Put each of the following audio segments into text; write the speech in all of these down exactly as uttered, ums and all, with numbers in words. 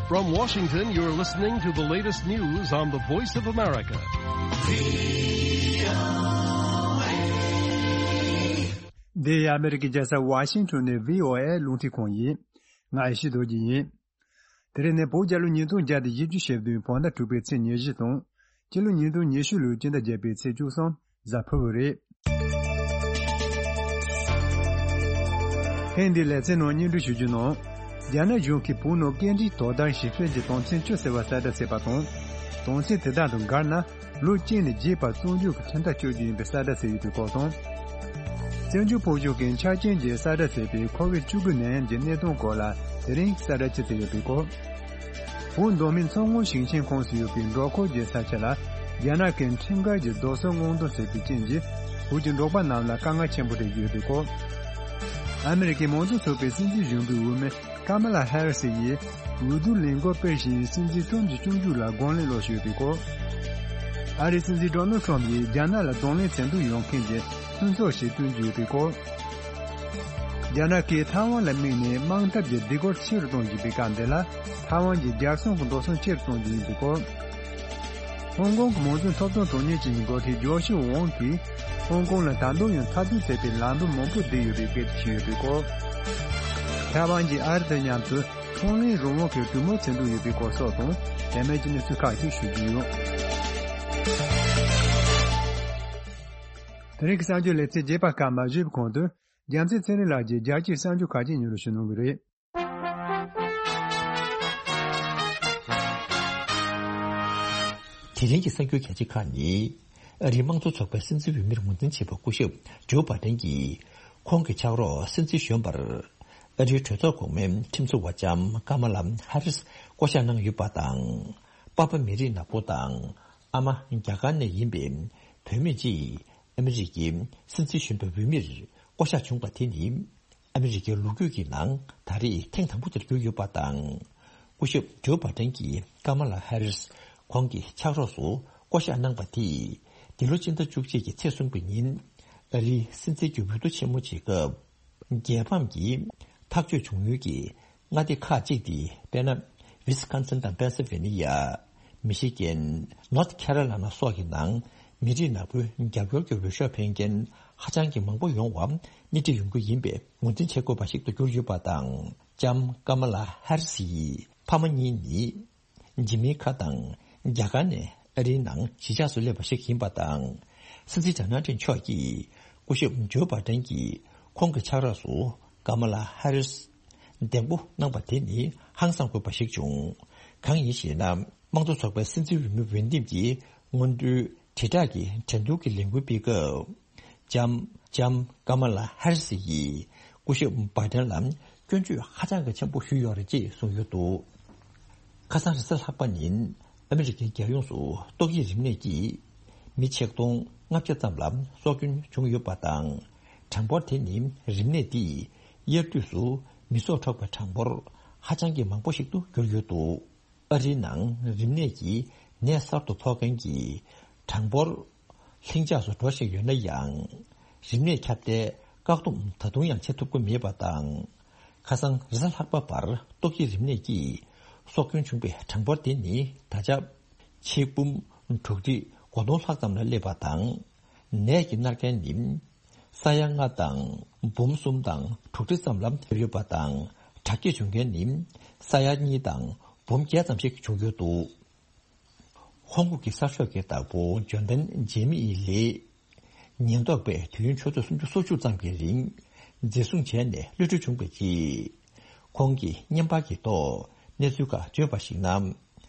From Washington, you're listening to the latest news on the Voice of America. འདི་ཨ་མེ་རི་ཀའི་རྒྱལ་ས་ཝ་ཤིང་ཊོན་ནས་བྷི་ཨོ་ཨེ་རླུང་འཕྲིན་ཁང་ཡིན། ང་ཡེ་ཤེས་རྡོ་རྗེ་ཡིན། དེ་རིང་ནི་བོད་རྒྱལ་ལོ་ཉིས་སྟོང་བརྒྱ་དང་བཞི་བཅུ་ཞེ་བདུན་བོད་ཟླ་དྲུག་པའི་ཚེས་ཉེར་བཞི་དང་། སྤྱི་ལོ་ཉིས་སྟོང་ཉི་ཤུ་ལོའི་སྤྱི་ཟླ་བརྒྱད་པའི་ཚེས་བཅུ་གསུམ་གཟའ་ཕུར་བུ་རེད། ཐེངས་འདིའི་ལེ་ཚན་ནང་སྙན་སྒྲོན་ཞུ་རྒྱུ་ནང་། རྒྱ་ནག་གཞུང་གིས་བོད་ནང་སྐད་འཕྲིན་དོ་དམ་ཞིབ་དཔྱོད་ཀྱི་དོན་ཚན་བཅུ་ཟེར་བ་གསལ་བསྒྲགས་བྱས་པ་དང་། དོན་ཚན་དེ་དག་དང་འགལ་ན། ལོ་གཅིག་ནས་རྒྱས་པར་བཙོན་འཇུག་གི་ཁྲིམས་ཐག་གཅོད་རྒྱུ་ཡིན་པའི་གསལ་བསྒྲགས་བྱས་ཡོད་པའི་སྐོར་དང་། བཙན་བྱོལ་བོད་གཞུང་གི་འཆར་ཅན་གྱི་གསལ་བསྒྲགས་བྱས་པའི་ཁོ་བིད་བཅུ་དགུ་ནད་ཡམས་ཀྱི་གནས་སྟངས་སྐོར་ལ་དེ་རིང་གསལ་བསྒྲགས་ཅིག་བྱས་ཡོད་པའི་སྐོར། བོད་མདོ་སྨད་མཚོ་སྔོན་ཞིང་ཆེན་ཁོངས་སུ་ཡོད་པའི་འབྲོག་ཁུལ་གྱི་ས་ཆ་ལ་རྒྱ་ནག་གི་ཁྲིམས་འགལ་གྱི་རྡོ་སོལ་སྔོག་འདོན་བྱས་པའི་རྐྱེན་གྱིས་བོད་ཀྱི་འབྲོག་པ་རྣམས་ལ་དཀའ་ངལ་ཆེན་པོ་རེ་ཡོད་པའི་སྐོར། ཨ་མེ་རི་ཀའི་མང་གཙོ་ཚོགས་པའི་སྲིད་འཛིན་གཞོན་པའི་འོས་མི་ཀ་མ་ལ་ཧེ་རི་སི་ཡིས་འོས་བསྡུ་ལས་འགུལ་སྤེལ་བཞིན་སྲིད་འཛིན་ཁྲོམ་གྱི་སྐྱོང་རྒྱུ་ལ་དགོངས་ལན་སློག་བཞིན་ཡོད་པའི་སྐོར། ཨ་རིའི་སྲིད་འཛིན་ཌོ་ནལ་ཁྲོམ་ཡིས་རྒྱ་ནག་ལ་གདོང་ལེན་མཚན་ཐོ་ཡོང་མཁན་གྱི་ལྷན་ཚོགས་ཤིག་བསྐྲུན་རྒྱུ་ཡོད་པའི་སྐོར། རྒྱ་ནག་གིས་ཐའེ་ཝན་ལ་དམིགས་ནས་དམག་འཐབ་ཀྱི་སྡིགས་སྐུལ་ཆེ་རུ་གཏོང་བཞིན་པའི་སྐབས་འདི་ལ། ཐའེ་ཝན་གྱི་རྒྱལ་སྲུང་གི་འགྲོ་སོང་ཆེ་རུ་གཏོང་རྒྱུ་ཡིན་པའི་སྐོར། ཧོང་ཀོང་གི་མང་གཙོའི་ཐོབ་ཐང་དྲང་གནས་ཅན་གྱི་འགོ་ཁྲིད་ཇོ་ཤི་ཝོང་གིས་ཧོང་ཀོང་ལ་ད་དུང་ཡང་འཐབ་རྩོད་བྱེད་པའི་ལམ་བུ་མང་པོ་བསྡད་ཡོད་པའི་སྐད་ཆ་བཤད་ཡོད་པའི་སྐོར། ཐའེ་ཝན་གྱིས་ཨ་རི་དང་མཉམ་དུ་ཚོང་ལས་རང་དབང་གི་གྲོས་མོལ་བྱེད་འདོད་ཡོད་པའི་སྐོར་སོགས་དང་། དེ་མིན་གྱི་གནས་ཚུལ་ཁག་ཅིག་ཞུ་རྒྱུ་ཡོད། དེ་རིང་གི་གསར་འགྱུར་ལེ་ཚན་རྒྱས་པ་སྐབས་མ་ཞུས་པའི་གོང་དུ། རྒྱལ་མཚན་ཚེ་རིང་ལགས་ཀྱིས་རྒྱལ་སྤྱིའི་གསར་འགྱུར་ཁག་ཅིག་སྙན་སྒྲོན་ཞུ་གནང་གི་རེད། དེ་རིང་གི་གསར་འགྱུར་གལ་ཆེ་ཁག་ནི། ཨ་རིའི་དམངས་གཙོ་ཚོགས་པའི་སྲིད་འཛིན་འོས་མིར་ངོས་འཛིན་བྱས་པ་སྐུ་ཞབས་ཇོ་བྷ་ཏན་གྱིས། ཁོང་གི་ཕྱག་རོགས་སྲིད་འཛིན་གཞོན་པར། ཨ་རིའི་གྲོས་ཚོགས་གོང་མའི་ཁྲིམས་བཟོ་བ་ལྕམ་ཀ་མ་ལ་ཧ་རིས་བསྐོ་གཞག་གནང་ཡོད་པ་དང་། པ་ཕ་མི་རིགས་ནག་པོ་དང་། ཨ་མ་རྒྱ་གར་ནས་ཡིན་པའི་བུད་མེད་ཅིག་ཨ་མི་རི་ཀའི་སྲིད་འཛིན་གཞོན་པའི་འོས་མིར་བསྐོ་གཞག་བྱུང་བ་དེ་ནི། ཨ་མི་རི་ཀའི་ལོ་རྒྱུས་ཀྱི་ནང་ད་རེས་ཐེངས་དང་པོ་དེར་གྱུར་ཡོད་པ་དང་། སྐུ་ཞབས་ཇོ་བྷ་ཏན་གྱིས་ཀ་མ་ལ་ཧ་རིས་ཁོང་གི་ཕྱག་རོགས་སུ་བསྐོ་གཞག་གནང་པ་དེས་འདི་ལོ་སྤྱི་ཟླ་བཅུ་གཅིག་གི་ཚེས་གསུམ་པའི་ཉིན་ཨ་རིའི་སྲིད་འཛིན་གྱི་འོས་བསྡུ་ཆེན་མོ་བྱེད་སྐབས། རྒྱལ་ཕམ་གྱི་ཐག་གཅོད་བྱུང་ཡུལ་གྱི་མངའ་སྡེ་ཁག་ཅིག་སྟེ། དཔེར་ན། ཝི་སི་ཀོན་སིན་དང་པེན་སིལ་ཝེ་ནི་ཡ། མི་ཤི་གན། ནོར་ཐི་ཁེ་རོ་ལི་ན་སོགས་ཀྱི་ནང་མི་རིགས་ནག་པོའི་རྒྱབ་སྐྱོར་གྱི་འོས་ཤོག་འཕེན་མཁན་ཧ་ཅང་གི་མང་པོ་ཡོང་བ་སྣེ་ཁྲིད་ཡོང་རྒྱུ་ཡིན་པའི་ངོས་འཛིན་བྱེད་དགོས་པ་ཞིག་ཏུ་གྱུར་ཡོད་པ་དང་། ལྕམ་ཀ་མ་ལ་ཧ་རི་སི་ཡི་ཕ་མ་གཉིས་ནི། འཇིགས་མེད་ཁ་དང་རྒྱ་གར་ནས་ཨ་རིའི་ནང་གཞིས་ཆགས་སུ་སླེབས་པ་ཞིག་ཡིན་པ་དང་། སྲིད་འཛིན་ཌོ་ནལ་ཊམ་མཆོག་གིས་སྐུ་ཞབས་ཇོ་བྷ་ཏན་གྱིས་ཁོང་གི་ཕྱག་རོགས་སུ་ཀ་མ་ལ་ཧ་རིས་འདེམས་བསྐོ་གནང་པ་དེ་ནི་ཧང་སང་དགོས་པ་ཞིག་བྱུང་། གང་ཡིན་ཞེ་ན། དམངས་གཙོ་ཚོགས་པའི་སྲིད་འཛིན་འོས་མི་འོས་འདེམས་ཀྱི་སྔོན་འགྲོའི་དྲིལ་བསྒྲགས་ཀྱི་འགྲན་བསྡུར་གྱི་ལས་འགུལ་སྤེལ་སྐབས། ལྕམ་ལྕམ་ཀ་མ་ལ་ཧ་རི་སི་ཡིས་སྐུ་ཞབས་བྷ་ཏན་ལ་སྐྱོན་བརྗོད་ཧ་ཅང་གི་ཆེན་པོ་ཞུས་ཡོད་རེད་ཅེས་གསུངས་ཡོད་འདུག་ཁ་སང་རེས་གཟའ་ལྷག་པ་ཉིན་ཨ་མི་རི་ཀའི་རྒྱལ་ཡོངས་སུ་ཏོག་དབྱིབས་རིམས་ནད་ཀྱིས་མི་ཆིག་སྟོང་ལྔ་བརྒྱ་ཙམ་ལ་སྲོག་སྐྱོན་བྱུང་ཡོད་པ་དང་། གྲངས་འབོར་དེ་ནི་རིམས་ནད་འདིས་དབྱར་དུས་སུ་མི་སྲོག་འཕྲོག་པའི་གྲངས་འབོར་ཧ་ཅང་གི་མང་པོ་ཞིག་ཏུ་གྱུར་ཡོད་འདུག་ཨ་རིའི་ནང་རིམས་ནད་ཀྱི་ནད་གསར་དུ་ཕོག་མཁན་གྱི་གྲངས་འབོར་ལྷིང་འཇགས་སུ་འགྲོ་བཞིན་ཡོད་ན་ཡང་། རིམས་ནད་ཁྱབ་གདལ་བཀག་སྡོམ་ད་དུང་ཡང་བྱེད་ཐུབ་ཀྱི་མེད་པ་དང་། ཁ་སང་རེས་གཟའ་ལྷག་པ་བར་ཏོག་དབྱིབས་རིམས་ནད་ཀྱིས་སྲོག་སྐྱོན་བྱུང་པའི་གྲངས་འབོར་དེ་ནི་ད་ཆ་ཆིག་འབུམ་དྲུག་ཁྲི་དགུ་སྟོང་ལྷག་ཙམ་ལ་སླེབས་པ་དང་། ནད་ཀྱིས་མནར་མཁན་ནི་ས་ཡ་ལྔ་དང་འབུམ་གསུམ་དང་དྲུག་ཁྲི་ཙམ་ལ་སླེབས་ཡོད་པ་དང་། དྲག་སྐྱེད་བྱུང་མཁན་ནི་ས་ཡ་གཉིས་དང་འབུམ་བརྒྱད་ཙམ་ཞིག་བྱུང་ཡོད་འདུག་ཧོང་ཀོང་གི་གསར་ཤོག་གི་བདག་པོ་འཇོན་ཐང་ཇེ་མི་ཡི་ལེ། ཉེན་རྟོག་པས་དུས་ཡུན་ཆུ་ཚོད་སུམ་ཅུ་སོ་གཅིག་ཙམ་གྱི་རིང་འཛིན་བཟུང་བྱས་ནས་གློད་གྲོལ་བྱུང་བའི་རྗེས། ཁོང་གིས་བརྙན་པར་གྱི་ཐོག་གནས་ཚུལ་ཁག་བརྗོད་པར་གཞིགས་ན།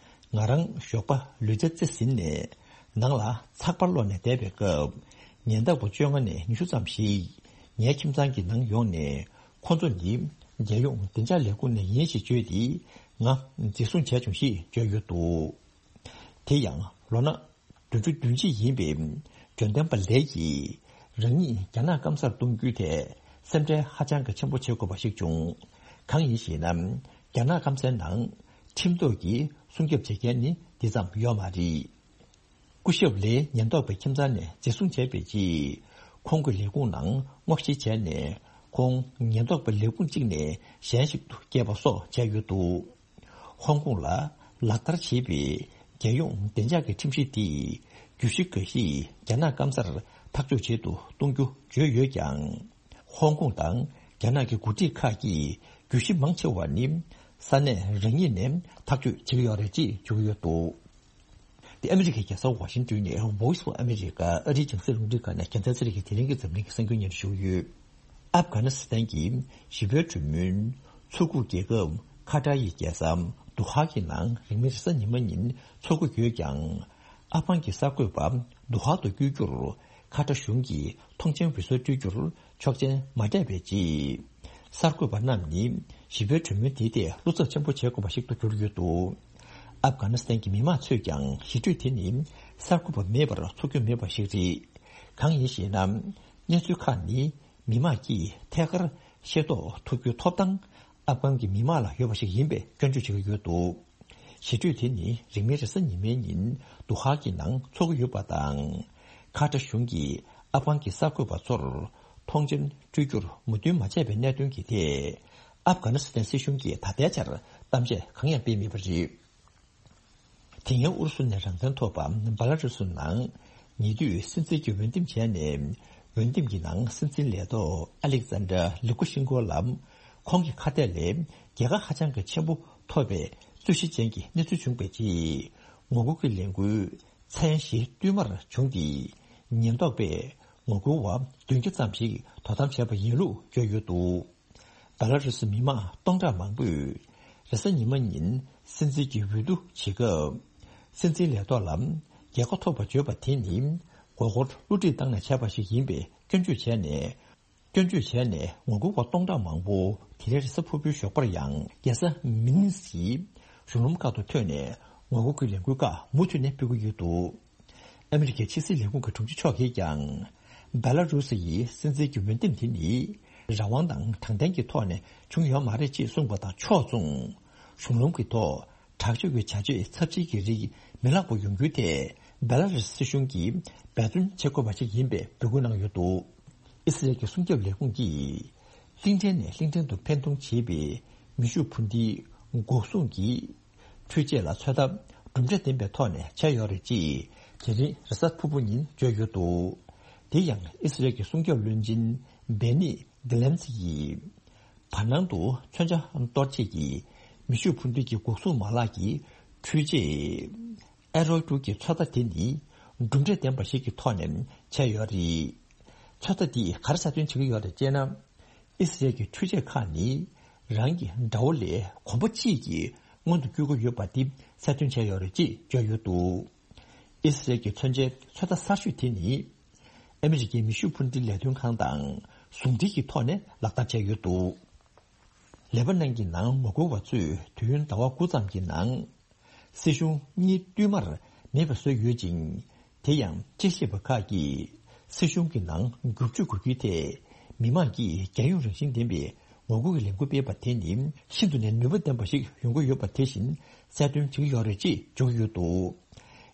ང་རང་ཞོགས་པ་ལུས་རྩལ་རྩེ་ཟིན་ནས་ནང་ལ་ཚགས་པར་ཀློག་ནས་བསྡད་པའི་སྐབས། ཉེན་རྟོག་པ་བཅོ་ལྔ་ནས་ཉི་ཤུ་ཙམ་ཞིག་ངའི་ཁྱིམ་ཚང་གི་ནང་ཡོང་ནས། ཁོ་ཚོ་ནི་རྒྱལ་ཡོངས་བདེ་འཇགས་ལས་ཁུངས་ནས་ཡིན་ཞེས་བརྗོད་དེ། ང་འཛིན་བཟུང་བྱས་བྱུང་ཞེས་བརྗོད་ཡོད་འདུག་དེ་ཡང་ལོ་ན་བདུན་ཅུ་དོན་གཅིག་ཡིན་པའི་འཇོན་ཐང་པ་ལེ་ཡིས་རང་ཉིད་རྒྱ་ནག་སྐམ་སར་གཏོང་རྒྱུའི་ཐད་སེམས་ཁྲལ་ཧ་ཅང་གི་ཆེན་པོ་བྱེད་དགོས་པ་ཞིག་བྱུང་། གང་ཡིན་ཞེ་ན། རྒྱ་ནག་སྐམ་སའི་ནང་ཁྲིམས་ཐོག་གི་སྲུང་སྐྱོབ་བྱེད་མཁན་ནི་འདི་ཙམ་ཡོད་མ་རེད། སྐུ་ཞབས་ལེའི་ཉེན་རྟོག་པའི་ཁྱིམ་ཚང་ནས་འཛིན་བཟུང་བྱས་པའི་རྗེས། ཁོང་གི་ལས་ཁུངས་ནང་སྔོག་བཤེར་བྱས་ནས། ཁོང་ཉེན་རྟོག་པའི་ལས་ཁུངས་གཅིག་ནས་གཞན་ཞིག་ཏུ་བསྐྱལ་བ་སོགས་བྱས་ཡོད་འདུག་ཧོང་ཀོང་ལ་ལག་བསྟར་བྱེད་པའི་རྒྱལ་ཡོངས་བདེ་འཇགས་ཀྱི་ཁྲིམས་གཞི་དེས་བརྒྱུད་གཞི་འགའ་ཞིག་རྒྱ་ནག་སྐམ་སར་ཐག་གཅོད་བྱེད་དུ་གཏོང་རྒྱུ་བརྗོད་ཡོད་ཀྱང་། ཧོང་ཀོང་དང་རྒྱ་ནག་གི་འགོ་ཁྲིད་ཁག་གིས་བརྒྱུད་གཞི་མང་ཆེ་བ་ནི་ས་གནས་རང་ཉིད་ནས་ཐག་གཅོད་བྱེད་ཀྱི་ཡོད་རེད་ཅེས་བརྗོད་ཀྱི་ཡོད་འདུག་དེ་ཨ་མི་རི་ཀའི་རྒྱལ་ས་ཝ་ཤིང་ཏོན་ནས་Voice of America ཨ་རིའི་རྒྱང་སྲིང་རླུང་འཕྲིན་ཁང་ནས་རྒྱལ་མཚན་ཚེ་རིང་གི་དེ་རིང་གི་འཛམ་གླིང་གི་གསར་འགྱུར་སྙན་སྒྲོན་ཞུ་གི་ཡོད། ཨབ་གྷ་ནི་སི་ཐན་གྱི་ཞི་བའི་གྲོས་མོལ་ཚོགས་ཁུར་རྒྱལ་ཁབ་ཁ་ཏར་ཡི་རྒྱལ་ས་དོ་ཧ་གི་ནང་རིང་མིན་རེས་གཟའ་ཉི་མ་ཉིན་འཚོགས་ཀྱི་ཡོད་ཀྱང་། ཨབ་གྷན་གྱི་གསར་འགོད་པ་དོ་ཧ་དུ་བསྐྱོད་རྒྱུར་ཁ་ཏར་གཞུང་གིས་ཐོངས་མཆན་འབུལ་སྲོལ་སྤྲོད་རྒྱུར་ཆོག་མཆན་མ་སྤྲད་པའི་རྗེས། གསར་འགོད་པ་རྣམས་ནི་ཞི་བའི་གྲོས་མོལ་དེའི་ཐད་བློ་འཚབ་ཆེན་པོ་བྱེད་དགོས་པ་ཞིག་ཏུ་གྱུར་ཡོད་འདུག་ཨབ་གྷ་ནི་སི་ཐན་གྱི་མི་མང་ཚོས་ཀྱང་ཞི་གྲོས་དེ་ནི་གསར་འགོད་པ་མེད་པར་འཚོགས་རྒྱུ་མེད་པ་ཞིག་རེད། གང་ཡིན་ཞེ་ན། གནས་ཚུལ་ཁག་ནི་མི་མང་གིས་ཐད་ཀར་ཤེས་རྟོགས་ཐུབ་རྒྱུའི་ཐོབ་ཐང་ཨབ་གྷན་གྱི་མི་མང་ལ་ཡོད་པ་ཞིག་ཡིན་པའི་སྐྱོན་བརྗོད་བྱེད་ཀྱི་ཡོད་འདུག་ཞི་གྲོས་དེ་ནི་རིང་མིན་རེས་གཟའ་ཉི་མའི་ཉིན་དོ་ཧ་གི་ནང་འཚོགས་ཀྱི་ཡོད་པ་དང་། ཁ་ཏར་གཞུང་གིས་ཨབ་གྷན་གྱི་གསར་འགོད་པ་ཚོར་ཐོངས་མཆན་སྤྲོད་རྒྱུར་མོས་མཐུན་མ་བྱས་པའི་གནད་དོན་གྱི་ཐད། ཨབ་གྷ་ནི་སི་ཐན་སྲིད་གཞུང་གིས་ད་ལྟའི་ཆར་གཏམ་བཤད་གང་ཡང་སྤེལ་མེད་པ་རེད། དེ་སྔོན་ཨུ་རུ་སུ་ནས་རང་བཙན་ཐོབ་པ་བྷ་ལ་རུ་སུ་ནང་ཉེ་དུས་སྲིད་འཛིན་གྱི་འོས་འདེམས་བྱས་ནས། འོས་འདེམས་ཀྱི་ནང་སྲིད་འཛིན་ལས་ཐོག་ཨ་ལེག་ཛན་ཌར་ལུ་ཀ་ཤིན་ཀོ་ལ། ཁོང་གི་ཁ་གཏད་ལས་རྒྱལ་ཁ་ཧ་ཅང་གི་ཆེན་པོ་ཐོབ་པའི་རྩོད་གཞི་ཅན་གྱི་གནས་ཚུལ་བྱུང་བའི་རྗེས། ངོ་རྒོལ་གྱི་ལས་འགུལ་མཚན་གཞི་བསྟུད་མར་བྱུང་སྟེ། ཉེན་རྟོག་པས་ངོ་རྒོལ་བ་བདུན་བརྒྱ་ཙམ་ཞིག་དོ་དམ་བྱས་པ་ཡིན་ལུགས་བརྗོད་ཡོད་འདུག་བྷ་ལ་རུ་སི་མི་མང་སྟོང་ཕྲག་མང་པོས་རེས་གཟའ་ཉི་མ་ཉིན་སྲིད་འཛིན་གྱི་འོས་བསྡུ་བྱེད་སྐབས། སྲིད་འཛིན་ལས་ཐོག་ལ་རྒྱལ་ཁ་ཐོབ་པ་བརྗོད་པ་དེ་ནི་མགོ་སྐོར་བསླུ་བྲིད་བཏང་ནས་བྱས་པ་ཞིག་ཡིན་པའི་སྐྱོན་བརྗོད་བྱས་ནས། སྐྱོན་བརྗོད་བྱས་ནས་ངོ་རྒོལ་བ་སྟོང་ཕྲག་མང་པོ་དེ་རིང་རེས་གཟའ་ཕུར་བུའི་ཞོགས་པར་ཡང་རྒྱལ་ས་མི་ནི་སི་ཡི་གཞུང་ལམ་ཁག་ཏུ་ཐོན་ནས་ངོ་རྒོལ་གྱི་ལས་འགུལ་ཁག་མུ་མཐུད་ནས་སྤེལ་གྱི་ཡོད་འདུག་ཨ་མི་རི་ཀའི་ཕྱི་སྲིད་ལས་ཁུངས་ཀྱི་དྲུང་ཆེ་མཆོག་གིས་ཀྱང་། བྷེ་ལ་རུ་སི་ཡི་སྲིད་འཛིན་གྱི་འོས་འདེམས་དེ་ནི་རང་དབང་དང་དྲང་བདེན་གྱི་ཐོག་ནས་བྱུང་ཡོད་མ་རེད་ཅེས་གསུངས་པ་དང་ཕྱོགས་མཚུངས། གཞུང་ལམ་གྱི་ཐོག་དྲག་སྤྱོད་ཀྱི་བྱ་སྤྱོད་ཚབས་ཆེན་གྱི་རིགས་མི་ལྷག་པ་ཡོང་རྒྱུའི་ཐད་བྷེ་ལ་རུ་སི་སྲིད་གཞུང་གིས་འབད་བརྩོན་བྱེད་དགོས་པ་ཞིག་ཡིན་པའི་འབོད་སྐུལ་གནང་ཡོད་འདུག་ཨི་སི་རལ་གྱི་སྲུང་སྐྱོབ་ལས་ཁུངས་ཀྱིས་གླིང་ཕྲན་ནས་གླིང་ཕྲན་དུ་འཕེན་གཏོང་བྱེད་པའི་མེ་ཤུགས་འཕུར་མདེལ་འགོག་སྲུང་གི་འཕྲུལ་ཆས་ལ་ཚོད་ལྟ་གྲུབ་འབྲས་ལྡན་པའི་ཐོག་ནས་བྱས་ཡོད་རེད་ཅེས་དེ་རིང་རེས་གཟའ་ཕུར་བུ་ཉིན་བརྗོད་ཡོད་འདུག་དེ་ཡང་ཨི་སི་རལ་གྱི་སྲུང་སྐྱོབ་བློན་ཆེན་བེ་ནི་དི་ལན་ཙི་ཡིས་བར་སྣང་དུ་མཚོན་ཆ་གཏོར་བྱེད་ཀྱི་མེ་ཤུགས་འཕུར་མདེལ་གྱི་འགོག་སྲུང་མ་ལག་གི་འཕྲུལ་ཆས། ཨེ་རོ་ཀྲུ་གི་ཚོད་ལྟ་དེ་ནི་གྲུབ་འབྲས་ལྡན་པ་ཞིག་གི་ཐོག་ནས་བྱས་ཡོད་རེད། ཚོད་ལྟ་འདིས་ག་རེ་གསལ་སྟོན་བྱེད་ཀྱི་ཡོད་རེད་ཅེ་ན། ཨི་སི་རལ་གྱི་འཕྲུལ་ཆས་ཁག་ནི་རང་གི་དགྲ་བོ་ལས་གོམ་པ་གཅིག་གིས་མངོན་དུ་བསྐྱུར་གྱི་ཡོད་པ་འདི་གསལ་སྟོན་བྱས་ཡོད་རེད་ཅེས་བརྗོད་ཡོད་འདུག་ཨི་སི་རལ་གྱི་མཚོན་ཆའི་ཚོད་ལྟ་གསར་ཤོས་དེ་ནི་ཨ་མི་རི་ཀའི་མེ་ཤུགས་འཕུར་མདེལ་ལས་དོན་ཁང་དང་ཟུང་འབྲེལ་གྱི་ཐོག་ནས་ལག་བསྟར་བྱས་ཡོད་འདུག་ལེ་པ་ནན་གྱི་ནང་ངོ་རྒོལ་བ་ཚོས་དུས་ཡུན་ཟླ་བ་དགུ་ཙམ་གྱི་ནང་། སྲིད་གཞུང་གཉིས་བསྟུད་མར་མེད་པ་བཟོས་ཡོད་ཅིང་། དེ་ཡང་དཔྱད་ཞིབ་པ་ཁག་གིས་སྲིད་གཞུང་གི་ནང་འགྱུར་བཅོས་དགོས་རྒྱུའི་ཐད་མི་མང་གིས་རྒྱལ་ཡོངས་རང་བཞིན་ལྡན་པའི་ངོ་རྒོལ་གྱི་ལས་འགུལ་སྤེལ་བ་དེ་ནི་ཤིན་ཏུ་ནས་ནུས་པ་ལྡན་པ་ཞིག་ཡོང་གི་ཡོད་པ་དེ་བཞིན་གསལ་སྟོན་བྱེད་ཀྱི་ཡོད་རེད་ཅེས་བརྗོད་ཀྱི་ཡོད་འདུག་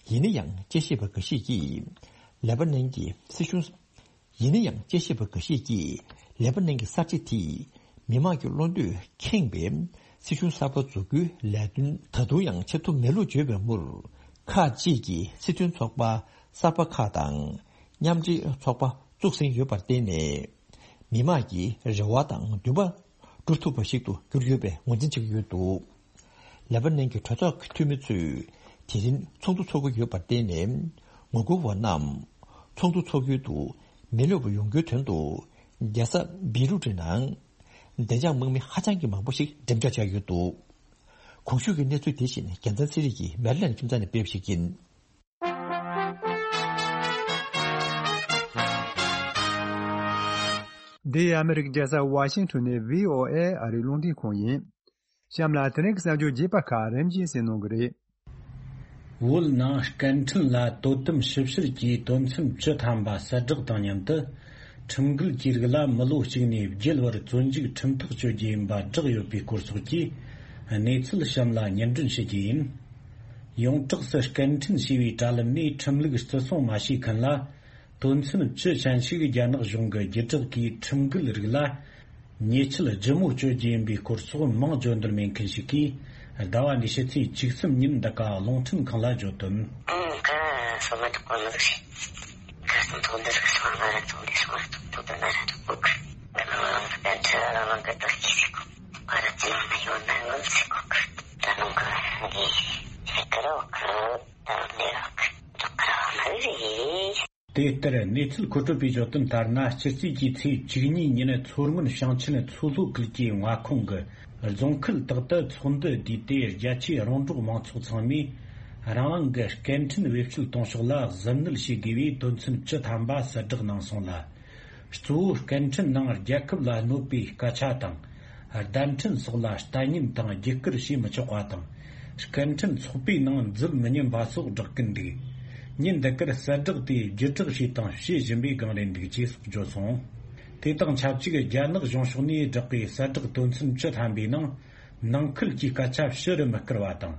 ཡིན་ན་ཡང་དཔྱད་ཞིབ་པ་འགའ་ཤས་ཀྱིས་ལེ་པ་ནན་གྱི་སྲིད་གཞུང་། ཡིན་ན་ཡང་དཔྱད་ཞིབ་པ་འགའ་ཤས་ཀྱིས་ལེ་པ་ནན་གྱི་གསར་བརྗེ་དེས་མི་མང་གི་བློ་འདོད་ཁེངས་པའི་སྲིད་གཞུང་གསར་པ་འཛུགས་རྒྱུའི་ལས་དོན་ད་དུང་ཡང་བྱེད་ཐུབ་མེད་ལུགས་བརྗོད་པའི་མུར། ཁག་ཅིག་གིས་སྲིད་དོན་ཚོགས་པ་གསར་པ་ཁག་དང་མཉམ་འབྲེལ་ཚོགས་པ་བཙུགས་ཟིན་ཡོད་པར་བརྟེན་ནས། མི་མང་གི་རེ་བ་དང་འདུན་པ་སྒྲུབ་ཐུབ་པ་ཞིག་ཏུ་གྱུར་ཡོད་པའི་ངོས་འཛིན་བྱེད་ཀྱི་ཡོད་འདུག་ལེ་པ་ནན་གྱི་གྲོས་ཚོགས་ཀྱི་འཐུས་མི་ཚོས་དེ་རིང་ཚོགས་འདུ་འཚོགས་ཀྱི་ཡོད་པར་བརྟེན་ནས། ངོ་རྒོལ་བ་རྣམས་ཚོགས་འདུ་འཚོགས་ཡུལ་དུ་མི་སླེབས་པ་ཡོང་རྒྱུའི་དོན་དུ། རྒྱལ་ས་བེ་རུ་ཊི་ནང་བདེ་འཇགས་དམག་མི་ཧ་ཅང་གི་མང་པོ་ཞིག་འགྲེམས་འཇོག་བྱས་ཡོད་འདུག་གོང་ཞུས་ཀྱི་གནས་ཚུལ་དེ་བཞིན་རྒྱལ་མཚན་ཚེ་རིང་གིས་མེ་རི་ལན་ཁྱིམ་ཚང་ནས་སྤེལ་བ་ཞིག་ཡིན། འདི་ཨ་མི་རི་ཀའི་རྒྱལ་ས་ཝ་ཤིང་ཊོན་ནས་བྷི་ཨོ་ཨེ་ཨ་རིའི་རླུང་འཕྲིན་ཁང་ཡིན། གཤམ་ལ་དེ་རིང་གི་གསར་འགྱུར་རྒྱས་པ་ཁག་རིམ་བཞིན་གསན་གནང་གི་རེད། བོད་ནང་སྐད་འཕྲིན་ལ་དོ་དམ་ཞིབ་བཤེར་གྱིས་དོན་ཚན་བཅུ་ཐམ་པ་གསལ་བསྒྲགས་དང་མཉམ་དུ། ཁྲིམས་འགལ་གྱི་རིགས་ལ་མི་ལོ་གཅིག་ནས་བརྒྱད་བར་བཙོན་འཇུག་ཁྲིམས་ཐག་གཅོད་རྒྱུ་ཡིན་པ་བསྒྲགས་ཡོད་པའི་སྐོར་སོགས་ཀྱི་གནས་ཚུལ་གཤམ་ལ་སྙན་སྒྲོན་ཞུ་རྒྱུ་ཡིན། ཡོངས་གྲགས་སུ་སྐད་འཕྲིན་ཞེས་པའི་དྲ་ལམ་ནས་ཁྲིམས་ལུགས་བརྩི་སྲུང་མ་བྱས་མཁན་ལ། དོན་ཚན་བཅུ་ཅན་ཞིག་རྒྱ་ནག་གཞུང་གི་བརྒྱུད་བསྒྲགས་ཀྱིས་ཁྲིམས་འགལ་རིགས་ལ་ཉེས་ཆད་ལྗིད་མོ་གཅོད་རྒྱུ་ཡིན་པའི་སྐོར་སོགས་མིང་བརྗོད་འདོད་མེད་མཁན་ཞིག་གིས་ ཟླ་བ་འདིའི་ཕྱི་ཚེས་བཅུ་གསུམ་ཉིན་འདི་ག་རླུང་འཕྲིན་ཁང་ལ་བརྗོད་དོན། ཨང་། ཀ་སོ་མ་ཐོག་གོ་མི་ཟིག་ཁ་སང་ཐོག་འདི་ཟིག་སོང་ང་ར་ཐོག་འདི་སོང་ང་ར་ཐོག་ཐོག་ཏུ་ང་ར་ཐོག་གོ་ཁུ། ད་ནང་ལ་ང་ད་ཁྲི་ར་ལང་གི་ཏོ་ཁྱི་ཟིག་གོ། ང་ར་ཅི་ཡོང་ན་ཡོང་ན་ངུ་ཟིག་གོ་ཁུ། ད་ནང་གི་ངི་ཧེ་ཀ་རོ་ཁུ། ད་ལེ་རོ་ཁུ། ད་ཀ་རོ་མ་ཟིག་དེ་ལྟར་གནས་ཚུལ་མཁོ་སྤྲོད་པས་བརྗོད་དོན་ལྟར་ན། སྤྱི་ཚེས་ཀྱི་ཚེས་བཅུ་གཉིས་ཉིན་མཚོ་སྔོན་ཞིང་ཆེན་མཚོ་ལྷོ་ཁུལ་གྱི་མངའ་ཁོངས་ཀྱི་རྫོང་ཁུལ་དག་ཏུ་ཚོགས་འདུ་བསྡུས་ཏེ། རྒྱ་ཆེའི་རོང་འབྲོག་མང་ཚོགས་ཚང་མས་རང་རང་གི་སྐད་འཕྲིན་བེད་སྤྱོད་གཏོང་ཕྱོགས་ལ་གཟབ་ནན་བྱེད་དགོས་པའི་དོན་ཚན་བཅུ་ཐམ་པ་གསལ་བསྒྲགས་གནང་སོང་ལ། གཙོ་བོ་སྐད་འཕྲིན་ནང་རྒྱལ་ཁབ་ལ་གནོད་པའི་སྐད་ཆ་དང་། བརྡ་འཕྲིན་སོགས་ལ་ལྟ་ཉན་དང་བརྒྱུད་བསྐུར་བྱེད་མི་ཆོག་པ་དང་། སྐད་འཕྲིན་ཚོགས་པའི་ནང་འཛུལ་མི་ཉན་པ་སོགས་བསྒྲགས་ཀྱིན་འདུག་ཉིན་འདི་གར་གསལ་བསྒྲགས་དེ་བརྒྱུད་བསྒྲགས་བྱས་དང་བྱེད་བཞིན་པའི་སྒང་རེད་འདུག་ཅེས་སོགས་བརྗོད་སོང་། དེ་དང་ཆབས་ཅིག་རྒྱ་ནག་གཞུང་ཕྱོགས་ནས་བསྒྲགས་པའི་གསལ་བསྒྲགས་དོན་ཚན་བཅུ་ཐམ་པའི་ནང་། ནང་ཁུལ་གྱི་སྐད་ཆ་ཕྱི་རུ་མི་བསྐུར་བ་དང་།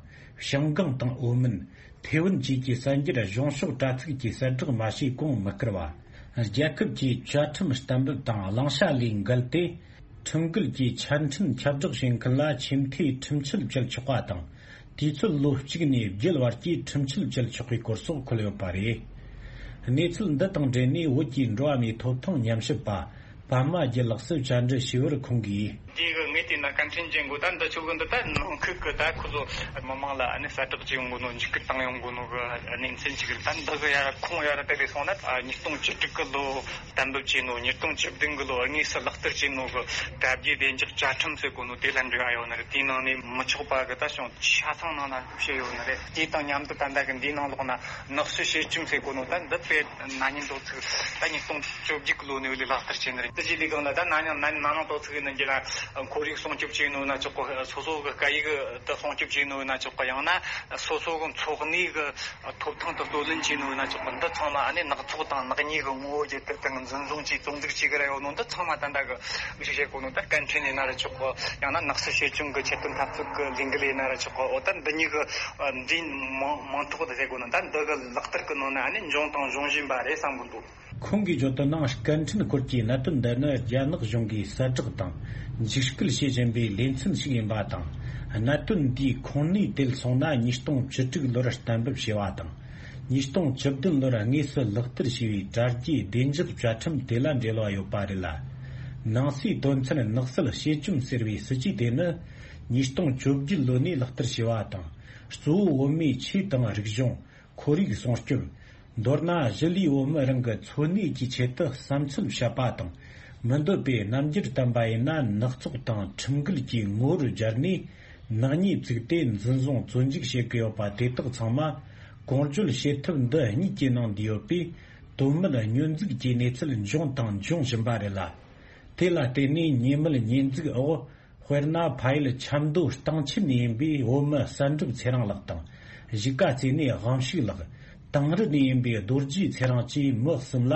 ཞང་ཀང་དང་ཨོ་མིན། ཐེ་ཝན་བཅས་ཀྱི་གསར་འགྱུར་གཞུང་ཕྱོགས་དྲ་ཚིགས་ཀྱི་གསལ་བསྒྲགས་མ་བྱས་གོང་མི་བསྐུར་བ། རྒྱལ་ཁབ་ཀྱི་བཅའ་ཁྲིམས་གཏན་འབེབས་དང་བླང་བྱ་ལས་འགལ་ཏེ། ཁྲིམས་འགལ་གྱིས་ཆ་འཕྲིན་ཁྱབ་བསྒྲགས་བྱེད་མཁན་ལ་ཆེས་མཐོའི་ཁྲིམས་ཆད་གཅོད་ཆོག་པ་དང་། དུས་ཚོད་ལོ་གཅིག་ནས་བརྒྱད་བར་གྱི་ཁྲིམས་ཆད་གཅོད་ཆོག་པའི་སྐོར་སོགས་འཁོད་ཡོད་པ་རེད། གནས་ཚུལ་འདི་དང་འབྲེལ་ནས་བོད་ཀྱི་འགྲོ་བ་མིའི་ཐོབ་ཐང་ཉམས་ཞིབ་པ། པདྨ་རྒྱལ་ལགས་སུ་བཅར་འདྲི་ཞུས་པར་ཁོང་གིས། འདི་གི་ངས་བལྟས་ན་སྐད་འཕྲིན་ཅན་གོ་ད་འདི་ཆོ་གི་འདི་ད་ནང་ཁུལ་གི་ད་ཁོ་ཚོ་མི་མང་ལ་ཨ་ནི་གསལ་བསྒྲགས་བྱེད་ཡོང་གོ་ནོ། འཇིགས་སྐུལ་བཏང་ཡོང་གོ་ནོ་གི་གནས་ཚུལ་ཅིག་རེད། ད་འདི་གི་ཡ་ར་ཁོང་ཡ་ར་དེ་ལས་སོང་ན་ཉིས་སྟོང་བཅུ་དྲུག་གི་ལོ་གཏན་འབེབས་བྱས་ནོ། ཉིས་སྟོང་བཅུ་བདུན་གི་ལོ་དངོས་སུ་ལག་བསྟར་བྱས་ནོ་གི་དྲ་རྒྱའི་བདེ་འཇགས་བཅའ་ཁྲིམས་ཟེར་གོ་ནོ་དེ་ལ་འབྲེལ་བ་ཡོད་ནི་རེད། དེའི་ནང་ནས་མི་ཆོག་པ་གི་ད་བྱུང་ཆ་ཚང་ནང་ན་བཤད་ཡོད་ནི་རེད། དེ་དང་མཉམ་དུ་ད་ལྟ་གི་འདིའི་ནང་ལོགས་ན་ནག་གསོད་བྱེད་ཁྲིམས་ཟེར་གོ་ནོ་ད་འདི་དཔེ་ན་ནིང་དོ་ཚིགས་ད་ཉིས་སྟོང་བཅོ་བརྒྱད་ལོ་ནས་ལག་བསྟར་བྱས་ནི་རེད། དེ་རྗེས་ལས་གང་ལ་ད་ན་ནིང་ན་ནིང་དོ་ཚིགས་ནི་འགྱེད་ན་ཁོར་ཡུག་སྲུང་སྐྱོབ་བྱས་ནོ་ན་ཆོག་གོ། སོ་སོ་གི་སྐད་ཡིག་དེ་སྲུང་སྐྱོབ་བྱས་ནོ་ན་ཆོག་གོ། ཡང་ན་སོ་སོ་གི་འཚོ་གནས་གི་ཐོབ་ཐང་དེ་རྩོད་ལེན་བྱས་ནོ་ན་ཆོག་གོ། འདི་ཚང་མ་ཨ་ནི་ནག་ཚོགས་དང་ནག་ཉེས་གི་ངོ་བོ་བརྒྱུད་དེ་དང་འཛིན་བཟུང་བྱས་བཙོན་འཇུག་བྱེད་གི་ར་ཡོད་ནོ། འདི་ཚང་མ་ད་ལྟ་གི་ཞིག་བྱེད་གོ་ནོ་ད་སྐད་འཕྲིན་ཡིན་ན་ར་ཆོག་གོ། ཡང་ན་ནག་གསོད་བྱེད་ཁྲིམས་གི་ཆེད་དོན་འཐབ་རྩོད་གི་ལས་འགུལ་ཡིན་ན་ར་ཆོག་གོ། འོ་ད་འདི་གཉིས་གི་འདི་མང་མང་ཐོག་ཏུ་ཟེར་གོ་ནོ་ད་འདི་གི་ལག་བསྟར་གི་ནང་ན་ཨ་ནི་འབྱུང་དང་འབྱུང་བཞིན་པ་རེད་བསམ་གི་འདུག་ཁོང་གིས་བརྗོད་དོན་ནང་། སྐད་འཕྲིན་སྐོར་གྱི་གནད་དོན་འདི་ནི་རྒྱ་ནག་གཞུང་གིས་གསལ་བསྒྲགས་དང་འཇིགས་སྐུལ་བྱེད་བཞིན་པའི་ལེ་ཚན་ཞིག་ཡིན་པ་དང་། གནད་དོན་འདིའི་ཁུངས་སྣེ་དེད་སོང་ན་ཉིས་སྟོང་བཅུ་དྲུག་ལོར་གཏན་འབེབས་བྱས་པ་དང་། ཉིས་སྟོང་བཅུ་བདུན་ལོར་དངོས་སུ་ལག་བསྟར་བྱས་པའི་དྲ་རྒྱའི་བདེ་འཇགས་བཅའ་ཁྲིམས་དེ་ལ་འབྲེལ་བ་ཡོད་པ་རེད་ལ། ནང་གསེས་དོན་ཚན་ནག་གསོད་བྱེད་ཁྲིམས་ཟེར་བའི་སྲིད་ཇུས་དེ་ནི་ཉིས་སྟོང་བཅོ་བརྒྱད་ལོ་ནས་ལག་བསྟར་བྱས་པ་དང་། གཙོ་བོ་བོད་མིའི་ཆོས་དང་རིག་གཞུང་། ཁོར་ཡུག་སྲུང་སྐྱོབ། མདོར་ན་གཞིས་ལུས་བོད་མི་རང་གི་འཚོ་གནས་ཀྱི་ཆེད་དུ་བསམ་ཚུལ་བཤད་པ་དང་། མི་འདོད་པའི་རྣམ་འགྱུར་བསྟན་པ་ཡིན་ན་ནག་ཚོགས་དང་ཁྲིམས་འགལ་གྱི་ངོ་བོར་སྦྱར་ནས་ནག་ཉེས་བཙུགས་ཏེ་འཛིན་བཟུང་བཙོན་འཇུག་བྱེད་ཀྱི་ཡོད་པ་དེ་དག་ཚང་མ་གོང་བརྗོད་བྱེད་ཐབས་འདི་གཉིས་ཀྱི་ནང་འདུས་ཡོད་པས། དོན་མེད་སྙོན་འཛུགས་ཀྱི་གནས་ཚུལ་འབྱུང་དང་འབྱུང་བཞིན་པ་རེད་ལ། དེ་ལ་བརྟེན་ནས་ཉེས་མེད་ཉེས་འཛུགས་འོག་དཔེར་ན། ཕ་ཡུལ་ཆབ་མདོ་སྟེང་ཆེན་ནས་ཡིན་པའི་བོད་མི་གསལ་འགྲུབ་ཚེ་རིང་ལགས་དང་། གཞིས་ཀ་རྩེ་ནས་དབང་ཕྱུག་ལགས། དིང་རི་ནས་ཡིན་པའི་རྡོ་རྗེ་ཚེ་རིང་བཅས་མི་གསུམ་ལ་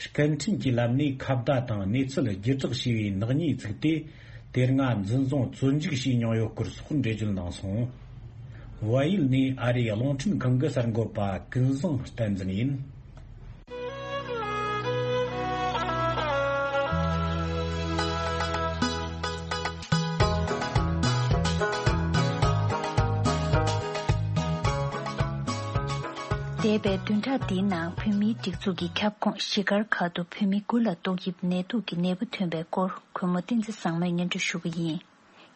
སྐད་འཕྲིན་གྱི་ལམ་ནས་ཁ་བརྡ་དང་གནས་ཚུལ་བརྒྱུད་བསྒྲགས་བྱས་པའི་ནག་ཉེས་བཙུགས་ཏེ། དེ་སྔ་འཛིན་བཟུང་བཙོན་འཇུག་བྱས་མྱོང་ཡོད་སྐོར་སོགས་འགྲེལ་བརྗོད་གནང་སོང་། བལ་ཡུལ་ནས་ཨ་རིའི་རླུང་འཕྲིན་ཁང་གི་གསར་འགོད་པ་ཀུན་བཟང་བསྟན་འཛིན་ཡིན། འདས་པའི་བདུན་ཕྲག་འདིའི་ནང་བོད་མིའི་སྒྲིག་འཛུགས་ཀྱི་ཁྱབ་ཁོངས་གཞིས་སྒར་ཁག་ཏུ་བོད་མི་དགུ་ལ་ཏོག་དབྱིབས་ནད་དུག་གི་ནད་འབུ་ཐོན་པའི་སྐོར་གུས་མོ་བསྟན་འཛིན་བཟང་མོས་སྙན་སྒྲོན་ཞུ་གི་ཡིན།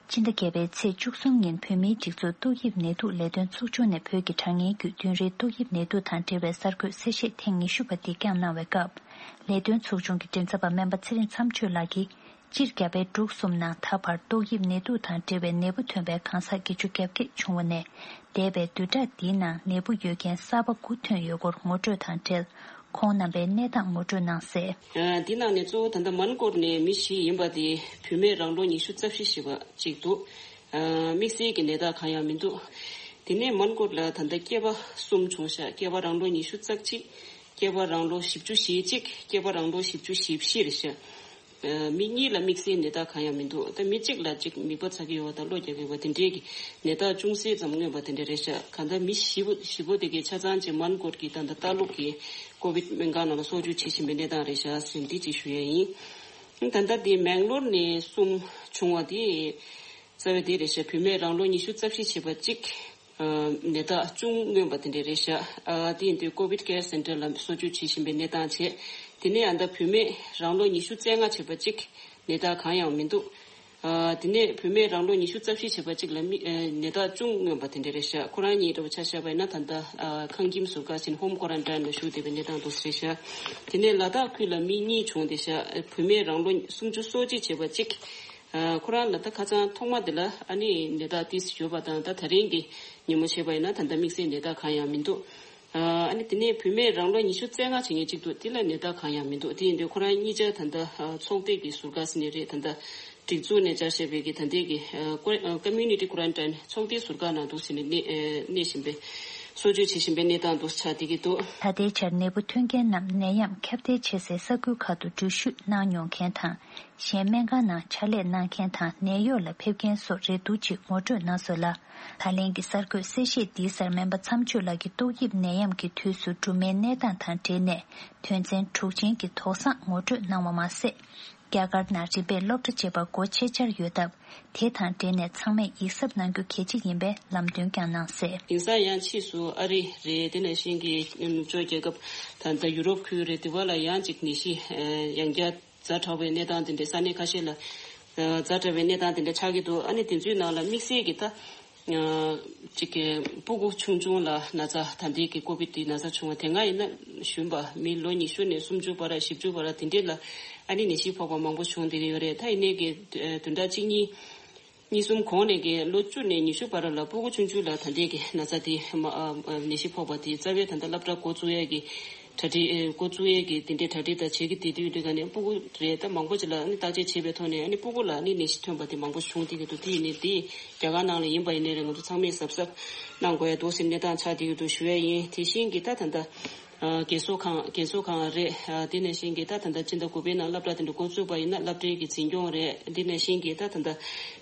སྤྱི་ཟླ་བརྒྱད་པའི་ཚེས་བཅུ་གསུམ་ཉིན་བོད་མིའི་སྒྲིག་འཛུགས་ཏོག་དབྱིབས་ནད་དུག་ལས་དོན་ཚོགས་ཆུང་ནས་བོད་ཀྱི་དྲ་བརྙན་བརྒྱུད་བདུན་རེའི་ཏོག་དབྱིབས་ནད་དུག་དང་འབྲེལ་བའི་གསར་འགོད་གསལ་བཤད་ཐེངས་ཉི་ཤུ་པ་འདི་བསྐྱངས་གནང་བའི་སྐབས། ལས་དོན་ཚོགས་ཆུང་གི་མགྲིན་ཚབ་པ་སྨན་པ་ཚེ་རིང་མཚམས་གཅོད་ལགས་ཀྱིས། སྤྱིར་རྒྱ་བལ་འབྲུག་གསུམ་ནང་ད་བར་ཏོག་དབྱིབས་ནད་དུག་དང་འབྲེལ་བའི་ནད་འབུ་ཐོན་པའི་གང་ཟག་བརྒྱད་ཅུ་གྱ་བརྒྱད་བྱུང་བ་ནས། འདས་པའི་བདུན་ཕྲག་འདིའི་ནང་ནད་འབུ་ཡོད་མཁན་གསར་པ་དགུ་ཐོན་ཡོད་སྐོར་ངོ་སྤྲོད་དང་འབྲེལ། ཁོང་རྣམ་པས་གནས་སྟངས་ངོ་སྤྲོད་གནང་གསལ། ཨ། འདི་ནང་ནས་གཙོ་བོ་ད་ལྟ་མོན་གྷོར་ནས་མི་བཞི་ཡིན་པ་དེ་བུད་མེད་རང་ལོ་ཉི་ཤུ་རྩ་བཞི་ཞེས་པ་གཅིག་འདུག་ཨ། དམིགས་བསལ་གྱི་ནད་རྟགས་གང་ཡང་མི་འདུག་དེ་ནས་མོན་གྷོར་ལ་ད་ལྟ་སྐྱེས་པ་གསུམ་བྱུང་ཤག་སྐྱེས་པ་རང་ལོ་ཉི་ཤུ་རྩ་གཅིག་སྐྱེས་པ་རང་ལོ་བཞི་བཅུ་ཞེ་གཅིག་སྐྱེས་པ་རང་ལོ་བཞི་བཅུ་ཞེ་བཞི་རེད་ཤག་ཨ། མི་གཉིས་ལ་དམིགས་བསལ་ནད་རྟགས་གང་ཡང་མི་འདུག་ད་མི་གཅིག་ལ་གཅིག་མིད་པ་ཚ་གི་ཡོད་པ་དང་གློ་རྒྱག་གི་ཡོད་པ་དེ་འདྲའི་གི་ནད་རྟགས་ཅུང་ཟད་ཙམ་མངོན་པ་དེ་འདྲ་རེད་ཤག་གང་ལྟར་མི་བཞི་པོ་བཞི་པོ་དེ་གའི་ཆ་ཚང་ཅིག་མོན་གྷོར་གྱི་ད་ལྟ་ལྟ་ལུགས་ཀྱི་ཀོ་བིད་སྨན་ཁང་ནང་ལ་གསོ་བཅོས་བྱེད་བཞིན་པའི་གནས་སྟངས་རེད་ཤག་ཟེར་འདི་ཅིག་ཞུ་ཡ་ཡིན། ད་ལྟ་དེ་མེང་ལོར་ནས་གསུམ་བྱུང་བ་དེ། རྩ་བའི་དེ་རེད་ཤག་བུད་མེད་རང་ལོ་ཉི་ཤུ་རྩ་བཞི་བྱས་པ་གཅིག་ཨ་ནད་རྟགས་ཅུང་མངོན་པ་དེ་འདྲ་རེད་ཤག་ཨ་དེ་ཡིན་དུས་ཀོ་བིད་ཀེར་སེན་ཊར་ལ་གསོ་བཅོས་བྱེད་བཞིན་པའི་གནས་སྟངས་བྱས། དེ་ནས་ཨ་ད་བུད་མེད་རང་ལོ་ཉི་ཤུ་རྩ་ལྔ་བྱས་པ་གཅིག་ནད་རྟགས་གང་ཡང་མི་འདུག་ཨ་དེ་ནས་བུད་མེད་རང་ལོ་ཉི་ཤུ་རྩ་བཞི་བྱས་པ་གཅིག་ལ་མི་ཨ་ནད་རྟགས་ཅུང་མངོན་པ་དེ་འདྲ་རེད་ཤག་ཁོ་རང་གཉིས་འདྲ་བོ་ཆ་བཞག་པ་ཡིན་ན་ད་ལྟ་ཨ་ཁང་ཁྱིམ་ཟུར་བཀག་ཕྱིན་ཧོམ་ཀོ་རན་ཊིན་ལ་བཞུགས་བསྡད་པའི་གནས་སྟངས་འདུག་ཟེར་ཤག་དེ་ནས་ལ་དྭགས་ཁུལ་ལ་མི་གཉིས་བྱུང་བསྡད་ཤག་བུད་མེད་རང་ལོ་སུམ་ཅུ་སོ་གཅིག་བྱས་པ་གཅིག་ཨ་ཁོ་རང་ལ་ད་ཁ་སང་ཐོག་མ་དེ་ལ་ཨ་ནི་ནད་རྟགས་ཏིས་ཡོད་པ་དང་ད་ད་རིང་གི་ཉིན་མོ་བྱས་པ་ཡིན་ན་ད་ལྟ་དམིགས་བསལ་ནད་རྟགས་གང་ཡང་མི་འདུག་ཨ་ནི་དེ་ནས་བུད་མེད་རང་ལོ་ཉི་ཤུ་རྩ་ལྔ་བྱེད་མཁན་གཅིག་འདུག་དེ་ལ་ནད་རྟགས་གང་ཡང་མི་འདུག་དེ་ཡིན་དུས་ཁོ་རང་གཉིས་ཆ་ད་ལྟ་ཨ་ཚོགས་སྡེ་གི་ཟུར་བཀག་ཟེར་ནི་རེད། ད་ལྟ་སྒྲིག་འཛུགས་ནས་སྦྱར་བཞག་པའི་གི་ད་ལྟའི་གི་ཨ་ཀོ་ཨ་ཀོ་མུ་ནི་ཊི་ཀོ་རན་ཊིན་ཚོགས་སྡེའི་ཟུར་བཀག་ནང་འདུག་ཟེར་ནས་གནས་ཨ་གནས་བཞིན་པའི་གསོ་བཅོས་བྱེད་བཞིན་པའི་གནས་སྟངས་འདུག་ཆགས་བསྡད་ཀྱི་འདུག་ད་ལྟའི་ཆར་ནད་འབུ་ཐོན་མཁན་རྣམས་ནད་ཡམས་ཁྱབ་གདལ་ཆེ་སའི་ས་ཁུལ་ཁག་ཏུ་འགྲུལ་བཞུད་གནང་མྱོང་མཁན་དང་། གཞན་སྨན་ཁང་ནང་ཕྱག་ལས་གནང་མཁན་དང་ནད་གཡོག་ལ་ཕེབས་མཁན་སོགས་རེ་འདུག་ཅེས་ངོ་སྤྲོད་གནང་སོང་ལ། ད་ལན་གྱི་གསར་འགོད་གསལ་བཤད་འདིའི་སར་སྨན་པ་མཚམས་གཅོད་ལགས་ཀྱིས་ཏོག་དབྱིབས་ནད་ཡམས་ཀྱི་དུས་སུ་སྦྲུམ་མའི་གནས་སྟངས་དང་འབྲེལ་ནས་དོན་ཚན་དྲུག་ཅན་གྱི་དོགས་བཟང་ངོ་སྤྲོད་གནང་བ་མ་ཟད། རྒྱ་གར་ནང་རིམ་པས་སློབ་གྲྭ་བཅས་པ་སྒོ་ཕྱེ་འཆར་ཡོད་སྟབས། དེ་དང་འབྲེལ་ནས་ཚང་མས་ཡིད་གཟབ་གནང་རྒྱུ་གལ་ཆེ་ཡིན་པའི་ལམ་སྟོན་ཀྱང་གནང་གསལ། དེང་སང་ཡང་ཕྱིས་སུ་ཨ་རི་རེད། དེ་ནང་བཞིན་གྱི་ནུབ་ཕྱོགས་རྒྱལ་ཁབ་ད་ལྟ་ཡུ་རོབ་ཁུལ་རེད། དེ་བ་ལ་ཡང་ཅིག་ནད་གཞི་ཡང་བསྐྱར་ཛ་དྲག་པའི་གནས་སྟངས་དེ་འདྲ་ས་གནས་ཁ་ཤས་ལ་ཛ་དྲག་པའི་གནས་སྟངས་དེ་འདྲ་ཆགས་ཀྱི་འདུག་ཨ་ནི་དེ་ཚོའི་ནང་ལ་དམིགས་བསལ་གྱི་ད་ཅིག་གི་སྤུ་གུ་ཆུང་ཆུང་ལ་ན་ཚ་ད་ལྟའི་གི་ཀོ་བིད་དེ་ན་ཚ་བྱུང་བ་དེ་སྔ་ཡིན་ན་གཞོན་པ་མི་ལོ་ཉི་ཤུ་ནས་སུམ་ཅུ་བར་བཞི་བཅུ་བར་དེ་འདྲས་ལ་ཨ་ནི་ནད་གཞི་ཕོག་པ་མང་པོ་བྱུང་བསྡད་ཀྱི་ཡོད་རེད། ད་ཡིན་ནའི་གི་བདུན་ཕྲག་གཅིག་གཉིས། གཉིས་གསུམ་གོང་ནས་ཀྱི་ལོ་བཅུ་ནས་ཉི་ཤུ་བར་ལ་སྤུ་གུ་ཆུང་ཆུང་ལ་ད་ལྟའི་གི་ན་ཚ་དེ་མ་ཨ་ཨ་ནད་གཞི་ཕོག་པ་དེ་རྩ་བའི་ད་ལྟ་སློབ་གྲྭ་འགོ་བཙུགས་ཡས་ཀྱི་གྲ་སྒྲིག་ཨེ་འགོ་བཙུགས་ཡས་ཀྱི་དེ་འདྲའི་གྲ་སྒྲིག་དང་བྱེད་ཀྱི་དེ་དུས་འདི་ག་ནས་སྤུ་གུ་རེད། ད་མང་པོ་ཅིག་ལ་ཨ་ནི་བརྟག་དཔྱད་བྱས་པའི་ཐོག་ནས་ཨ་ནི་སྤུ་གུ་ལ་ཨ་ནི་ནད་གཞི་ཐོན་པ་དེ་མང་པོ་བྱུང་བསྡད་ཀྱི་འདུག་དེ་ཡིན་ནའི་རྒྱ་གར་ནང་ལ་ཡིན་པ་ཡིན་ནའི་རེད། ང་ཚོ་ཚང་མས་གཟབ་གཟབ་གནང་དགོས་ཡ་འདུག་ཟེར་གནས་སྟངས་ཆགས་བསྡད་ཀྱི་འདུག་ཞུ་ཡ་ཡིན། དེ་བཞིན་གྱི་ད་ད་ལྟ། ཨ་རྒས་གསོ་ཁང་རྒས་གསོ་ཁང་རེད། ཨ་དེ་ནང་བཞིན་གྱི་ད་ད་ལྟ་སྤྱི་ཟླ་དགུ་པའི་ནང་སློབ་གྲྭ་དེ་འདྲ་འགོ་བཙུགས་པ་ཡིན་ན་སློབ་གྲྭའི་གི་འཛིན་སྐྱོང་རེད། དེ་ནང་བཞིན་གྱི་ད་ད་ལྟ་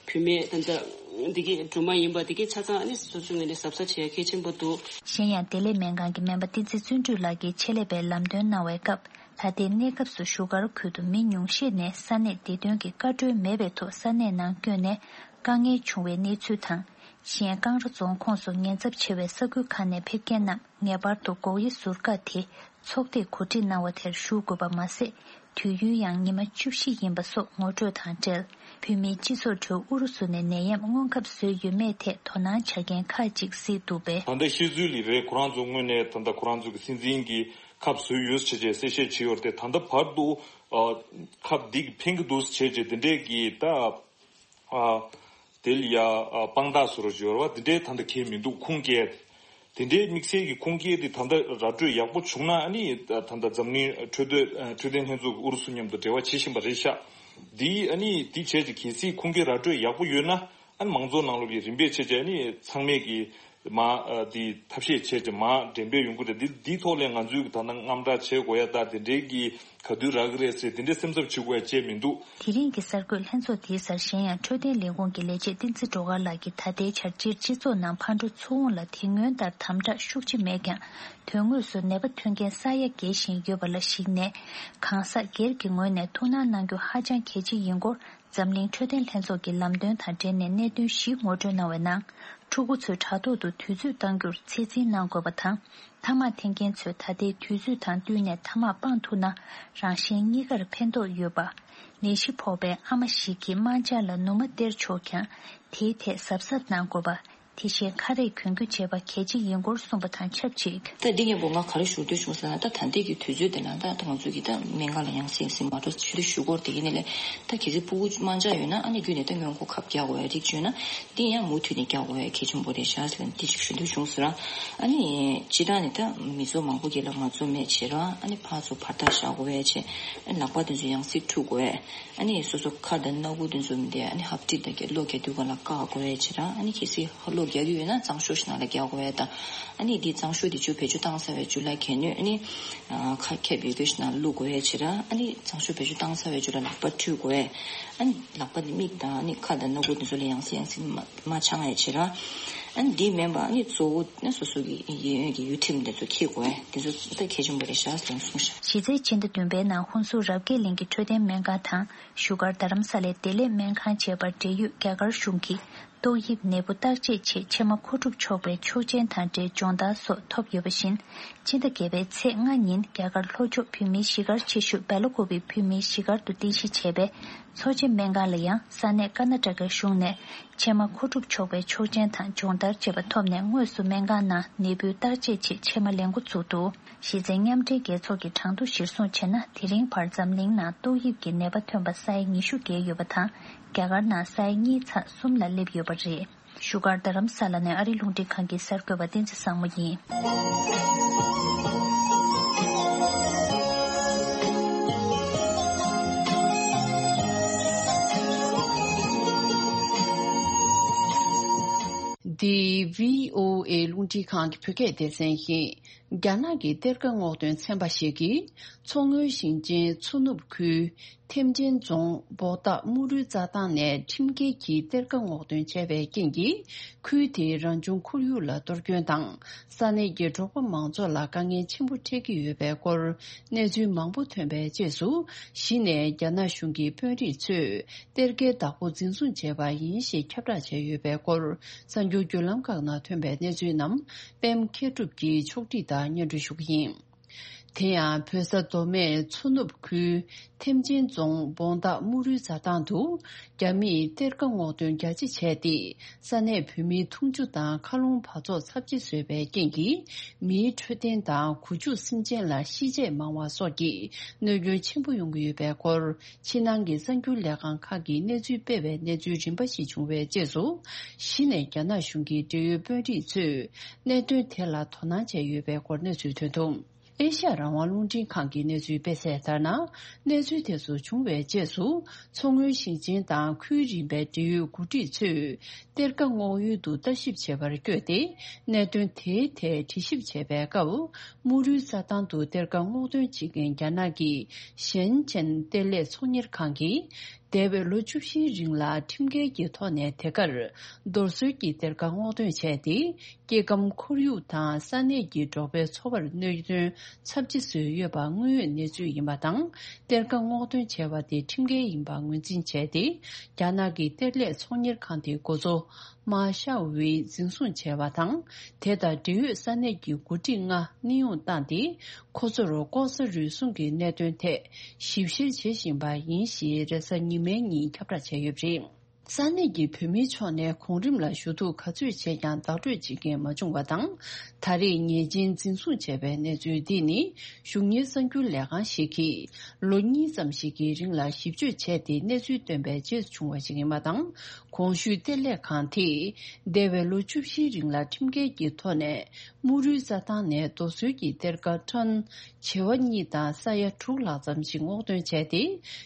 བུད་མེད་ད་ལྟ་འདི་གི་སྦྲུམ་མ་ཡིན་པ་འདི་གི་ཆ་ཚང་ཨ་ནི་སོ་སོའི་ངོས་ནས་གཟབ་གཟབ་བྱེད་ཡ་གལ་ཆེན་པོ་འདུག་གཞན་ཡང་བདེ་ལེགས་སྨན་ཁང་གི་སྨན་པ་བསྟན་འཛིན་བརྩོན་འགྲུས་ལགས་ཀྱིས་ཆེད་ལས་པའི་ལམ་སྟོན་གནང་བའི་སྐབས། ད་ལྟའི་གནས་སྐབས་སུ་བཞུགས་སྒར་ཁུལ་དུ་མི་ཉུང་ཤས་ནས་ས་གནས་བདེ་དོན་གྱི་བཀའ་འཁྲོལ་མེད་པའི་ཐོག་ས་གནས་ནང་བསྐྱོད་ནས་དཀའ་ངལ་བྱུང་བའི་གནས་ཚུལ་དང་། གཞན་ཀང་ར་རྫོང་ཁོངས་སུ་ཉེན་ཚབས་ཆེ་བའི་ས་ཁུལ་ཁག་ནས་ཕེབས་མཁན་རྣམས་ངེས་པར་དུ་སྒོག་དབྱེ་ཟུར་བཀག་དེ་ཚོགས་སྡེས་གོ་སྒྲིག་གནང་བ་དེར་ཞུགས་དགོས་པ་མ་ཟད། དུས་ཡུན་ཡང་ཉི་མ་བཅུ་བཞི་ཡིན་པ་སོགས་ངོ་སྤྲོད་དང་འབྲེལ། བོད་མིའི་སྤྱི་ཚོགས་ཁྲོད་ཨུ་རུ་སུ་ནས་ནད་ཡམས་སྔོན་ཁབ་བཟོས་ཡོད་མེད་ཐད་དོ་སྣང་བྱ་མཁན་ཁག་ཅིག་གཟིགས་འདུག་པས། ད་ལྟ་ཤེས་ཚུལ་ལ་རེད། ཁོ་རང་ཚོ་ངོས་ནས་ད་ལྟ་ཁོ་རང་ཚོ་གི་སྲིད་འཛིན་གྱི་ཁབ་བཟོས་ཡོད་ཟེར་བྱས་གསལ་བཤད་བྱས་ཡོད་རེད་དེ། ད་ལྟ་བར་དུ་ཨ་ཁབ་འདི་གི་ཕན་གྱི་འདུག་ཟེར་བྱས་དེ་འདྲས་ཀྱི་ད། ཨ་དེ་ལ་ཡ་ཨ་དཔང་རྟགས་བཟོ་རོགས་བྱོས་ར་བ་དེ་འདྲའི་ད་ལྟ་གལ་མི་འདུག་ཁུངས་སྐྱེལ་དེ་འདྲའི་དམིགས་བསལ་གྱི་ཁུངས་སྐྱེལ་དེ་ད་ལྟ་ར་སྤྲོད་ཡག་པོ་བྱུང་ན་ཨ་ནི་ད་ལྟ་འཛམ་གླིང་འཕྲོད་བསྟེན་འཕྲོད་བསྟེན་ལྷན་ཚོགས་ཀྱི་ཨུ་རུ་སུ་མཉམ་དུ་འབྲེལ་བ་བྱེད་བཞིན་པ་རེད་ཤག་འདི་ཨ་ནི་འདི་བྱས་ཀྱི་གལ་སྲིད་ཁུངས་སྐྱེལ་ར་སྤྲོད་ཡག་པོ་ཡོད་ན་ཨ་ནི་མང་ཚོགས་ནང་ལོགས་ཀྱི་རིམ་པས་བྱས་ཀྱི་ཨ་ནི་ཚང་མས་ཀྱི་མ་ཨ་དེ་ཐབས་ཤེས་བྱས་ཀྱི་མ་འགྲེམས་སྤེལ་ཡོང་གི་རེད། འདི་འདིའི་ཐོག་ལས་ང་ཚོས་ཀྱི་ད་ལྟ་དངངས་སྐྲག་བྱེད་དགོས་ཡ་ད་དེ་འདྲའི་གི་ག་དུས་རག་གི་རེད་ཟེར་དེ་འདྲའི་སེམས་འཚབ་བྱེད་དགོས་ཡ་བཅས་མི་འདུག་དེ་རིང་གི་གསར་འགོད་ལྷན་ཚོགས་འདིའི་སར་གཞན་ཡང་འཕྲོད་བསྟེན་ལས་ཁུངས་ཀྱི་ལས་བྱེད་བསྟན་འཛིན་སྒྲོལ་དཀར་ལགས་ཀྱིས་ད་ལྟའི་ཆར་སྤྱིར་སྤྱི་ཚོགས་ནང་ཕར་འགྲོ་ཚུར་འོང་ལ་དེ་སྔོན་ལྟར་དམ་དྲག་ཤུགས་ཆེ་མེད་ཀྱང་། དོན་དངོས་སུ་ནད་པ་ཐོན་རྐྱེན་ས་ཡ་བརྒལ་བཞིན་ཡོད་པ་ལ་གཞིགས་ནས། གང་ཟག་སྒེར་གྱི་ངོས་ནས་ཐུགས་སྣང་གནང་རྒྱུ་ཧ་ཅང་གལ་ཆེ་ཡིན་སྐོར། འཛམ་གླིང་འཕྲོད་བསྟེན་ལྷན་ཚོགས་ཀྱི་ལམ་སྟོན་དང་འབྲེལ་ནས་གནད་དོན་བཞི་ངོ་སྤྲོད་གནང་བའི་ནང་། ཕྲུ་གུ་ཚོའི་དྲ་ཐོག་ཏུ་དུས་ཚོད་གཏང་རྒྱུར་ཚད་འཛིན་གནང་དགོས་པ་དང་། ཐ་མག་འཐེན་མཁན་ཚོས་ད་ལྟའི་དུས་ཚོད་དང་བསྟུན་ནས་ཐ་མག་སྤང་ཐུབ་ན་རང་གཞན་གཉིས་ཀར་ཕན་ཐོགས་ཡོད་པ། ནད་གཞི་ཕོག་པའི་ཨ་མ་ཞིག་གིས་དམར་འབྱར་ལ་ནུ་མ་སྟེར་ཆོག་ཀྱང་། དེའི་ཐད་གཟབ་གཟབ་གནང་དགོས་པ། དེ་བཞིན་ཁ་རས་གྱོན་རྒྱུ་བྱེད་པ་གལ་ཆེ་ཡིན་སྐོར་གསུངས་པ་དང་ཆབས་ཅིག་ད་འདི་སྙན་པོ་ང་ག་རེ་ཞུ་འདོད་བྱུང་ཟེར་ན། ད་ད་ལྟའི་གི་དུས་ཚོད་འདི་ལ་ད་ད་ང་ཚོས་ཀྱི་ད་སྨན་ཁང་ལ་ཡང་སེ་ཡང་སེ་མ་འགྲོ་ཞུ་འདོད་ཞུ་སྐོར་དེ་ཡིན་ནི་ལས། ད་གལ་སྲིད་ཕྲུ་གུ་དམར་འབྱར་ཡོད་ན་ཨ་ནི་བརྒྱུད་ནས་ད་སྔོན་འགོག་ཁབ་རྒྱག་དགོས་ཡ་རིགས་བྱུང་ན་འདི་ཡང་མུ་མཐུད་ནས་རྒྱག་དགོས་ཡ་གལ་ཆེན་པོ་རེད་ཤག་ཟེར་ནས་འདི་ཅིག་ཞུ་འདོད་བྱུང་ཟེར་ར། ཨ་ནི་སྤྱིར་བཏང་ནས་ད་མི་ཚོགས་མང་པོ་གི་ལ་ང་ཚོ་མེད་བྱེད་ར། ཨ་ནི་ཕར་ཚུར་བར་ཐག་བཞག་དགོས་ཡ་བྱེད། ཨ་ནི་ལག་པ་དེ་ཚོ་ཡང་སེ་འཁྲུ་དགོས་ཡ། ཨ་ནི་སོ་སོ་ཁ་དང་སྣ་བུག་དེ་ཚོ་མི་འདི་ཨ་ནི་ཧབ་ཏི་དང་གི་གློ་རྒྱག་དུས་སྒང་ལ་བཀག་དགོས་ཡ་བྱེད་ར། ཨ་ནི་གལ་སྲིད་ཧ་གློ་རྒྱག་གི་ཡོད་ན་གཙང་ཤོག་ཞིག་ནང་ལ་རྒྱག་དགོས་ཡ་དང་། ཨ་ནི་འདི་གཙང་ཤོག་དེ་ཚོ་བེད་སྤྱོད་བཏང་ཚར་བའི་རྗེས་ལ་གད་སྣོད་ཨ་ནི་ཨ་ཁ་ཁེབས་ཡོད་དགོས་ཞིག་ནང་བླུག་དགོས་ཡ་བྱེད་ར། ཨ་ནི་གཙང་ཤོག་བེད་སྤྱོད་བཏང་ཚར་བའི་རྗེས་ལ་ལག་པ་འཁྲུ་དགོས་ཡ། ཨ་ནི་ལག་པ་དེ་མིག་དང་ཨ་ནི་ཁ་དང་སྣ་བུག་དེ་ཚོ་ལ་ཡང་སེ་ཡང་སེ་མ་མ་འཆང་ཡ་བྱེད་ར། ཨ་ནི་འདི་མིན་པ་ཨ་ནི་གཙོ་བོ་ཨ་སོ་སོ་གི་གཡས་གཡོན་གྱི་གཡུལ་ཁྲིམས་དེ་ཚོ་འཁྱེར་དགོས། དེ་ཚོ་ད་གལ་ཆེན་པོ་རེད་ཤག་ཟེར་གསུངས་ཤག་གཞི་རྩའི་ཕྱི་ཟླ་བདུན་པའི་ནང་ཧུན་སུར་རབ་རྒྱས་གླིང་གི་འཕྲོད་བསྟེན་སྨན་ཁང་དང་བཞུགས་སྒར་རྡ་རམ་ས་ལའི་བདེ་ལེགས་སྨན་ཁང་བཅས་པར་འབྲེལ་ཡོད་རྒྱ་གར་གཞུང་གིས་ཏོག་དབྱིབས་ནད་འབུ་བརྟག་དཔྱད་ཆེད་ཕྱེ་མ་མཁོ་སྒྲུབ་ཆོག་པའི་ཆོག་མཆན་དང་འབྲེལ་སྦྱོང་བརྡར་སོགས་ཐོབ་ཡོད་པ་བཞིན། ཕྱི་ཟླ་བརྒྱད་པའི་ཚེས་ལྔ་ཉིན་རྒྱ་གར་ལྷོ་ཕྱོགས་བོད་མིའི་གཞིས་སྒར་ཆེ་ཤོས་སྦེལ་ཀོབ་བི་བོད་མིའི་གཞིས་སྒར་དུ་རྟེན་གཞི་བྱས་པའི་མཚོ་བྱེ་སྨན་ཁང་ལ་ཡང་ས་གནས་ཀར་ན་ཊ་ཀའི་གཞུང་ནས་ཕྱེ་མ་མཁོ་སྒྲུབ་ཆོག་པའི་ཆོག་མཆན་དང་སྦྱོང་བརྡར་བཅས་པ་ཐོབ་ནས་དངོས་སུ་སྨན་ཁང་ནང་ནད་འབུའི་བརྟག་དཔྱད་ཆེད་ཕྱེ་མ་ལེན་འགོ་བཙུགས་འདུག་གཞི་རྩའི་མཉམ་འབྲེལ་རྒྱལ་ཚོགས་ཀྱི་གྲངས་ཐོ་གཞིར་བཟུང་བྱས་ན། དེ་རིང་བར་འཛམ་གླིང་ནང་ཏོག་དབྱིབས་ཀྱི་ནད་པ་ཐོན་པ་ས་ཡ་ཉི་ཤུ་བརྒལ་ཡོད་པ་དང་། རྒྱ་གར་ནང་ས་ཡ་གཉིས་ཚེག་གསུམ་ལ་སླེབས་ཡོད་པ་རེད། བཞུགས་སྒར་རྡ་རམ་ས་ལ་ནས་ཨ་རིའི་རླུང་འཕྲིན་ཁང་གི་གསར་འགོད་པ་བསྟན་འཛིན་བཟང་མོ་ཡིན། འདི་བྷི་ཨོ་ཨེ་རླུང་འཕྲིན་ཁང་གི་བོད་སྐད་སྡེ་ཚན་ཡིན། རྒྱ་ནག་གི་གཏེར་ཁ་སྔོག་འདོན་ཚན་པ་ཞིག་གིས་མཚོ་སྔོན་ཞིང་ཆེན་མཚོ་ནུབ་ཁུལ་ཐེམ་ཆེན་རྫོང་བོ་ཏ་དམུ་རུའི་རྩྭ་ཐང་ནས་ཁྲིམས་འགལ་གྱིས་གཏེར་ཁ་སྔོག་འདོན་བྱས་པའི་རྐྱེན་གྱིས། ཁུལ་དེའི་རང་བྱུང་ཁོར་ཡུག་ལ་གཏོར་སྐྱོན་དང་། ས་གནས་ཀྱི་འབྲོག་པ་མང་ཚོགས་ལ་དཀའ་ངལ་ཆེན་པོ་འཕྲད་ཀྱི་ཡོད་པའི་སྐོར་གནས་ཚུལ་མང་པོ་ཐོན་པའི་རྗེས་སུ། གཞི་ནས་རྒྱ་ནག་གཞུང་གི་དཔོན་རིགས་ཚོས་གཏེར་ཁའི་བདག་པོ་འཛིན་བཟུང་བྱས་པ་ཡིན་ཞེས་ཁྱབ་བསྒྲགས་བྱས་ཡོད་པའི་སྐོར། གསར་འགྱུར་བརྒྱུད་ལམ་ཁག་ནང་ཐོན་པའི་གནས་ཚུལ་རྣམས་པད་མ་མཁས་གྲུབ་ཀྱིས་ཕྱོགས་སྒྲིག་དང་སྙན་སྒྲོན་ཞུ་གི་ཡིན། དེ་ཡང་བོད་ས་མདོ་སྨད་མཚོ་ནུབ་ཁུལ་ཐེམ་ཆེན་རྫོང་བོང་སྟག་དམུ་རུའི་རྩྭ་ཐང་དུ་རྒྱ་མིས་གཏེར་ཁ་སྔོག་འདོན་རྒྱ་ཆེ་བྱས་ཏེ། ས་གནས་བོད་མིའི་འཐུང་ཆུ་དང་མཁའ་རླུང་འབག་བཙོག་ཚབས་ཆེ་བཟོས་པའི་རྐྱེན་གྱིས། མིའི་འཕྲོད་བསྟེན་དང་གོ་ཆུ་སེམས་ཅན་ལ་ཤི་ཆད་མང་བ་སོགས་ཀྱི་གནོད་སྐྱོན་ཆེན་པོ་ཡོང་གི་ཡོད་པའི་སྐོར། ཕྱི་ནང་གི་གསར་འགྱུར་ལས་ཁང་ཁག་གིས་གནས་ཚུལ་སྤེལ་བའི་གནས་ཚུལ་རིམ་པ་ཞིག་བྱུང་བའི་རྗེས་སུ། གཞི་ནས་རྒྱ་ནག་གཞུང་གི་འབྲེལ་ཡོད་དཔོན་རིགས་ཚོས་གནད་དོན་དེ་ལ་དོ་སྣང་བྱས་ཡོད་པའི་སྐོར་གནས་ཚུལ་ཐོན་འདུག་ཨེ་ཤ་ཡ་རང་དབང་རླུང་འཕྲིན་ཁང་གི་གནས་ཚུལ་སྤེལ་གསལ་ལྟར་ན། གནས་ཚུལ་དེ་ཚོ་བྱུང་བའི་རྗེས་སུ། མཚོ་སྔོན་ཞིང་ཆེན་དང་ཁུལ་རིམ་པའི་འབྲེལ་ཡོད་འགོ་ཁྲིད་ཚོས། གཏེར་ཁ་སྔོག་ཡུལ་དུ་ལྟ་ཞིབ་བྱེད་པར་བསྐྱོད་དེ། གནད་དོན་དེའི་ཐད་དྲི་ཞིབ་བྱེད་པའི་སྐབས། དམུ་རུའི་རྩྭ་ཐང་དུ་གཏེར་ཁ་སྔོག་འདོན་བྱེད་མཁན་རྒྱ་ནག་གི་ཞན་ཆན་གཏེར་ལས་ཚོང་གཉེར་ཁང་གིས། འདས་པའི་ལོ་བཅུ་བཞིའི་རིང་ལ་ཁྲིམས་འགལ་གྱི་ཐོག་ནས་དེ་གར་རྡོ་སོལ་གྱི་གཏེར་ཁ་སྔོག་འདོན་བྱས་ཏེ། སྐྱེ་ཁམས་ཁོར་ཡུག་དང་ས་གནས་ཀྱི་འབྲོག་པའི་འཚོ་བར་གནོད་དོན་ཚབས་ཆེ་བཟོས་ཡོད་པ་དངོས་ཡོད་གནས་ཚུལ་ཡིན་པ་དང་། གཏེར་ཁ་སྔོག་འདོན་བྱས་པ་དེ་ཁྲིམས་འགལ་ཡིན་པ་ངོས་འཛིན་བྱས་ཏེ། རྒྱ་ནག་གི་གཏེར་ལས་ཚོང་གཉེར་ཁང་དེའི་འགོ་གཙོ་མཱ་ཤའོ་ཝེ་འཛིན་བཟུང་བྱས་པ་དང་། དེ་དང་འབྲེལ་ཡོད་ས་གནས་ཀྱི་འགོ་ཁྲིད་ལྔ་གནས་དབྱུང་བཏང་སྟེ། ཁོ་ཚོར་ལྐོག་ཟ་རུལ་སུངས་ཀྱི་གནད་དོན་ཐད་ཞིབ་བཤེར་བྱེད་བཞིན་པ་ཡིན་ཞེས་རེས་གཟའ་ཉི་མའི་ཉིན་ཁྱབ་བསྒྲགས་བྱས་ཡོད་པ་རེད། ས་གནས་ཀྱི་བོད་མིའི་ཕྱོགས་ནས་གོང་རིམ་ལ་ཞུ་གཏུག་ག་ཚོད་བྱས་ཀྱང་བདག་སྤྲོད་བྱེད་མཁན་མ་བྱུང་བ་དང་། ད་རེས་ཉེས་ཅན་འཛིན་བཟུང་བྱས་པའི་གནས་ཚུལ་འདི་ནི། གཞུང་གཉེར་གསར་འགྱུར་ལས་ཁང་ཞིག་གིས་ལོ་གཉིས་ཙམ་ཞིག་གི་རིང་ལ་ཞིབ་དཔྱོད་བྱས་ཏེ་གནས་ཚུལ་བཏོན་པའི་རྗེས་སུ་བྱུང་བ་ཞིག་ཡིན་པ་དང་། གོང་ཞུས་གཏེར་ལས་ཁང་དེས་འདས་པའི་ལོ་བཅུ་བཞིའི་རིང་ལ་ཁྲིམས་འགལ་གྱི་ཐོག་ནས་དམུ་རུའི་རྩྭ་ཐང་ནས་རྡོ་སོལ་གྱི་གཏེར་ཁ་ཊོན་བྱེ་བ་གཉིས་དང་ས་ཡ་དྲུག་ལྷག་ཙམ་ཞིག་སྔོག་འདོན་བྱས་ཏེ།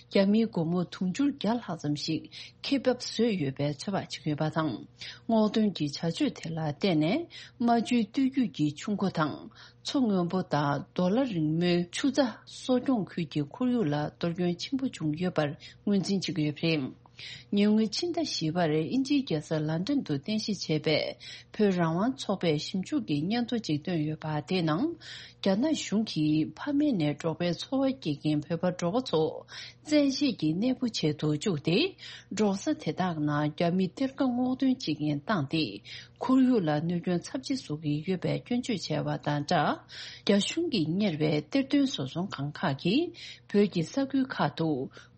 རྒྱ་མིའི་སྒོར་མོ་དུང་ཕྱུར་བརྒྱ་ལྷག་ཙམ་ཞིག་ཁེ་འབབ་བཟོས་ཡོད་པའི་ཚོད་དཔག་བྱེད་ཀྱི་ཡོད་པ་དང་། སྔོག་འདོན་གྱི་བྱ་སྤྱོད་དེ་ལ་བརྟེན་ནས། རྨ་ཆུའི་སྟོད་རྒྱུད་ཀྱི་ཆུ་མགོ་དང་། མཚོ་སྔོན་པོ་དང་རྡོ་ལ་རིང་མོའི་ཆུ་རྩ་གསོ་སྐྱོང་ཁུལ་གྱི་ཁོར་ཡུག་ལ་གཏོར་སྐྱོན་ཆེན་པོ་བྱུང་ཡོད་པར་ངོས་འཛིན་བྱེད་ཀྱི་ཡོད་པ་རེད། ཉེ་སྔོན་ཕྱི་ཟླ་བཞི་པར་དབྱིན་ཇིའི་རྒྱལ་ས་ལན་ཀྲན་དུ་རྟེན་གཞི་བྱས་པའི་བོད་རང་དབང་ཚོགས་པས་ཞིབ་འཇུག་གི་སྙན་ཐོ་ཅིག་བཏོན་ཡོད་པ་དེའི་ནང་། རྒྱ་ནག་གཞུང་གིས་ཕ་མེས་ནས་འབྲོག་པའི་འཚོ་བ་སྐྱེལ་མཁན་བོད་པ་འབྲོག་པ་ཚོ། བཙན་ཤེད་ཀྱིས་གནས་སྤོ་བྱེད་དུ་བཅུག་སྟེ། འབྲོག་ས་དེ་དག་ནང་རྒྱ་མིས་གཏེར་ཁ་སྔོག་འདོན་བྱེད་མཁན་བཏང་སྟེ། ཁོར་ཡུག་ལ་གནོད་སྐྱོན་ཚབས་ཆེ་བཟོ་གི་ཡོད་པའི་སྐྱོན་བརྗོད་བྱས་པ་དང་སྦྲགས། རྒྱ་གཞུང་གིས་གཉེར་བའི་གཏེར་སྟོན་བཟོ་ཚོང་ཁང་ཁག་གིས་བོད་ཀྱི་ས་ཁུལ་ཁག་ཏུ་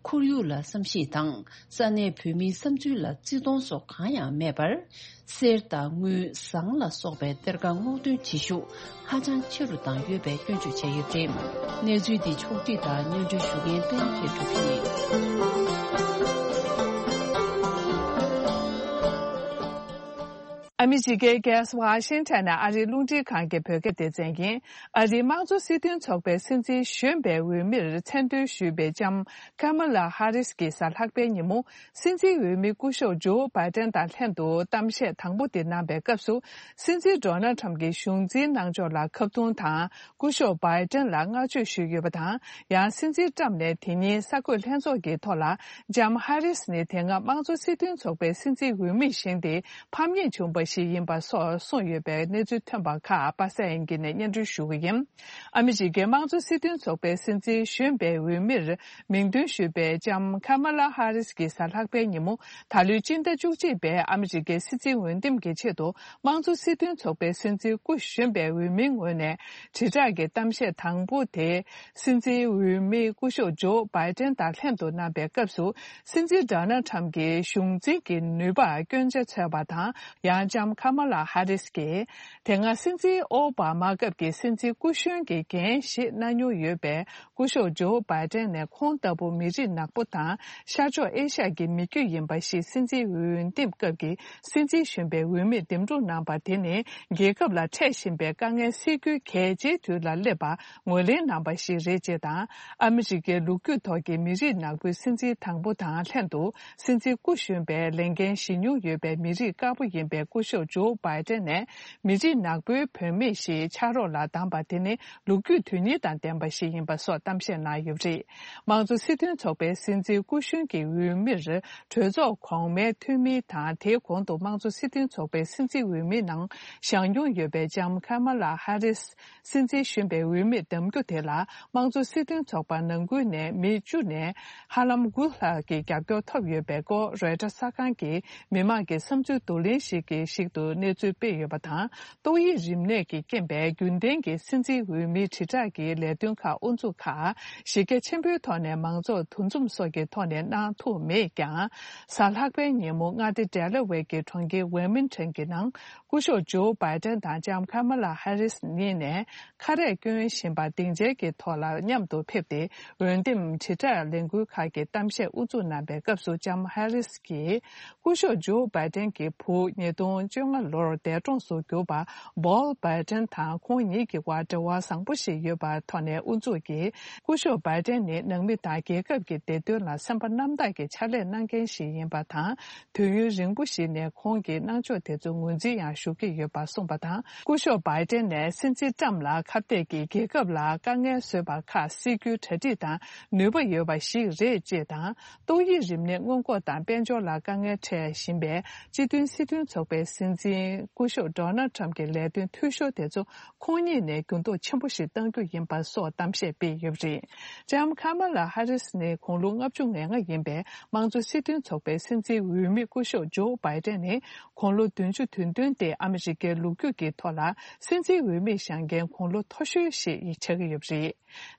ཁོར་ཡུག་ལ་བསམ་ཤེས་དང་ས་གནས་བོད་མིའི་བསམ་ཚུལ་ལ་བརྩི་མཐོང་སོགས་གང་ཡང་མེད་པར། གསེར་དང་དངུལ། ཟངས་ལ་སོགས་པའི་གཏེར་ཁ་སྔོག་འདོན་བྱེད་ཤུགས་ཧ་ཅང་ཆེ་རུ་བཏང་ཡོད་པའི་སྐྱོན་བརྗོད་བྱས་ཡོད་པ་རེད། གནས་ཚུལ་འདི་ཕྱོགས་སྒྲིག་དང་སྙན་སྒྲོན་ཞུ་མཁན་པད་མ་མཁས་གྲུབ་ཡིན། ཨ་མི་རི་ཀའི་རྒྱལ་ས་ཝ་ཤིང་ཊོན་ནས་ཨ་རིའི་རླུང་འཕྲིན་ཁང་གི་བོད་སྐད་སྡེ་ཚན་ཡིན། ཨ་རིའི་དམངས་གཙོ་སྲིད་དོན་ཚོགས་པའི་སྲིད་འཛིན་གཞོན་པའི་འོས་མིར་མཚན་འདོན་ཞུས་པའི་ལྕམ་ཀ་མ་ལ་ཧ་རིས་ཀྱིས་གཟའ་ལྷག་པའི་ཉིན་མོ། སྲིད་འཛིན་འོས་མི་སྐུ་ཞབས་ཇོ་བྷའི་ཏན་དང་ལྷན་དུ་གཏམ་བཤད་དང་པོ་དེ་གནང་བའི་སྐབས་སུ། སྲིད་འཛིན་ཌོ་ནལ་ཁྲམ་གྱིས་གཞུང་འཛིན་གནང་ཕྱོགས་ལ་ཁ་རྡུང་དང་། སྐུ་ཞབས་བྷའི་ཏན་ལ་བསྔགས་བརྗོད་ཞུས་ཡོད་པ་དང་། ཡང་སྲིད་འཛིན་ཀྲམ་ནས་དེ་ཉིན་གསར་འགོད་ལྷན་ཚོགས་ཀྱི་ཐོག་ལ། ལྕམ་ཧ་རིས་ནི་དེ་སྔ་དམངས་གཙོ་སྲིད་དོན་ཚོགས་པའི་སྲིད་འཛིན་འོས་མི་བཞེངས་ཏེ། ཕམ་ཉེས་བྱུང་བ་ ཞིག་ཡིན་པ་སོགས་གསུངས་ཡོད་པའི་གནས་ཚུལ་ཐོན་པ་ཁག་པ་སེ་ཨན་གྱི་ནས་སྙན་སྒྲོན་ཞུ་གི་ཡིན། ཨ་མི་རི་ཀའི་དམངས་གཙོ་སྲིད་དོན་ཚོགས་པའི་སྲིད་འཛིན་གཞོན་པའི་འོས་མིར་མིང་འདོན་ཞུས་པའི་ལྕམ་ཁ་མ་ལ་ཧ་རིས་ཀྱིས་གཟའ་ལྷག་པའི་ཉིན་མོ་ད་ལོའི་སྤྱི་ཟླ་བཅུ་གཅིག་པའི་ཨ་མི་རི་ཀའི་སྲིད་འཛིན་འོས་འདེམས་ཀྱི་ཆེད་དུ་དམངས་གཙོ་སྲིད་དོན་ཚོགས་པའི་སྲིད་འཛིན་སྐུ་གཞོན་པའི་འོས་མིའི་ངོས་ནས་དྲིལ་བསྒྲགས་ཀྱི་གཏམ་བཤད་དང་པོ་དེ། སྲིད་འཛིན་འོས་མི་སྐུ་ཞབས་ཇོ་བྷའི་ཏན་དང་ལྷན་དུ་གནང་པའི་སྐབས་སུ། སྲིད་འཛིན་ཌོ་ནལ་ཁྲམ་གྱི་གཞུང་འཛིན་གྱི་ནུས་པར་སྐྱོན་ཆ་འཚོལ་བ་དང་། ཡང་ལྕམ་ཁ་མ་ལ་ཧ་རིས་ཀྱིས། དེ་སྔ་སྲིད་འཛིན་ཨོ་བྷ་མ་སྐབས་ཀྱི་སྲིད་འཛིན་སྐུ་གཞོན་གྱི་འགན་བཞེས་གནང་མྱོང་ཡོད་པའི་སྐུ་ཞབས་ཇོ་བྷའི་ཏན་ནས་ཁོང་ལྟ་བུ་མི་རིགས་ནག་པོ་དང་ཤར་ཕྱོགས་ཨེ་ཤ་ཡ་གྱི་མི་རྒྱུད་ཡིན་པ་ཞིག་སྲིད་འཛིན་འོས་འདེམས་སྐབས་ཀྱི་སྲིད་འཛིན་གཞོན་པའི་འོས་མིར་འདེམས་སྒྲུག་གནང་པ་དེ་ནི། རྒྱལ་ཁབ་ལ་འཕྲད་བཞིན་པའི་དཀའ་ངལ་སེལ་རྒྱུའི་གལ་ཆེའི་དུས་ལ་སླེབས་པ་ངོས་ལེན་གནང་པ་ཞིག་རེད་ཅེས་དང་། ཨ་མི་རི་ཀའི་ལོ་རྒྱུས་ཐོག་གི་མི་རིགས་ནག་པོའི་སྲིད་འཛིན་དང་པོ་དང་ལྷན་དུ། སྲིད་འཛིན་སྐུ་གཞོན་པའི་ལས་འགན་བཞེས་མྱོང་ཡོད་པའི་མི་རིགས་དཀར་པོ་ཡིན་པའི་སྐུ་ཞབས་ཇོ་བྷའི་ཏན་ནས། མི་རིགས་ནག་པོའི་བུད་མེད་ཞིག་ཕྱག་རོགས་ལ་བདམས་པ་དེ་ནི། ལོ་རྒྱུས་དོན་སྙིང་དང་ལྡན་པ་ཞིག་ཡིན་པ་སོགས་གཏམ་བཤད་གནང་ཡོད་པ་རེད། དམངས་གཙོ་སྲིད་དོན་ཚོགས་པའི་སྲིད་འཛིན་སྐུ་གཞོན་གྱི་འོས་མིར། གྲོས་ཚོགས་གོང་མའི་འཐུས་མི་དང་། དེའི་གོང་དུ་དམངས་གཙོ་སྲིད་དོན་ཚོགས་པའི་སྲིད་འཛིན་འོས་མིའི་ནང་བཞེངས་མྱོང་ཡོད་པའི་ལྕམ་ཁ་མ་ལ་ཧ་རིས། སྲིད་འཛིན་གཞོན་པའི་འོས་མིར་བདམས་རྒྱུ་དེ་ལ། དམངས་གཙོ་སྲིད་དོན་ཚོགས་པ་ནང་ཁུལ་ནས་མི་བཅུ་ནས་ཧ་ལམ་དགུ་ལྷག་གི་རྒྱབ་སྐྱོར་ཐོབ་ཡོད་པའི་སྐོར། རོའི་ཊར་གསར་ཁང་གིས་མི་མང་གི་བསམ་ཚུལ་བསྡུ་ལེན་ཞིག་གི་ཞིག་ཏུ་གནས་ཚུལ་སྤེལ་ཡོད་པ་དང་། ཏོག་དབྱིབས་རིམས་ནད་ཀྱི་རྐྱེན་པས་རྒྱུན་ལྡན་གྱི་སྲིད་འཛིན་འོས་མིའི་དྲིལ་བསྒྲགས་ཀྱི་ལས་དོན་ཁག་དབུ་འཛུགས་ཁག་གཞི་རྒྱ་ཆེན་པོའི་ཐོག་ནས་མང་ཚོགས་འདུ་འཛོམས་སོགས་ཀྱི་ཐོག་ནས་གནང་ཐུབ་མེད་ཀྱང་། གཟའ་ལྷག་པའི་ཉིན་མོ་མངའ་སྡེ་ཌེ་ལ་ཝེ་ཀྱི་གྲོང་ཁྱེར་ཝེ་མིན་ཊོན་གྱི་ནང་སྐུ་ཞབས་ཇོ་བྷའི་ཏན་དང་ལྕམ་ཁ་མ་ལ་ཧ་རིས་གཉིས་ནས་ཁ་རས་གྱོན་བཞིན་པ་སྡིངས་ཆའི་གི་ཐོག་ལ་མཉམ་དུ་ཕེབས་ཏེ། འོས་འདེམས་དྲིལ་བསྒྲགས་ལས་འགུལ་ཁག་གི་གཏམ་བཤད་དབུ་འཛུགས་གནང་པའི་སྐབས་སུ་ལྕམ་ཧ་རིས་ཀྱིས། སྐུ་ཞབས་ཇོ་བྷའི་ཏན་གྱི་བུ་ཉིས་སྟོང་བཅོ་ལྔ་ལོར་འདས་གྲོངས་སུ་གྱུར་པ་བྷོལ་བྷའི་ཏན་དང་ཁོང་གཉིས་ཀྱི་བར་འབྲེལ་བ་བཟང་པོ་ཞིག་ཡོད་པའི་ཐོག་ནས་དབུ་འཛུགས་ཀྱིས། སྐུ་ཞབས་བྷའི་ཏན་ནི་ནང་མི་དང་རྒྱལ་ཁབ་ཀྱི་བདེ་དོན་ལ་སེམས་པ་རྣམ་དག་གི་ཕྱག་ལས་གནང་མཁན་ཞིག་ཡིན་པ་དང་། དུས་ཡུན་རིང་པོ་ཞིག་ནས་ཁོང་གི་གནང་ཕྱོགས་དེ་ཚོ་ངོས་འཛིན་ཡང་ཞུ་གི་ཡོད་པ་གསུངས་པ་དང་། སྐུ་ཞབས་བྷའི་ཏན་ནས་སྲིད་འཛིན་ཏྲམ་ལ་ཁ་གཏད་ཀྱིས་རྒྱལ་ཁབ་ལ་དཀའ་ངལ་བཟོས་པ་ཁག་སེལ་རྒྱུའི་གྲ་སྒྲིག་དང་ནུས་པ་ཡོད་པ་ཞིག་རེད་ཅེས་དང་། ཏོག་དབྱིབས་རིམས་ནད་སྔོན་འགོག་དང་དཔལ་འབྱོར་ལ་དཀའ་ངལ་འཕྲད་བཞིན་པའི་སྤྱི་མཐུན་སྲིད་དོན་ཚོགས་པའི་སྲིད་འཛིན་སྐུ་ཞབས་ཌོ་ནལ་ཁྲམ་གྱི་ལས་དོན་འཐུས་ཤོར་དེ་ཚོ་ཁོང་ཉིད་ནས་འགྱུར་ལྡོག་ཆེན་པོ་ཞིག་གཏང་རྒྱུ་ཡིན་པ་སོགས་གཏམ་བཤད་སྤེལ་ཡོད་པ་རེད། ལྕམ་ཁ་མ་ལ་ཧ་རིས་ནི་དགུང་ལོ་ལྔ་བཅུ་ང་ལྔ་ཡིན་པའི་དམངས་གཙོ་སྲིད་དོན་ཚོགས་པའི་སྲིད་འཛིན་འོས་མི་སྐུ་ཞབས་ཇོ་བྷའི་ཏན་ནི་དགུང་ལོ་བདུན་ཅུ་དོན་བདུན་སྟེ་ཨ་མི་རི་ཀའི་ལོ་རྒྱུས་ཀྱི་ཐོག་ལ་སྲིད་འཛིན་འོས་མི་བཞེངས་མཁན་དགུང་ལོ་མཐོ་ཤོས་ཤིག་ཆགས་ཀྱི་ཡོད་པ་རེད།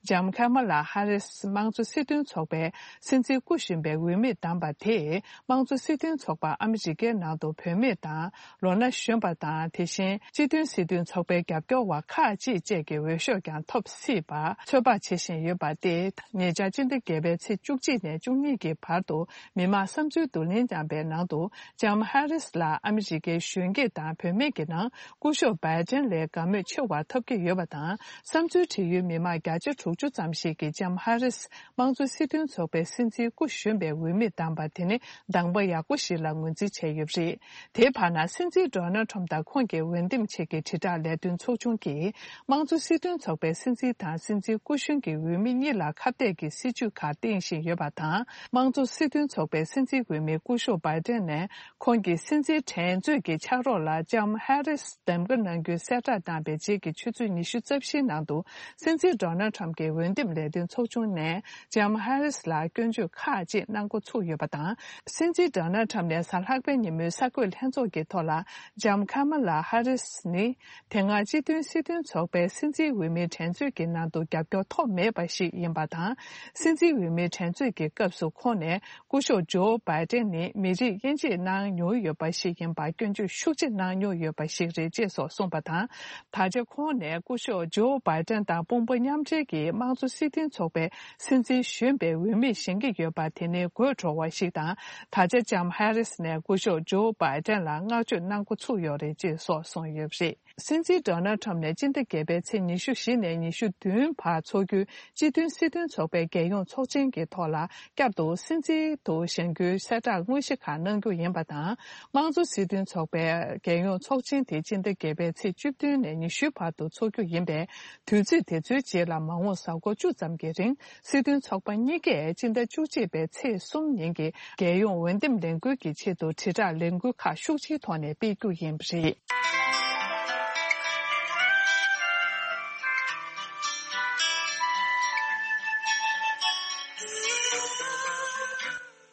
ལྕམ་ཁ་མ་ལ་ཧ་རིས་དམངས་གཙོ་སྲིད་དོན་ཚོགས་པའི་སྲིད་འཛིན་སྐུ་གཞོན་པའི་འོས་མིར་བདམས་པ་དེས་དམངས་གཙོ་སྲིད་དོན་ཚོགས་པ་ཨ་མི་རི་ཀའི་ནང་དུ་བུད་མེད་དང་ལོ་ན་གཞོན་པ་དང་། དེ་བཞིན་སྤྱི་མཐུན་སྲིད་དོན་ཚོགས་པའི་རྒྱབ་སྐྱོར་བ་ཁག་ཅིག་བཅས་ཀྱི་འོས་ཤོག་ཀྱང་ཐོབ་སྲིད་པ་ཚོད་དཔག་བྱེད་བཞིན་ཡོད་པ་སྟེ། ཉེ་ཆར་སྤྱི་ཟླ་བརྒྱད་པའི་ཚེས་བཅུ་གཅིག་ནས་བཅུ་གཉིས་ཀྱི་བར་དུ་མི་མང་བསམ་ཚུལ་བསྡུ་ལེན་བཏང་པའི་ནང་དུ། ལྕམ་ཧ་རིས་ལ་ཨ་མི་རི་ཀའི་གཞོན་སྐྱེས་དང་བུད་མེད་ཀྱི་ནང་སྐུ་ཞབས་བྷའི་ཏན་ལས་དགའ་མོས་ཆེ་བ་ཐོབ་ཀྱི་ཡོད་པ་དང་། བསམ་ཚུལ་བྲིས་ཡུལ་མི་མང་བརྒྱ་ཆ་དྲུག་ཅུ་ཙམ་ཞིག་གིས་ལྕམ་ཧ་རིས་དམངས་གཙོ་སྲིད་དོན་ཚོགས་པའི་སྲིད་འཛིན་སྐུ་གཞོན་པའི་འོས་མིར་བདམས་པ་དེ་ནི་གདམ་ག་ཡག་པོ་ཞིག་ལ་ངོས་འཛིན་བྱས་ཡོད་པ་རེད། དེའི་བར་ན་སྲིད་འཛིན་ཌོ་ནལ་ཁྲམ་དང་ཁོང་གི་འོས་འདེམས་ཆེད་ཀྱི་དྲིལ་བསྒྲགས་ལས་དོན་ཚོགས་ཆུང་གིས། དམངས་གཙོ་སྲིད་དོན་ཚོགས་པའི་སྲིད་འཛིན་དང་སྲིད་འཛིན་སྐུ་གཞོན་གྱི་འོས་མི་གཉིས་ལ་ཁ་གཏད་ཀྱི་སྲིད་བྱུས་ཁག་བཏིང་བཞིན་ཡོད་པ་དང་། དམངས་གཙོ་སྲིད་དོན་ཚོགས་པའི་སྲིད་འཛིན་འོས་མི་སྐུ་ཞབས་བྷའི་ཏན་ནས་ཁོང་གི་སྲིད་འཛིན་དྲན་གསོའི་གི་ཕྱག་རོགས་ལ་ལྕམ་ཧ་རིས་གདམ་ག་གནང་རྒྱུའི་གསལ་བསྒྲགས་བཏང་པའི་རྗེས་ཀྱི་ཆུ་ཚོད་ཉི་ཤུ་རྩ་བཞིའི་ནང་དུ་སྲིད་འཛིན་ཌོ་ནལ་ཁྲམ་གྱི་འོས་འདེམས་ལས་དོན་ཚོགས་ཆུང་ནས་ལྕམ་ཧ་རིས་ལ་སྐྱོན་བརྗོད་ཁག་ཅིག་གནང་འགོ་ཚུགས་ཡོད་པ་དང་། སྲིད་འཛིན་ཌོ་ནལ་ཁྲམ་ནས་གཟའ་ལྷག་པའི་ཉིན་མོའི་གསར་འགོད་ལྷན་ཚོགས་ཀྱི་ཐོག་ལ། ལྕམ་ཁ་མ་ལ་ཧ་རིས་ནི། དེ་སྔ་སྤྱི་མཐུན་སྲིད་དོན་ཚོགས་པའི་སྲིད་འཛིན་འོས་མིའི་འགྲན་རྩོད་ཀྱི་ནང་དུ་རྒྱབ་སྐྱོར་ཐོབ་མེད་པ་ཞིག་ཡིན་པ་དང་། སྲིད་འཛིན་འོས་མིའི་འགྲན་རྩོད་ཀྱི་སྐབས་སུ་ཁོང་ནས་སྐུ་ཞབས་ཇོ་བྷའི་ཏན་ནི་མི་རིགས་དབྱེ་འབྱེད་གནང་མྱོང་ཡོད་པ་ཞིག་ཡིན་པར་སྐྱོན་བརྗོད་ཤུགས་ཆེ་གནང་མྱོང་ཡོད་པ་ཞིག་རེད་ཅེས་སོགས་གསུངས་པ་དང་། ད་ཆ་ཁོང་ནས་སྐུ་ཞབས་ཇོ་བྷའི་ཏན་དང་དཔུང་པ་མཉམ་འབྲེལ་གྱིས་དམངས་གཙོ་སྲིད་དོན་ཚོགས་པའི་སྲིད་འཛིན་གཞོན་པའི་འོས་མི་བཞེངས་ཀྱི་ཡོད་པ་དེ་ནི་དགོད་བྲོ་བ་ཞིག་དང་། ད་ཆ་ལྕམ་ཧ་རིས་ནས་སྐུ་ཞབས་ཇོ་བྷའི་ཏན་ལ་བསྔགས་བརྗོད་གནང་འགོ་ཚུགས་ཡོད་རེད་ཅེས་སོགས་གསུངས་ཡོད་པ་རེད། སྲིད་འཛིན་ཌོ་ནལ་ཊམ་ནས་སྤྱི་ཟླ་བརྒྱད་པའི་ཚེས་ཉི་ཤུ་བཞི་ནས་ཉི་ཤུ་བདུན་བར་འཚོགས་རྒྱུའི་སྤྱི་མཐུན་སྲིད་དོན་ཚོགས་པའི་རྒྱལ་ཡོངས་ཚོགས་ཆེན་གྱི་ཐོག་ལ། བསྐྱར་དུ་སྲིད་འཛིན་དུ་བཞེངས་རྒྱུའི་གསལ་བསྒྲགས་དངོས་གཞི་ཁག་གནང་རྒྱུ་ཡིན་པ་དང་། དམངས་གཙོ་སྲིད་དོན་ཚོགས་པའི་རྒྱལ་ཡོངས་ཚོགས་ཆེན་དེ་སྤྱི་ཟླ་བརྒྱད་པའི་ཚེས་བཅུ་བདུན་ནས་ཉི་ཤུའི་བར་དུ་འཚོགས་རྒྱུ་ཡིན་པས། དུས་ཚོད་དེ་ཚོའི་རྗེས་ལ་མ་འོངས་གཟའ་འཁོར་བཅུ་ཙམ་གྱི་རིང་། སྲིད་དོན་ཚོགས་པ་གཉིས་ཀས་སྤྱི་ཟླ་བཅུ་གཅིག་པའི་ཚེས་གསུམ་ཉིན་གྱི་རྒྱལ་ཡོངས་འོས་འདེམས་ལས་འགུལ་གྱི་ཆེད་དུ་དྲིལ་བསྒྲགས་ལས་འགུལ་ཁག་ཤུགས་ཆེའི་ཐོག་ནས་སྤེལ་རྒྱུ་ཡིན་པ་རེད།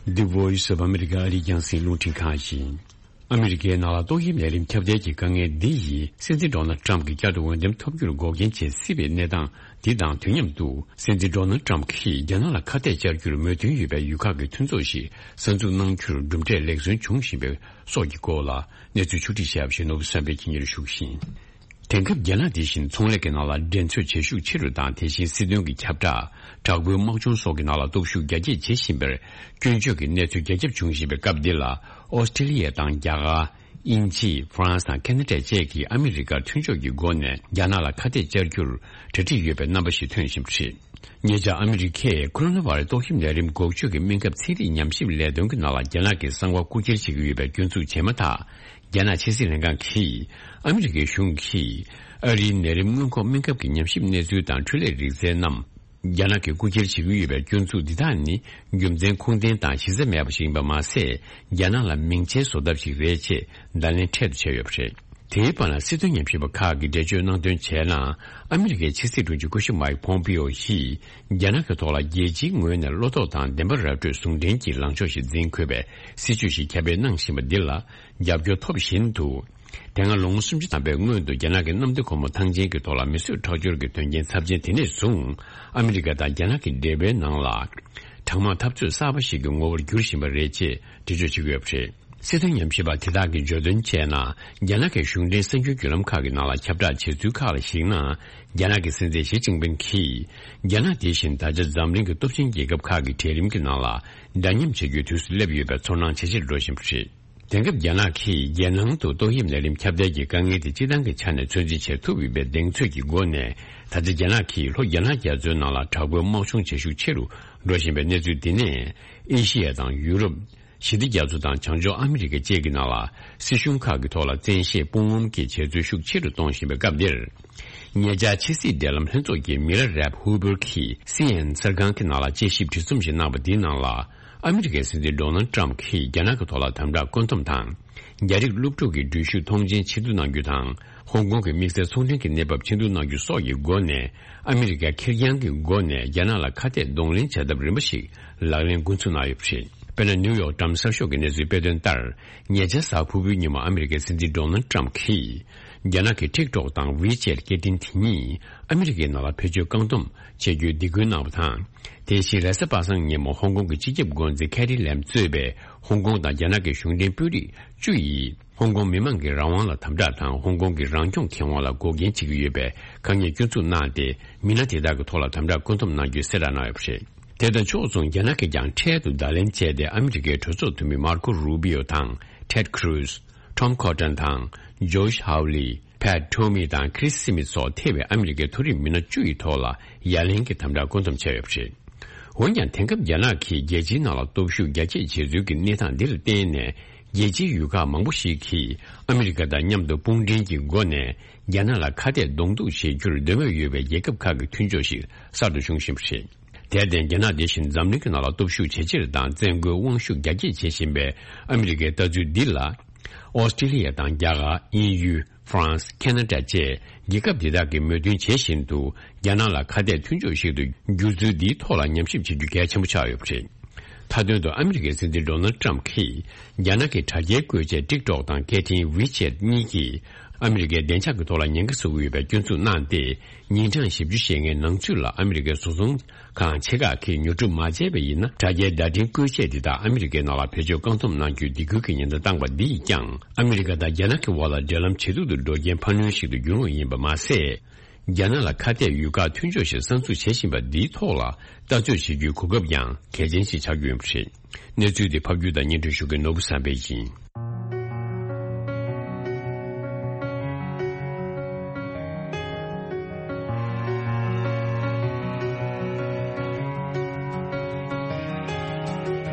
The Voice of America ཨ་རིའི་རྒྱང་སྲིང་རླུང་འཕྲིན་ཁང་ཡིན། ཨ་མི་རི་ཀའི་ནང་ལ་ཏོག་དབྱིབས་ནད་རིམས་ཁྱབ་གདལ་གྱི་དཀའ་ངལ་འདི་ཡིས་སྲིད་འཛིན་ཌོ་ནལ་ཊམ་གྱིས་བསྐྱར་དུ་འོས་འདེམས་ཐོབ་རྒྱུར་འགོག་རྐྱེན་བྱེད་སྲིད་པའི་གནས་སྟངས་འདི་དང་དུས་མཉམ་དུ། སྲིད་འཛིན་ཌོ་ནལ་ཊམ་གྱིས་རྒྱ་ནག་ལ་ཁ་གཏད་བཅར་རྒྱུར་མོས་མཐུན་ཡོད་པའི་ཡུལ་ཁག་གི་མཐུན་ཚོགས་ཤིག་གསར་འཛུགས་གནང་རྒྱུར་གྲུབ་འབྲས་ལེགས་སོན་བྱུང་བཞིན་པའི་སོགས་ཀྱི་སྐོར་ལ་གནས་ཚུལ་ཕྱོགས་སྒྲིག་བྱས་པ་ཞིག་ནོར་བུ་བསམ་འཕེལ་གྱིས་སྙན་སྒྲོན་ཞུ་གི་ཡིན། དེང་སྐབས་རྒྱ་ནག་འདི་བཞིན་ཚོང་ལས་ཀྱི་ནང་ལ་འགྲན་རྩོད་བྱེད་ཤུགས་ཆེ་རུ་དང་། དེ་བཞིན་སྲིད་དོན་གྱི་ཁྱབ་བསྒྲགས། དྲག་པོའི་དམག་སྦྱོང་སོགས་ཀྱི་ནང་ལ་སྟོབས་ཤུགས་རྒྱ་སྐྱེད་བྱེད་བཞིན་པར། སྐྱོན་བརྗོད་ཀྱི་གནས་ཚུལ་རྒྱ་ཁྱབ་བྱུང་བཞིན་པའི་སྐབས་འདི་ལ། ཨོ་སི་ཀྲི་ལི་ཡ་དང་རྒྱ་གར། དབྱིན་ཇི། ཧྥ་རན་སི་དང་ཁ་ན་ཌ་བཅས་ཀྱིས་ཨ་མི་རི་ཀར་མཐུན་ཕྱོགས་ཀྱི་སྒོ་ནས་རྒྱ་ནག་ལ་ཁ་གཏད་བཅར་རྒྱུར་གྲ་སྒྲིག་ཡོད་པའི་རྣམ་པ་ཞིག་ཐོན་བཞིན་པ་རེད། ཉེ་ཆར་ཨ་མི་རི་ཀས་ཀོ་རོ་ན་བྷ་ར་ཏོག་དབྱིབས་ནད་རིམས་འགོག་བཅོས་ཀྱི་སྨན་ཁབ་ཚན་རིག་ཉམས་ཞིབ་ལས་དོན་གྱི་ནང་ལ་རྒྱ་ནག་གི་གསང་བ་རྐུ་འཁྱེར་བྱེད་ཀྱི་ཡོད་པའི་སྐྱོན་འཛུགས་བྱས་མ་ཐག་རྒྱ་ནག་ཕྱི་སྲིད་ལྷན་ཁང་གིས་ཨ་མི་རི་ཀའི་གཞུང་གིས་ཨ་རིའི་ནད་རིམས་སྔོན་འགོག་སྨན་ཁབ་ཀྱི་ཉམས་ཞིབ་གནས་ཚུལ་དང་འཕྲུལ་ལས་རིག་རྩལ་རྣམས་རྒྱ་ནག་གིས་རྐུ་འཁྱེར་བྱེད་ཀྱི་ཡོད་པའི་སྐྱོན་འཛུགས་འདི་དག་ནི་རྒྱུ་མཚན་ཁུངས་ལྡན་དང་གཞི་རྩ་མེད་པ་ཞིག་ཡིན་པ་མ་ཟད། རྒྱ་ནག་ལ་མིང་ཆེན་བཟོ་ཐབས་ཤིག་རེད་ཅེས་བརྡ་ལན་འཕྲལ་དུ་བྱས་ཡོད་པ་རེད། དེའི་བར་ན་སྲིད་དོན་ཉམས་ཞིབ་པ་ཁག་གིས་འགྲེལ་བརྗོད་གནང་དོན་བྱས་ན། ཨ་མི་རི་ཀའི་ཕྱི་སྲིད་དྲུང་ཆེ་སྐུ་ཞབས་མའིག་ཕོམ་པིའོ་ཡིས་རྒྱ་ནག་གི་ཐོག་ལ་རྒྱལ་སྤྱིའི་ངོས་ནས་བློ་དོགས་དང་བདེན་པ་ར་སྤྲོད་ཟུང་འབྲེལ་གྱི་ལངས་ཕྱོགས་ཤིག་འཛིན་དགོས་པའི་སྲིད་བྱུས་ཤིག་ཁྱབ་སྤེལ་གནང་བཞིན་པ་འདི་ལ་རྒྱབ་སྐྱོར་ཐོབ་བཞིན་དུ། དེ་སྔ་ལོ་ངོ་སུམ་ཅུ་ཐམ་པའི་སྔོན་དུ་རྒྱ་ནག་གི་གནམ་བདེ་སྒོ་མོ་ཐང་ཆེན་གྱི་ཐོག་ལ་མེ་གསོད་ཁྲག་སྦྱོར་གྱི་དོན་རྐྱེན་ཚབས་ཆེན་དེ་ནས་བཟུང་། ཨ་མི་རི་ཀ་དང་རྒྱ་ནག་གི་འབྲེལ་བའི་ནང་ལ་གྲང་དམག་འཐབ་རྩོད་གསར་པ་ཞིག་གི་ངོ་བོར་འགྱུར་བཞིན་པ་རེད་ཅེས་འགྲེལ་བརྗོད་བྱེད་ཀྱི་ཡོད་པ་རེད། སྲིད་དོན་ཉམས་ཞིབ་པ་དེ་དག་གིས་བརྗོད་དོན་བྱས་ན། རྒྱ་ནག་གི་གཞུང་འབྲེལ་གསར་འགྱུར་བརྒྱུད་ལམ་ཁག་གི་ནང་ལ་ཁྱབ་བསྒྲགས་བྱེད་ཚུལ་ཁག་ལ་གཞིགས་ན། རྒྱ་ནག་གི་སྲིད་འཛིན་ཞི་ཅིན་ཕིན་གྱིས། རྒྱ་ནག་དེ་བཞིན་ད་ཆ་འཛམ་གླིང་གི་སྟོབས་ཆེན་རྒྱལ་ཁབ་ཁག་གི་གྲལ་རིམ་གྱི་ནང་ལ་འདྲ་མཉམ་བྱེད་རྒྱུའི་དུས་སུ་སླེབས་ཡོད་པའི་ཚོར་སྣང་ཇེ་ཆེར་འགྲོ་བཞིན་པ་རེད། དེང་སྐབས་རྒྱ་ནག་གིས་རྒྱལ་ནང་དུ་ཏོག་དབྱིབས་ནད་རིམས་ཁྱབ་གདལ་གྱི་དཀའ་ངལ་དེ་སྤྱི་བཏང་གི་ཆ་ནས་ཚོད་འཛིན་བྱེད་ཐུབ་ཡོད་པའི་གདེང་ཚོད་ཀྱི་སྒོ་ནས། ད་ཆ་རྒྱ་ནག་གིས་ལྷོ་རྒྱ་ནག་རྒྱ་མཚོའི་ནང་ལ་དྲག་པོའི་དམག་སྦྱོང་བྱེད་ཤུགས་ཆེ་རུ་འགྲོ་བཞིན་པའི་གནས་ཚུལ་འདི་ནས། ཨེ་ཤི་ཡ་དང་ཡུ་རོབ། ཞི་བདེ་རྒྱ་མཚོ་དང་བྱང་ཕྱོགས་ཨ་མི་རི་ཀ་བཅས་ཀྱི་ནང་ལ་སྲིད་གཞུང་ཁག་གི་ཐོག་ལ་བཙན་ཤེད་དཔུང་ངོམ་གྱི་བྱེད་རྩོལ་ཤུགས་ཆེ་རུ་གཏོང་བཞིན་པའི་སྐབས་འདིར། ཉེ་ཆར་ཕྱི་སྲིད་འབྲེལ་ལམ་ལྷན་ཚོགས་ཀྱི་མི་ར་རེབ་ཧུ་པུར་གྱིས་སི་ཨེན་ཨེན་གསར་ཁང་གི་ནང་ལ་དཔྱད་ཞིབ་བྲིས་རྩོམ་ཞིག་གནང་བ་འདིའི་ནང་ལ། ཨ་མི་རི་ཀའི་སྲིད་འཛིན་ཌོ་ནལ་ཏྲམ་གྱིས་རྒྱ་ནག་གི་ཐོག་ལ་དམ་དྲག་བཀོད་འདོམས་དང་། རྒྱ་རིགས་སློབ་ཕྲུག་གི་འགྲུལ་བཞུད་ཐོངས་མཆན་ཕྱིར་བསྡུ་གནང་རྒྱུ་དང་། ཧོང་ཀོང་གི་དམིགས་བསལ་ཚོང་འབྲེལ་གྱི་གནས་བབ་ཕྱིར་བསྡུ་གནང་རྒྱུ་སོགས་ཀྱི་སྒོ་ནས། ཨ་མི་རི་ཀས་ཁེར་རྐྱང་གི་སྒོ་ནས་རྒྱ་ནག་ལ་ཁ་གཏད་གདོང་ལེན་བྱ་ཐབས་རིམ་པ་ཞིག་ལག་ལེན་འགོ་འཛུགས་གནང་ཡོད་པ་རེད། དཔེར་ན། ནིའུ་ཡོག་ཊའིམ་གསར་ཤོག་གི་གནས་ཚུལ་སྤེལ་དོན་ལྟར། ཉེ་ཆར་གཟའ་ཕུར་བུའི་ཉིན་མོ་ཨ་མི་རི་ཀའི་སྲིད་འཛིན་ཌོ་ནལ་ཏྲམ་གྱིས། རྒྱ་ནག་གི་ཊིག་ཊོག་དང་ཝི་ཅེཊ་སྐད་འཕྲིན་དེ་གཉིས་ཨ་མི་རི་ཀའི་ནང་ལ་བེད་སྤྱོད་བཀག་སྡོམ་བྱེད་རྒྱུའི་སྡིགས་སྐུལ་གནང་བ་དང་། དེ་བཞིན་རེས་གཟའ་པ་སངས་ཉིན་མོ་ཧོང་ཀོང་གི་སྤྱི་ཁྱབ་འགོ་འཛིན་ཁེ་རི་ལེམ་གཙོས་པའི་ཧོང་ཀོང་དང་རྒྱ་ནག་གི་གཞུང་འབྲེལ་དཔོན་རིགས་བཅུ་ཡིས། ཧོང་ཀོང་མི་མང་གི་རང་དབང་ལ་དམ་དྲག་དང་། ཧོང་ཀོང་གི་རང་སྐྱོང་ཁེ་དབང་ལ་འགོག་རྐྱེན་བྱེད་ཀྱི་ཡོད་པའི་དཀའ་ངལ་སྐྱོན་འཛུགས་གནང་སྟེ། མི་སྣ་དེ་དག་གི་ཐོག་ལ་དམ་དྲག་བཀོད་འདོམས་གནང་རྒྱུའི་གསལ་བསྒྲགས་གནང་ཡོད་པ་རེད། དེ་དང་ཕྱོགས་མཚུངས། རྒྱ་ནག་གིས་ཀྱང་འཕྲལ་དུ་བརྡ་ལན་བྱས་ཏེ། ཨ་མི་རི་ཀའི་གྲོས་ཚོགས་འཐུས་མི་མར་ཁོ་རུ་བྷི་ཡོ་དང་། ཊེཌ་ཁུ་རུ་ཛི། ཊོམ་ཁོ་ཊོན་དང་། ཇོ་ཤ་ཧའུ་ལི། ཕེཊ་ཊོ་མི་དང་ཁི་རིས་སི་མིད་སོགས་ཐེ་བའི་ཨ་མི་རི་ཀའི་མཐོ་རིམ་མི་སྣ་བཅུ་ཡི་ཐོག་ལ་ཡ་ལན་གྱི་དམ་དྲག་བཀོད་འདོམས་བྱས་ཡོད་པ་རེད། འོན་ཀྱང་། དེང་སྐབས་རྒྱ་ནག་གིས་རྒྱལ་སྤྱིའི་ནང་ལ་སྟོབས་ཤུགས་རྒྱ་སྐྱེད་བྱེད་ཚུལ་གྱི་གནས་སྟངས་འདི་ལ་བརྟེན་ནས། རྒྱལ་སྤྱིའི་ཡུལ་ཁག་མང་པོ་ཞིག་གིས་ཨ་མི་རི་ཀ་དང་མཉམ་དུ་དཔུང་འབྲེལ་གྱི་སྒོ་ནས་རྒྱ་ནག་ལ་ཁ་གཏད་གདོང་གཏུག་བྱེད་རྒྱུར་འདོད་མོས་ཡོད་པའི་རྒྱལ་ཁབ་ཁག་གི་མཐུན་ཕྱོགས་ཤིག་གསར་དུ་བྱུང་བཞིན་པ་རེད། དེར་བརྟེན། རྒྱ་ནག་དེ་བཞིན་འཛམ་གླིང་གི་ནང་ལ་སྟོབས་ཤུགས་ཇེ་ཆེར་དང་བཙན་རྒོལ་དབང་ཤུགས་རྒྱ་སྐྱེད་བྱེད་བཞིན་པའི་ཨ་མི་རི་ཀའི་ལྟ་ཚུལ་འདི་ལ། ཨོ་སི་ཀྲི་ལི་ཡ་དང་རྒྱ་གར། དབྱིན་ཡུལ། ཧྥ་རན་སི། ཁེ་ན་ཌ་བཅས་རྒྱལ་ཁབ་འདི་དག་གིས་མོས་མཐུན་བྱེད་བཞིན་དུ། རྒྱ་ནག་ལ་ཁ་གཏད་མཐུན་ཕྱོགས་ཤིག་ཏུ་འགྱུར་ཚུལ་འདིའི་ཐོག་ལ་ཉམས་ཞིབ་བྱེད་རྒྱུ་གལ་ཆེན་པོ་ཆགས་ཡོད་པ་རེད། མཐའ་དོན་དུ། ཨ་མི་རི་ཀའི་སྲིད་འཛིན་ཌོ་ནལ་ཏྲམ་གྱིས། རྒྱ་ནག་གི་དྲ་རྒྱའི་བཀོལ་ཆས་ཊིག་ཊོག་དང་སྐད་འཕྲིན་ཝི་ཅེཊ་གཉིས་ཀྱིས། ཨ་མི་རི་ཀའི་བདེ་འཇགས་ཀྱི་ཐོག་ལ་ཉེན་ཁ་བཟོ་གི་ཡོད་པའི་སྐྱོན་འཛུགས་གནང་སྟེ། ཉིན་གྲངས་བཞི་བཅུ་ཞེ་ལྔའི་ནང་ཚུད་ལ་ཨ་མི་རི་ཀའི་བཟོ་ཚོང་ཁང་ཆེ་ཁག་གིས་ཉོ་སྒྲུབ་མ་བྱས་པ་ཡིན་ན། དྲ་རྒྱའི་བརྡ་འཕྲིན་བཀོལ་ཆས་འདི་དག་ཨ་མི་རི་ཀའི་ནང་ལ་བེད་སྤྱོད་བཀག་སྡོམ་གནང་རྒྱུའི་སྡིགས་སྐུལ་གྱི་ཉེན་བརྡ་བཏང་པ་འདི་ཡིས་ཀྱང་། ཨ་མི་རི་ཀ་དང་རྒྱ་ནག་གི་དབར་ལ་འབྲེལ་ལམ་ཇེ་སྡུག་ཏུ་འགྲོ་རྐྱེན་འཕར་སྣོན་ཞིག་ཏུ་འགྱུར་འོང་ཡིན་པ་མ་ཟད། རྒྱ་ནག་ལ་ཁ་གཏད་ཡུལ་ཁག་མཐུན་ཕྱོགས་ཤིག་གསར་འཛུགས་བྱེད་བཞིན་པ་འདིའི་ཐོག་ལ་ལྟ་ཚོད་བྱེད་རྒྱུའི་གོ་སྐབས་ཀྱང་གལ་ཆེན་ཞིག་ཆགས་ཀྱི་ཡོད་པ་རེད། གནས་ཚུལ་འདི་ཕབ་སྒྱུར་དང་སྙན་སྒྲོན་ཞུ་མཁན་ནོར་བུ་བསམ་འཕེལ་ཡིན།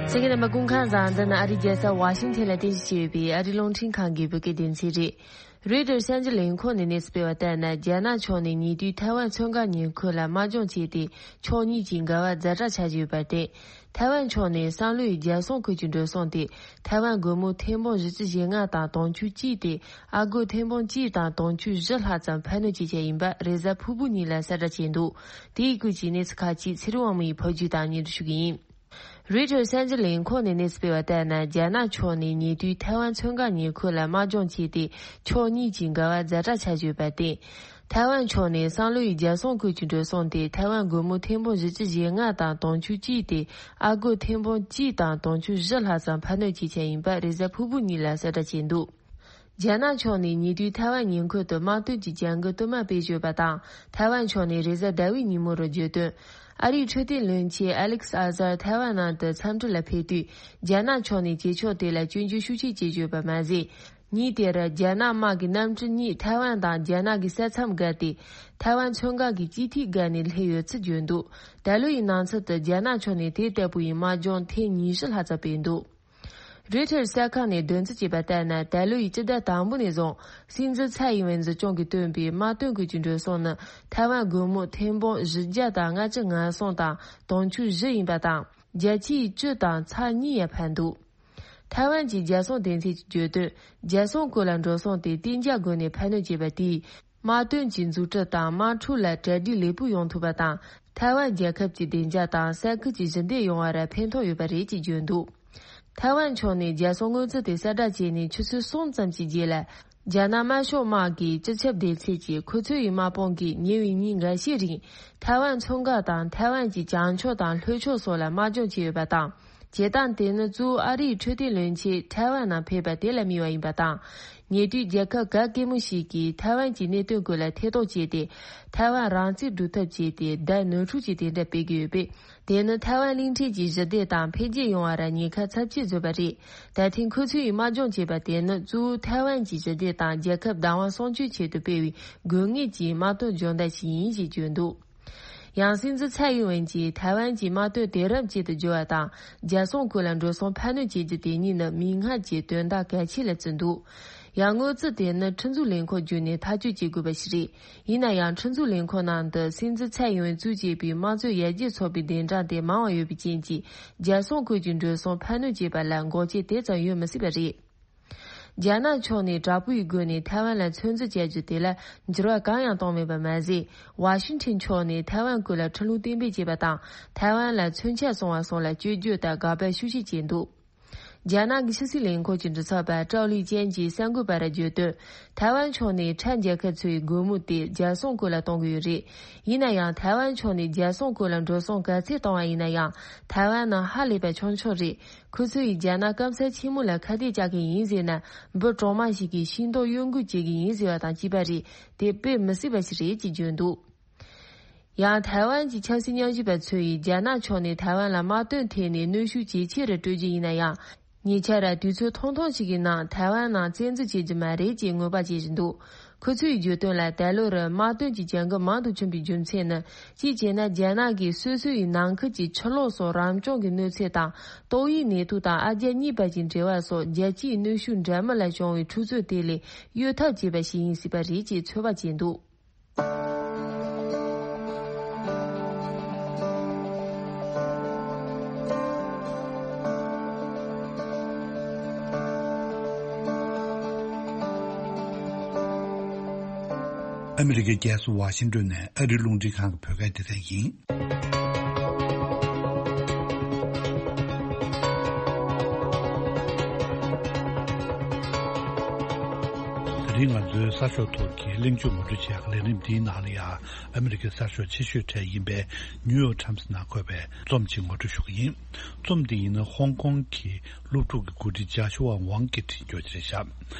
གསན་མཁན་རྣམ་པ་སྐུ་ཁམས་བཟང་། འདི་ནི་ཨ་རིའི་རྒྱལ་ས་ཝ་ཤིང་ཐན་ལ་རྟེན་གཞི་བྱས་ཡོད་པའི་ཨ་རིའི་རླུང་འཕྲིན་ཁང་གི་བོད་སྐད་སྡེ་ཚན་རེད། རོའི་ཊར་གསར་འགྱུར་ལས་ཁུངས་ནས་གནས་ཚུལ་སྤེལ་བ་ལྟར་ན། རྒྱ་ནག་ཕྱོགས་ནས་ཉེ་དུས་ཐའེ་ཝན་མཚོ་འགག་ཉེ་འཁོར་ལ་དམག་སྦྱོང་བྱས་ཏེ། ཕྱོགས་གཉིས་ཀྱི་འགལ་བ་ཛ་དྲག་ཆགས་བཞིན་ཡོད་པར་བརྟེན། ཐའེ་ཝན་ཕྱོགས་ནས་བསམ་བློ་ཡི་རྒྱལ་སྲུང་ཁུལ་གྱི་འགྲོ་སོང་དེ། ཐའེ་ཝན་སྒོར་མོ་ཐེར་འབུམ་བཞི་བཅུ་ཞེ་ལྔ་དང་དུང་ཕྱུར་གཅིག་སྟེ། ཨ་སྒོར་ཐེར་འབུམ་གཅིག་དང་དུང་ཕྱུར་བཞི་ལྷག་ཙམ་འཕར་སྣོན་བྱེད་འཆར་ཡིན་པ་རེས་གཟའ་ཕུར་བུ་ཉིན་ལ་གསལ་བསྒྲགས་བྱས་འདུག་དེའི་སྐོར་གྱི་གནས་ཚུལ་ཁག་ཅིག་ཚེ་རིང་དབང་མོ་ཡིས་ཕབ་སྒྱུར་དང་སྙན་སྒྲོན་ཞུ་གི་ཡིན། རོའི་ཊར་གསར་འགྱུར་ལས་ཁུངས་ནས་གནས་ཚུལ་སྤེལ་བ་ལྟར་ན། རྒྱ་ནག་ཕྱོགས་ནས་ཉེ་དུས་ཐའེ་ཝན་མཚོ་འགག་ཉེ་འཁོར་ལ་དམག་སྦྱོང་བྱས་ཏེ། ཕྱོགས་གཉིས་ཀྱི་འགལ་བ་ཛ་དྲག་ཆགས་བཞིན་ཡོད་པར་བརྟེན། ཐའེ་ཝན་ཕྱོགས་ནས་བསམ་བློ་ཡི་རྒྱལ་སྲུང་ཁུལ་གྱི་འགྲོ་སོང་དེ། ཐའེ་ཝན་སྒོར་མོ་ཐེར་འབུམ་བཞི་བཅུ་ཞེ་ལྔ་དང་དུང་ཕྱུར་གཅིག་སྟེ། ཨ་སྒོར་ཐེར་འབུམ་གཅིག་དང་དུང་ཕྱུར་བཞི་ལྷག་ཙམ་འཕར་སྣོན་བྱེད་འཆར་ཡིན་པ་རེས་གཟའ་ཕུར་བུ་ཉིན་ལ་གསལ་བསྒྲགས་བྱས་འདུག་རྒྱ་ནག་ཕྱོགས་ནས་ཉེ་དུས་ཐའེ་ཝན་ཉེ་འཁོར་དུ་དམག་དོན་གྱི་བྱ་འགུལ་བསྟུད་མར་སྤེལ་བཞིན་ཡོད་པ་དང་། ཐའེ་ཝན་ཕྱོགས་ནས་རེས་གཟའ་ཟླ་བའི་ཉིན་མོ་རུ་བརྗོད་དོན། ཨ་རིའི་འཕྲོད་བསྟེན་བློན་ཆེན་ཨ་ལེག་སི་ཨ་ཟར་ཐའེ་ཝན་ནང་དུ་འཚམས་འདྲི་ལ་ཕེབས་དུས། རྒྱ་ནག་ཕྱོགས་ནས་བྱེད་ཕྱོགས་དེ་ལ་སྐྱོན་བརྗོད་ཤུགས་ཆེ་བྱེད་བཞིན་ཡོད་པ་མ་ཟད། ཉིན་དེར་རྒྱ་ནག་དམག་གི་གནམ་གྲུ་གཉིས་ཐའེ་ཝན་དང་རྒྱ་ནག་གི་ས་མཚམས་བརྒལ་ཏེ། ཐའེ་ཝན་མཚོ་འགག་གི་སྤྱི་འཐུས་སྒར་ནས་སླེབས་ཡོད་ཚུལ་བརྗོད་འདུག་ད་ལོ་ཡི་ནང་ཚུད་དུ་རྒྱ་ནག་ཕྱོགས་ནས་དེ་ལྟ་བུ་ཡི་དམག་སྦྱོང་ཐེངས་ཉི་ཤུ་ལྷག་ཙམ་སྤེལ་འདུག་རོའི་ཊར་གསར་ཁང་ནས་བདུན་ཚིགས་བྱས་པ་ལྟར་ན། ད་ལོ་ཡི་སྤྱི་ཟླ་དང་པོ་ནས་བཟུང་། སྲིད་འཛིན་ཚའེ་ཡིན་ཝེན་འཛུགས་སྐྱོང་གིས་བཏོན་པའི་དམག་དོན་སྐོར་གྱི་འགྲོ་སོང་ནི། ཐའེ་ཝན་སྒོར་མོ་ཐེར་འབུམ་བཞི་བརྒྱ་དང་ལྔ་བཅུ་ང་གསུམ་དང་དུང་ཕྱུར་བཞི་ཡིན་པ་དང་། བརྒྱ་ཆའི་བཅུ་དང་ཚེག་གཉིས་ཡང་འཕར་འདུག་ཐའེ་ཝན་གྱི་རྒྱལ་སྲུང་སྡེ་ཚན་གྱིས་བརྗོད་དོན། རྒྱལ་སྲུང་སྐོར་ལ་འགྲོ་སོང་དེ་གཏན་འཇགས་སྒོ་ནས་འཕར་སྣོན་བྱས་པ་དེས། དམག་དོན་གྱི་འཛུགས་སྐྲུན་དང་དམག་འཁྲུག་ལ་གྲ་སྒྲིག་ལེགས་པོ་ཡོང་ཐུབ་པ་དང་། ཐའེ་ཝན་རྒྱལ་ཁབ་ཀྱི་བདེ་འཇགས་དང་ས་ཁུལ་གྱི་ཞི་བདེ་ཡོང་བར་ཕན་ཐོགས་ཡོད་པ་རེད་ཅེས་བརྗོད་འདུག་ཐའེ་ཝན་ཕྱོགས་ནས་རྒྱལ་སྲུང་དངུལ་རྩིས་དེ་གསལ་བསྒྲགས་བྱས་ནས་ཆུ་ཚོད་གསུམ་ཙམ་གྱི་རྗེས་ལ། རྒྱ་ནག་དམར་ཤོག་དམག་གི་སྤྱི་ཁྱབ་སྡེ་ཚན་གྱིས། ཁོ་ཚོ་ཡི་དམག་དཔུང་གིས་ཉེ་བའི་ཉིན་འགའ་ཤས་རིང་། ཐའེ་ཝན་མཚོ་འགག་དང་ཐའེ་ཝན་གྱི་བྱང་ཕྱོགས་དང་ལྷོ་ཕྱོགས་སོགས་ལ་དམག་སྦྱོང་བྱས་ཡོད་པ་དང་། བྱེད་སྟངས་དེ་ནི་གཙོ་བོ་ཨ་རིའི་འཕྲོད་བསྟེན་བློན་ཆེན་ཐའེ་ཝན་ནང་ཕེབས་པ་དེ་ལ་དམིགས་པ་ཡིན་པ་དང་། ཉེ་དུས་རྒྱལ་ཁབ་ག་གེ་མོ་ཞིག་གིས་ཐའེ་ཝན་གྱི་གནད་དོན་སྐོར་ལ་ཐེ་གཏོགས་བྱས་ཏེ། ཐའེ་ཝན་རང་བཙན་སྒྲུབ་ཐབས་བྱས་ཏེ། བརྡ་ནོར་འཁྲུལ་གྱི་དེ་འདྲ་སྤེལ་གྱི་ཡོད་པས། དེ་ནི་ཐའེ་ཝན་གླིང་ཕྲན་གྱི་ཞི་བདེ་དང་འཕེལ་རྒྱས་ཡོང་བར་ཉེན་ཁ་ཚབས་ཆེ་བཟོས་པ་རེད། ད་ཐེངས་ཁོ་ཚོས་དམག་སྦྱོང་བྱས་པ་དེ་ནི་གཙོ་བོ་ཐའེ་ཝན་གྱི་ཞི་བདེ་དང་རྒྱལ་ཁབ་བདག་དབང་སྲུང་སྐྱོབ་ཆེད་དུ་སྤེལ་བའི་དགོས་ངེས་ཀྱི་དམག་དོན་སྦྱོང་བརྡར་ཞིག་ཡིན་ཞེས་བརྗོད་འདུག་ཡང་སྲིད་འཛིན་ཚའེ་ཡིན་ཝེན་གྱིས་ཐའེ་ཝན་གྱི་དམག་དོན་དེང་རབས་ཅན་དུ་བསྒྱུར་བ་དང་། རྒྱལ་སྲུང་སྐོར་ལ་འགྲོ་སོང་འཕར་སྣོན་བྱེད་རྒྱུ་དེ་གཉིས་ནི་མིག་སྔར་གྱི་དོན་དག་གལ་ཆེ་ལ་བརྩིས་འདུག་ཡང་དངུལ་རྩིས་དེ་ནི་ཁྲིམས་འཛུགས་ལས་ཁུངས་བརྒྱུད་ནས་ཐག་གཅོད་བྱེད་དགོས་པ་ཞིག་རེད། ཡིན་ན་ཡང་། ཁྲིམས་འཛུགས་ལས་ཁུངས་ནང་དུ་སྲིད་འཛིན་ཚའེ་ཡིན་ཝེན་གཙོས་བྱས་པའི་དམངས་གཙོའི་ཡར་རྒྱས་ཚོགས་པའི་གདན་དྲངས་དེ་མང་བ་ཡོད་པའི་རྐྱེན་གྱིས། རྒྱལ་སྲུང་སྐོར་གྱི་འགྲོ་སོང་འཕར་སྣོན་བྱེད་པ་ལ་འགོག་རྐྱེན་དེ་ཙམ་ཡོད་མི་སྲིད་པ་རེད། རྒྱ་ནག་ཕྱོགས་ནས་དྲག་པོའི་སྒོ་ནས་ཐའེ་ཝན་ལ་མཚོན་རྩིས་བྱ་རྒྱུ་དེ་ལ་འགྱུར་བ་གང་ཡང་བཏང་མེད་པ་མ་ཟད། ཝ་ཤིང་ཊོན་ཕྱོགས་ནས་ཐའེ་ཝན་སྐོར་ལ་ཁྲིམས་ལུགས་གཏན་འབེབས་བྱས་པ་དང་། ཐའེ་ཝན་ལ་མཚོན་ཆ་སོང་བ་སོགས་ལ་སྐྱོན་བརྗོད་དང་དགག་པ་ཤུགས་ཆེ་བྱས་འདུག་རྒྱ་ནག་གི་ཕྱི་སྲིད་ལས་ཁུངས་ཀྱི་མགྲིན་ཚབ་པ་ཀྲའོ་ལི་ཅན་གྱིས་གསར་འགོད་པར་བརྗོད་དོན། ཐའེ་ཝན་ཕྱོགས་ནས་ཁྲ་རྒྱལ་ཁབ་ཚོའི་སྒོར་མོ་དེ་རྒྱལ་སྲུང་སྐོར་ལ་གཏོང་གི་ཡོད་རེད། ཡིན་ན་ཡང་། ཐའེ་ཝན་ཕྱོགས་ནས་རྒྱལ་སྲུང་སྐོར་ལ་འགྲོ་སོང་ག་ཚད་བཏང་བ་ཡིན་ན་ཡང་། ཐའེ་ཝན་ནི་ཧ་ལས་པ་ཆུང་ཆུང་རེད། ཁོ་ཚོ་ཡིས་རྒྱ་ནག་སྐམ་ས་ཆེན་མོ་ལ་ཁ་གཏད་བཅག་མཁན་ཡིན་ཟེར་ན། འབུ་གྲོག་མ་ཞིག་གིས་ཤིང་ཏོག་གཡོ་འགུལ་བྱེད་ཀྱི་ཡིན་ཟེར་བ་དང་གཅིག་པ་རེད། དེ་དཔེ་མི་སྲིད་པ་ཞིག་རེད་ཅེས་བརྗོད་འདུག་ཡང་། ཐའེ་ཝན་གྱི་ཆབ་སྲིད་ཉམས་ཞིབ་པ་ཚོས་རྒྱ་ནག་ཕྱོགས་ནས་ཐའེ་ཝན་ལ་དམག་དོན་ཐད་ནས་གནོན་ཤུགས་ཇེ་ཆེ་རུ་སྤྲོད་རྒྱུ་ཡིན་ན་ཡང་། ཉེ་ཆར་དུས་ཚོད་ཐུང་ཐུང་ཞིག་གི་ནང་ཐའེ་ཝན་ནང་བཙན་འཛུལ་བྱེད་རྒྱུ་མ་རེད་ཅེས་ངོས་འབག་བྱེད་བཞིན་འདུག་ཁོ་ཚོས་བརྗོད་དོན་ལ། ད་ལོར་དམག་དོན་གྱི་བྱ་འགུལ་མང་དུ་བྱུང་བའི་རྒྱུ་མཚན་ནི། གཅིག་བྱས་ན། རྒྱ་ནག་གིས་སོ་སོ་ཡི་ནང་ཁུལ་གྱི་ཕྱི་ལོགས་སུ་རང་སྐྱོང་གི་གནོད་འཚེ་དང་། ཏོག་དབྱིབས་ནད་དུག་དང་ཨ་རྒྱ་གཉིས་བར་གྱི་འབྲེལ་བ་སོགས། རྒྱལ་སྤྱིའི་གནོན་ཤུགས་འདྲ་མིན་ལ་བྱུང་བའི་འཁྲུག་རྩོད་དེ་ལས་གཡོལ་ཐབས་བྱས་པ་ཞིག་ཡིན་སྲིད་པ་རེད་ཅེས་ཚོད་དཔག་བྱས་འདུག་ཨ་མི་རི་ཀའི་རྒྱལ་ས་ཝ་ཤིང་ཏོན་ནས་ཨ་རིའི་རླུང་འཕྲིན་ཁང་གི་བོད་སྐད་སྡེ་ཚན་ཡིན། དེ་རིང་ང་ཚོའི་གསར་ཤོག་ཐོག་གི་གླེང་བརྗོད་ངོ་སྤྲོད་བྱེད་ཡག་ལས་རིམ་འདིའི་ནང་ལ་ཡང་། ཨ་མི་རི་ཀའི་གསར་ཤོག་ཆེ་ཤོས་གྲས་ཡིན་པའི་ནིའུ་ཡོག་ཊའིམ་སི་ནང་འཁོད་པའི་རྩོམ་གཅིག་ངོ་སྤྲོད་ཞུ་གི་ཡིན། རྩོམ་འདི་ཡིན་ན་ཧོང་ཀོང་གི་སློབ་ཕྲུག་གི་འགོ་ཁྲིད་ཅཱ་ཤུ་ཝ་ཝང་གིས་བྲིས་རྒྱུ་ཅིག་རེད་ཤག་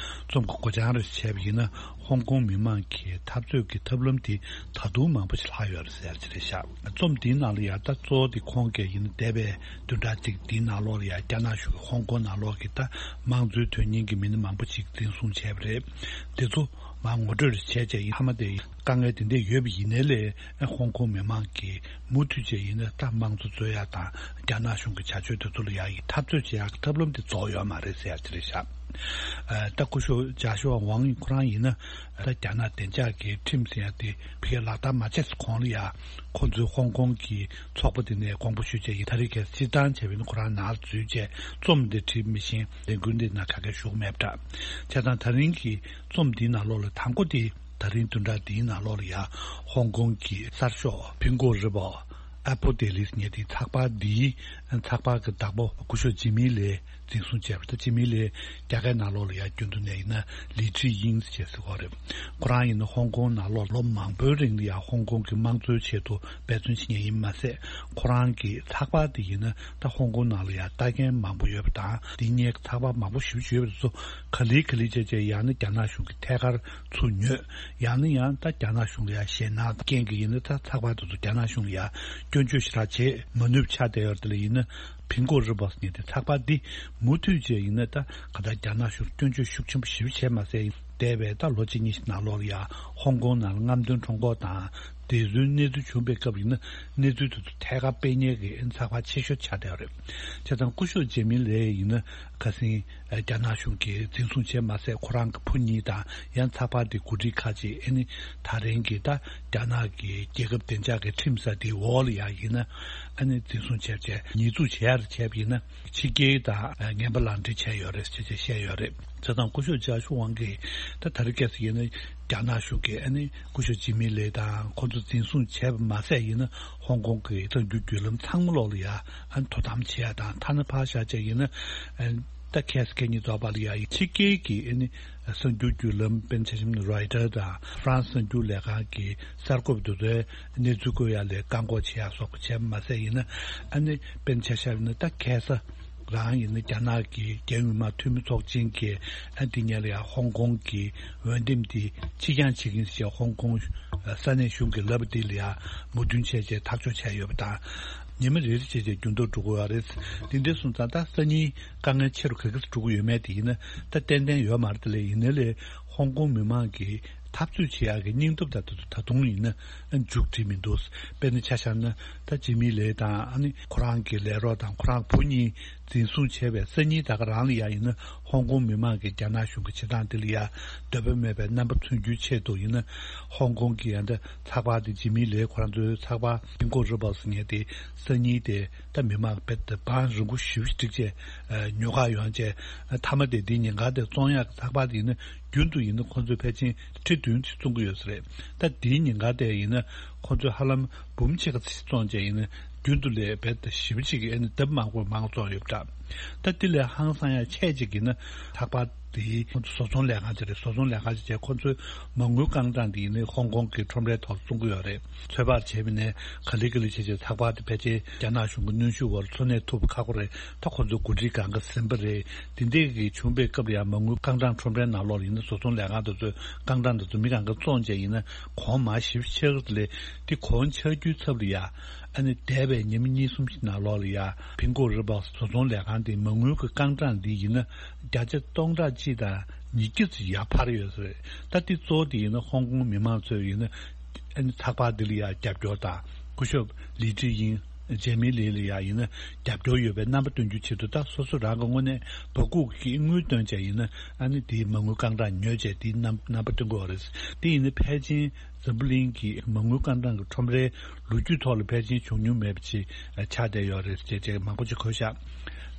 རྩོམ་གྱི་མགོ་བྱང་རེ་བྱས་པ་ཡིན་ན། ཧོང་ཀོང་མི་མང་གི་འཐབ་རྩོད་ཀྱི་ཐབས་ལམ་དེ་ད་དུང་མང་པོ་ཞིག་ལྷག་ཡོད་རེད་ཟེར་གྱི་རེད་ཤག་རྩོམ་འདིའི་ནང་ལ་ཡང་ད་གཙོ་བོ་དེ་ཁོང་གིས་ཡིན་ན་འདས་པའི་བདུན་ཕྲག་གཅིག་འདིའི་ནང་ལོགས་ལ་ཡང་རྒྱ་ནག་གཞུང་གིས་ཧོང་ཀོང་ནང་ལོགས་ཀྱི་ད་དམངས་གཙོའི་དོན་གཉེར་གྱི་མི་སྣ་མང་པོ་ཞིག་འཛིན་བཟུང་བྱས་པ་རེད། དེ་ཚོ་མར་ངོ་སྤྲོད་བྱས་རྗེས་ཡིན་མཐའ་མ་དེ་དཀའ་ངལ་དེ་འདྲ་ཡོད་པ་ཡིན་ནའི་ལས་ཧོང་ཀོང་མི་མང་གིས་མུ་མཐུད་བྱས་ཡིན་ན་ད་དམངས་གཙོ་རྩོད་ཡག་དང་རྒྱ་ནག་གཞུང་གི་བྱ་སྤྱོད་དེ་ཚོ་ལ་ཡང་འཐབ་རྩོད་བྱེད་ཡག་གི་ཐབས་ལམ་དེ་རྫོགས་ཡོད་མ་རེད་ཟེར་ཡག་དེ་རེད་ཤག་ཨ། ད་སྐུ་ཞབས་ཅཱ་ཤུ་ཝང་ཁོ་རང་ཡིན་ན་ད་རྒྱ་ནག་བདེ་འཇགས་ཀྱི་ཁྲིམས་ཟེར་ཡག་དེ་ཕ་གིར་ལག་བསྟར་མ་བྱས་གོང་ལ་ཡང་ཁོ་ཚོའི་ཧོང་ཀོང་གི་ཚོགས་པ་དེ་ནས་དགོངས་པ་ཞུས་བྱས་ཡིན། ད་རེས་ཁ་སང་སྤྱིར་བཏང་བྱས་པ་ཡིན་ན་ཁོ་རང་ནང་ལ་འཛུལ་བྱས་རྩོམ་འདི་བྲིས་མི་ཤེས། ལས་འགུལ་འདི་ནང་ག་གེ་ཞུགས་མེད་པ་འདྲ། བྱས་ཙང་ད་རིང་གི་རྩོམ་འདིའི་ནང་ལོགས་ལ་དང་པོ་དེ་ད་རིང་བདུན་ཕྲག་འདིའི་ནང་ལོགས་ལ་ཡང་ཧོང་ཀོང་གི་གསར་ཤོག་ཕིན་གོ་རི་པོ། ཨ་པོ་ཏེ་ལིས་ངེས་དེ་ཚགས་པར་འདིའི་ཚགས་པར་གྱི་བདག་པོ་སྐུ་ཞབས་ཇི་མི་ལེ་འཛིན་བཟུང་བྱས་པ་དང་། ཇི་མི་ལེ་རྒྱ་གར་ནང་ལོགས་ལ་ཡང་རྒྱུན་དུ་ནས་ཡིན་ན་ལི་ཁྲི་དབྱིང་ཟེར་བྱས་ཟེར་གོ་རེད། ཁོ་རང་ཡིན་ན་ཧོང་ཀོང་ནང་ལོགས་ལོ་མང་པོའི་རིང་ལ་ཡང་ཧོང་ཀོང་གི་དམངས་གཙོའི་ཆེད་དུ་འབད་བརྩོན་བྱེད་མཁན་ཡིན་མ་ཟད། ཁོ་རང་གི་ཚགས་པར་དེ་ཡིན་ན་ད་ཧོང་ཀོང་ནང་ལ་ཡང་ལྟ་མཁན་མང་པོ་ཡོད་པ་དང་། འདི་སྔོན་གྱི་ཚགས་པར་མང་པོ་ཞེ་པོ་ཅིག་ཡོད་པ་དེ་ཚོ་ག་ལེ་ག་ལེ་བྱས་བྱས་ཡང་ན་རྒྱ་ནག་གཞུང་གི་ཐད་ཀར་ཚུར་ཉོས། ཡང་ན་ཡང་ད་རྒྱ་ནག་གཞུང་ལ་ཡང་ཞེད་སྣང་རྐྱེན་གྱིས་ཡིན་ན་ད་ཚགས་པར་དེ་ཚོ་རྒྱ་ནག་གཞུང་ལ་ཡང་སྐྱོན་བརྗོད་ཞེ་དྲག་བྱེད་མ་ནུས་པ་ཆགས་བསྡད་ཡོད་རེད། དེ་ལ་ཡིན་ན་ཕིན་གོ་རི་པོ་ཟེར་མཁན་དེ་ཚགས་པར་འདི་མུ་མཐུད་བྱས་ཡིན་ན་ད་ག་ད་རྒྱ་ནག་གཞུང་སྐྱོན་བརྗོད་ཤུགས་ཆེན་པོ་ཞེ་པོ་བྱས་མ་ཟད། འདས་པའི་ད་ལོ་གཅིག་གཉིས་ཤིག་ནང་ལོགས་ལ་ཡང་ཧོང་ཀོང་ནང་ལ་རྔམ་སྟོན་ཁྲོམ་སྐོར་དང་། དེ་ཚོའི་གནས་ཚུལ་བྱུང་པའི་སྐབས་ཡིན་ན་གནས་ཚུལ་དེ་ཚོ་ཐད་ཀར་སྤེལ་མཁན་གྱི་ཚགས་པར་ཆེ་ཤོས་ཆགས་བསྡད་ཡོད་རེད། བྱས་ཙང་སྐུ་ཞབས་ཇེ་མི་ལེ་ཡིན་ན་ཁ་སང་རྒྱ་ནག་གཞུང་གིས་འཛིན་བཟུང་བྱས་མ་ཟད། ཁོ་རང་གི་བུ་གཉིས་དང་ཡང་ཚགས་པར་དེ་འགོ་ཁྲིད་ཁག་ཅིག་ཨ་ནི་ད་རིང་གི་ད་རྒྱ་ནག་གི་རྒྱལ་ཁབ་བདེ་འཇགས་ཀྱི་ཁྲིམས་ཟེར་དེའི་འོག་ལ་ཡང་ཡིན་ན་ཨ་ནི་འཛིན་བཟུང་བྱས་བྱས་ཉེས་འཛུགས་བྱས་ཡར་བྱས་པ་ཡིན་ན། ཕྱི་རྒྱལ་དང་ངན་པ་ལག་འབྲེལ་བྱས་ཡོད་རེད་ཅེས་བཤད་ཡོད་རེད། བྱས་ཙང་སྐུ་ཞབས་ཅཱ་ཤུ་ཝང་གིས་ད་ད་རེས་ཁ་སང་ཡིན་ན་རྒྱ་ནག་གཞུང་གིས་ཨ་ནི་སྐུ་ཞབས་ཇི་མི་ལེ་དང་ཁོ་ཚོ་འཛིན་བཟུང་བྱས་པ་མ་ཟད་ཡིན་ན་ཧོང་ཀོང་གི་གསར་འགྱུར་བརྒྱུད་ལམ་ཚང་མ་ལོག་ལ་ཡ་ཨ་ནི་དོ་དམ་བྱེད་ཡ་དང་། ཐ་ན་ཕར་བཞག་བྱས་ཡིན་ན་ད་ཁ་སང་ཁ་ཉིན་རྫོགས་པ་ལ་ཡ་ཕྱི་རྒྱལ་གྱི་ཨ་ནི་གསར་འགྱུར་བརྒྱུད་ལམ་དཔེར་ན་ཆ་བཞག་ན་རོའི་ཊར་དང་ཧྥ་རན་སི་གསར་འགྱུར་ལས་ཁང་གི་གསར་འགོད་པ་དེ་ཚོའི་གནས་ཚུལ་བཀོད་ཡ་ལ་བཀག་འགོག་བྱེད་ཡ་སོགས་པ་བྱས་པ་མ་ཟད་ཡིན་ན་ཨ་ནི་དཔེར་ན་ཆ་བཞག་ན་ད་ཁ་སང་རང་ཡིན་ན་རྒྱ་ནག་གི་རྒྱལ་ཡོངས་མི་དམངས་འཐུས་མི་ཚོགས་ཆེན་གྱིས་ཨ་འདི་ཉིད་ལ་ཡང་ཧོང་ཀོང་གི་འོས་འདེམས་དེ་ཕྱིར་འགྱངས་བྱེད་ཀྱི་ཡིན་ཞེས་ཧོང་ཀོང་ས་གནས་གཞུང་གིས་ལབ་པ་དེ་ལ་ཡང་མོས་མཐུན་བྱས་རྗེས་ཐག་གཅོད་བྱས་ཡོད་པ་དང་། ཉི་མ་རེ་རེ་བྱས་རྗེས་འགྱུར་ལྡོག་འགྲོ་གི་ཡོད་རེད། དེ་འདྲ་སོང་ཙང་ད་སང་ཉིན་དཀའ་ངལ་ཆེ་རུ་ག་གིས་འགྲོ་གི་ཡོད་མེད་དེ་ཡིན་ན་ད་ཏན་ཏན་ཡོད་མ་རེད། དེ་ལས་ཡིན་ནའི་ལས་ཧོང་ཀོང་མི་མང་གི་འཐབ་རྩོད་བྱེད་ཡག་གི་སྙིང་སྟོབས་དང་དེ་ཚོ་ད་དུང་ཡིན་ན་མཇུག་སྒྲིལ་མི་འདུག་དཔེར་ན་ཆ་བཞག་ན་ད་ཇི་མི་ལེ་དང་ཨ་ནི་ཁོ་རང་གི་ལས་རོགས་དང་ཁོ་རང་བུ་གཉིས་འཛིན་བཟུང་བྱས་པའི་སང་ཉིན་ད་ག་རང་ལ་ཡ་ཡིན་ན་ཧོང་ཀོང་མི་མང་གིས་རྒྱ་ནག་གཞུང་གི་བྱེད་སྟངས་དེ་ལ་ཡ་འདོད་པ་མེད་པའི་རྣམ་པ་མཚོན་རྒྱུའི་ཆེད་དུ་ཡིན་ན་ཧོང་ཀོང་གི་ཡ་འདི་ཚགས་པར་དེ་ཇི་མི་ལེ་ཁོ་རང་ཚོའི་ཚགས་པར་ཕིན་གོ་རི་པོ་ཟེར་མཁན་དེ་སང་ཉིན་དེ་ད་མི་མང་རྦད་དེ་བང་རིང་པོ་ཞེ་པོ་ཞིག་བསྒྲིགས་བྱས་ཉོ་གར་ཡོང་བྱས། མཐའ་མ་དེ་འདིའི་ཉིན་གང་དེ་བཙོང་ཡག་གི་ཚགས་པར་དེ་ཡིན་ན་རྒྱུན་དུ་ཡིན་ན་ཁོ་ཚོས་ཕལ་ཆེར་ཁྲི་བདུན་ཙམ་བཙོང་གི་ཡོད་ས་རེད། ད་འདིའི་ཉིན་གང་དེ་ཡིན་ན་ཁོ་ཚོས་ཧ་ལམ་འབུམ་ཕྱེད་ཀ་ཙམ་བཙོང་བྱས་ཡིན་ན་རྒྱུན་དུ་ལས་རྦད་དེ་ཞེ་པོ་ཅིག་གི་ཨ་ནི་ལྡབ་མང་པོ་མང་བཙོང་ཡོད་པ་འདྲ། ད་དེ་ལས་ཧང་སང་ཡག་ཆེ་ཅིག་ཡིན་ན་ཚགས་པར་དེའི་ཁོ་ཚོ་བཟོ་ཚོང་ལས་ཁང་ཅིག་རེད། བཟོ་ཚོང་ལས་ཁང་ཅིག་བྱས་ཁོ་ཚོའི་མ་དངུལ་རྐང་གྲངས་དེ་ཡིན་ན་ཧོང་ཀོང་གི་ཁྲོམ་རའི་ཐོག་བཙོང་གི་ཡོད་རེད། ཚོད་དཔག་བྱས་པ་ཡིན་ན་ག་ལེ་ག་ལེ་བྱས་བྱས་ཚགས་པར་དེ་ཕལ་ཆེར་རྒྱ་ནག་གཞུང་གི་གནོན་ཤུགས་འོག་ལ་འཚོ་གནས་ཐུབ་པ་ཁག་པོ་རེད། ད་ཁོ་ཚོ་འགོ་ཁྲིད་སྒང་ག་ཟིན་པ་རེད། དེ་འདྲས་ཀྱི་བྱུང་པའི་སྐབས་ལ་ཡང་མ་དངུལ་རྐང་གྲངས་ཁྲོམ་རའི་ནང་ལོགས་ལ་ཡིན་ན་བཟོ་ཚོང་ལས་ཁང་དེ་ཚོའི་རྐང་གྲངས་དེ་ཚོ་མི་གང་ག་བཙོང་བྱས་ཡིན་ན་གོང་མར་ཞེ་པོ་ཆག་གི་རེད། དེ་གོང་ཆག་རྒྱུའི་ཚབ་ལ་ཡ་ཨ་ནི་འདས་པའི་ཉི་མ་གཉིས་གསུམ་ཞིག་ནང་ལོགས་ལ་ཡ་ཕིན་གོ་རི་པོ་བཟོ་ཚོང་ལས་ཁང་དེའི་མ་དངུལ་གྱི་རྐང་གྲངས་འདི་ཡིན་ན་བརྒྱ་ཆ་སྟོང་ཕྲག་གཅིག་དང་ཉིས་བརྒྱ་ཙམ་ཡར་འཕར་ཡོད་ས་རེད། ད་འདི་གཙོ་བོ་དེ་ཡིན་ན་ཧོང་ཀོང་མི་མང་ཚོས་ཡིན་ན་ཨ་ནི་ཚགས་པར་འདི་ལ་ཡ་རྒྱབ་སྐྱོར་དང་སྐུ་ཞབས་ལི་ཁྲི་དབྱིང་ཇེ་མི་ལི་ལ་ཡ་ཡིན་ན་རྒྱབ་སྐྱོར་ཡོད་པའི་རྣམ་པ་སྟོན་རྒྱུའི་ཆེད་དུ་ད་སོ་སོ་རང་གི་དངོས་གནས་བ་ཀུག་གི་དངུལ་བཏོན་བྱས་ཡིན་ན་ཨ་ནི་དེའི་མ་དངུལ་རྐང་གྲངས་ཉོས་བྱས་དེའི་རྣམ་རྣམ་པ་སྟོན་གྱི་ཡོད་རེད། དེ་ཡིན་ན་ཕལ་ཆེར་འཛམ་བུ་གླིང་གི་མ་དངུལ་རྐང་གྲངས་ཀྱི་ཁྲོམ་རའི་ལོ་རྒྱུས་ཐོག་ལ་ཕལ་ཆེར་བྱུང་མྱོང་མེད་པ་ཅིག་ཆགས་བསྡད་ཡོད་རེད་ཅེས་ཅེས་མང་པོ་ཅིག་འཁོད་ཤག་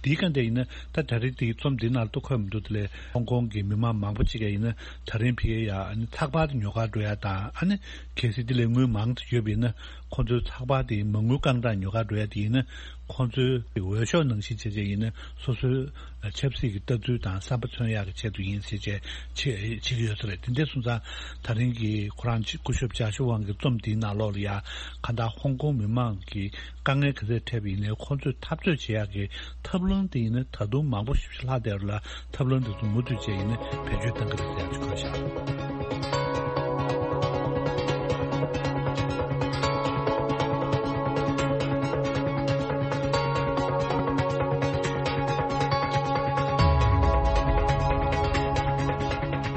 དེའི་སྒང་དེ་ཡིན་ན་ད་ད་རེས་དེའི་རྩོམ་འདི་ནང་ལ་ཏུ་འཁོད་མི་འདུག་དེ་ལས་ཧོང་ཀོང་གི་མི་མང་མང་པོ་ཅིག་ཡིན་ན་ད་རིང་ཕ་གིར་ཡ་ཚགས་པར་དེ་ཉོ་གར་འགྲོ་ཡ་དང་ཨ་ནི་གལ་སྲིད་དེ་ལས་དངུལ་མང་དུ་ཡོད་པ་ཡིན་ན་ཁོང་ཚོའི་ཚགས་པར་དེའི་མ་དངུལ་རྐང་གྲངས་ཉོ་གར་འགྲོ་ཡ་དེ་ཡིན་ན་ཁོང་ཚོའི་འོས་ཤོག་ནང་བཞིན་བྱས་བྱས་ཡིན་ན་སོ་སོའི་ཆབ་སྲིད་ཀྱི་ལྟ་ཚུལ་དང་བསམ་པ་མཚོན་ཡག་གི་ཆེད་དུ་ཡིན་ཟེར་བྱས་བྱེད་བྱེད་ཀྱི་ཡོད་ས་རེད། དེ་འདྲ་སོང་ཙང་ད་རིང་གི་ཁོ་རང་སྐུ་ཞབས་ཅཱ་ཤུ་ཝང་གི་རྩོམ་འདིའི་ནང་ལོགས་ལ་ཡ་གང་ལྟར་ཧོང་ཀོང་མི་མང་གི་དཀའ་ངལ་ག་ཚད་འཕྲད་པ་ཡིན་ནའི་ཁོང་ཚོས་འཐབ་རྩོད་བྱེད་ཡག་གི་ཐབས་ལམ་དེ་ཡིན་ན་ད་དུང་མང་པོ་ཞིག་ལྷག་བསྡད་ཡོད་ལ་ཐབས་ལམ་དེ་ཚོ་མུ་མཐུད་བྱས་ཡིན་ན་བེད་སྤྱོད་གཏང་གི་རེད་ཟེར་ཡག་ཅིག་འཁོད་བཞག་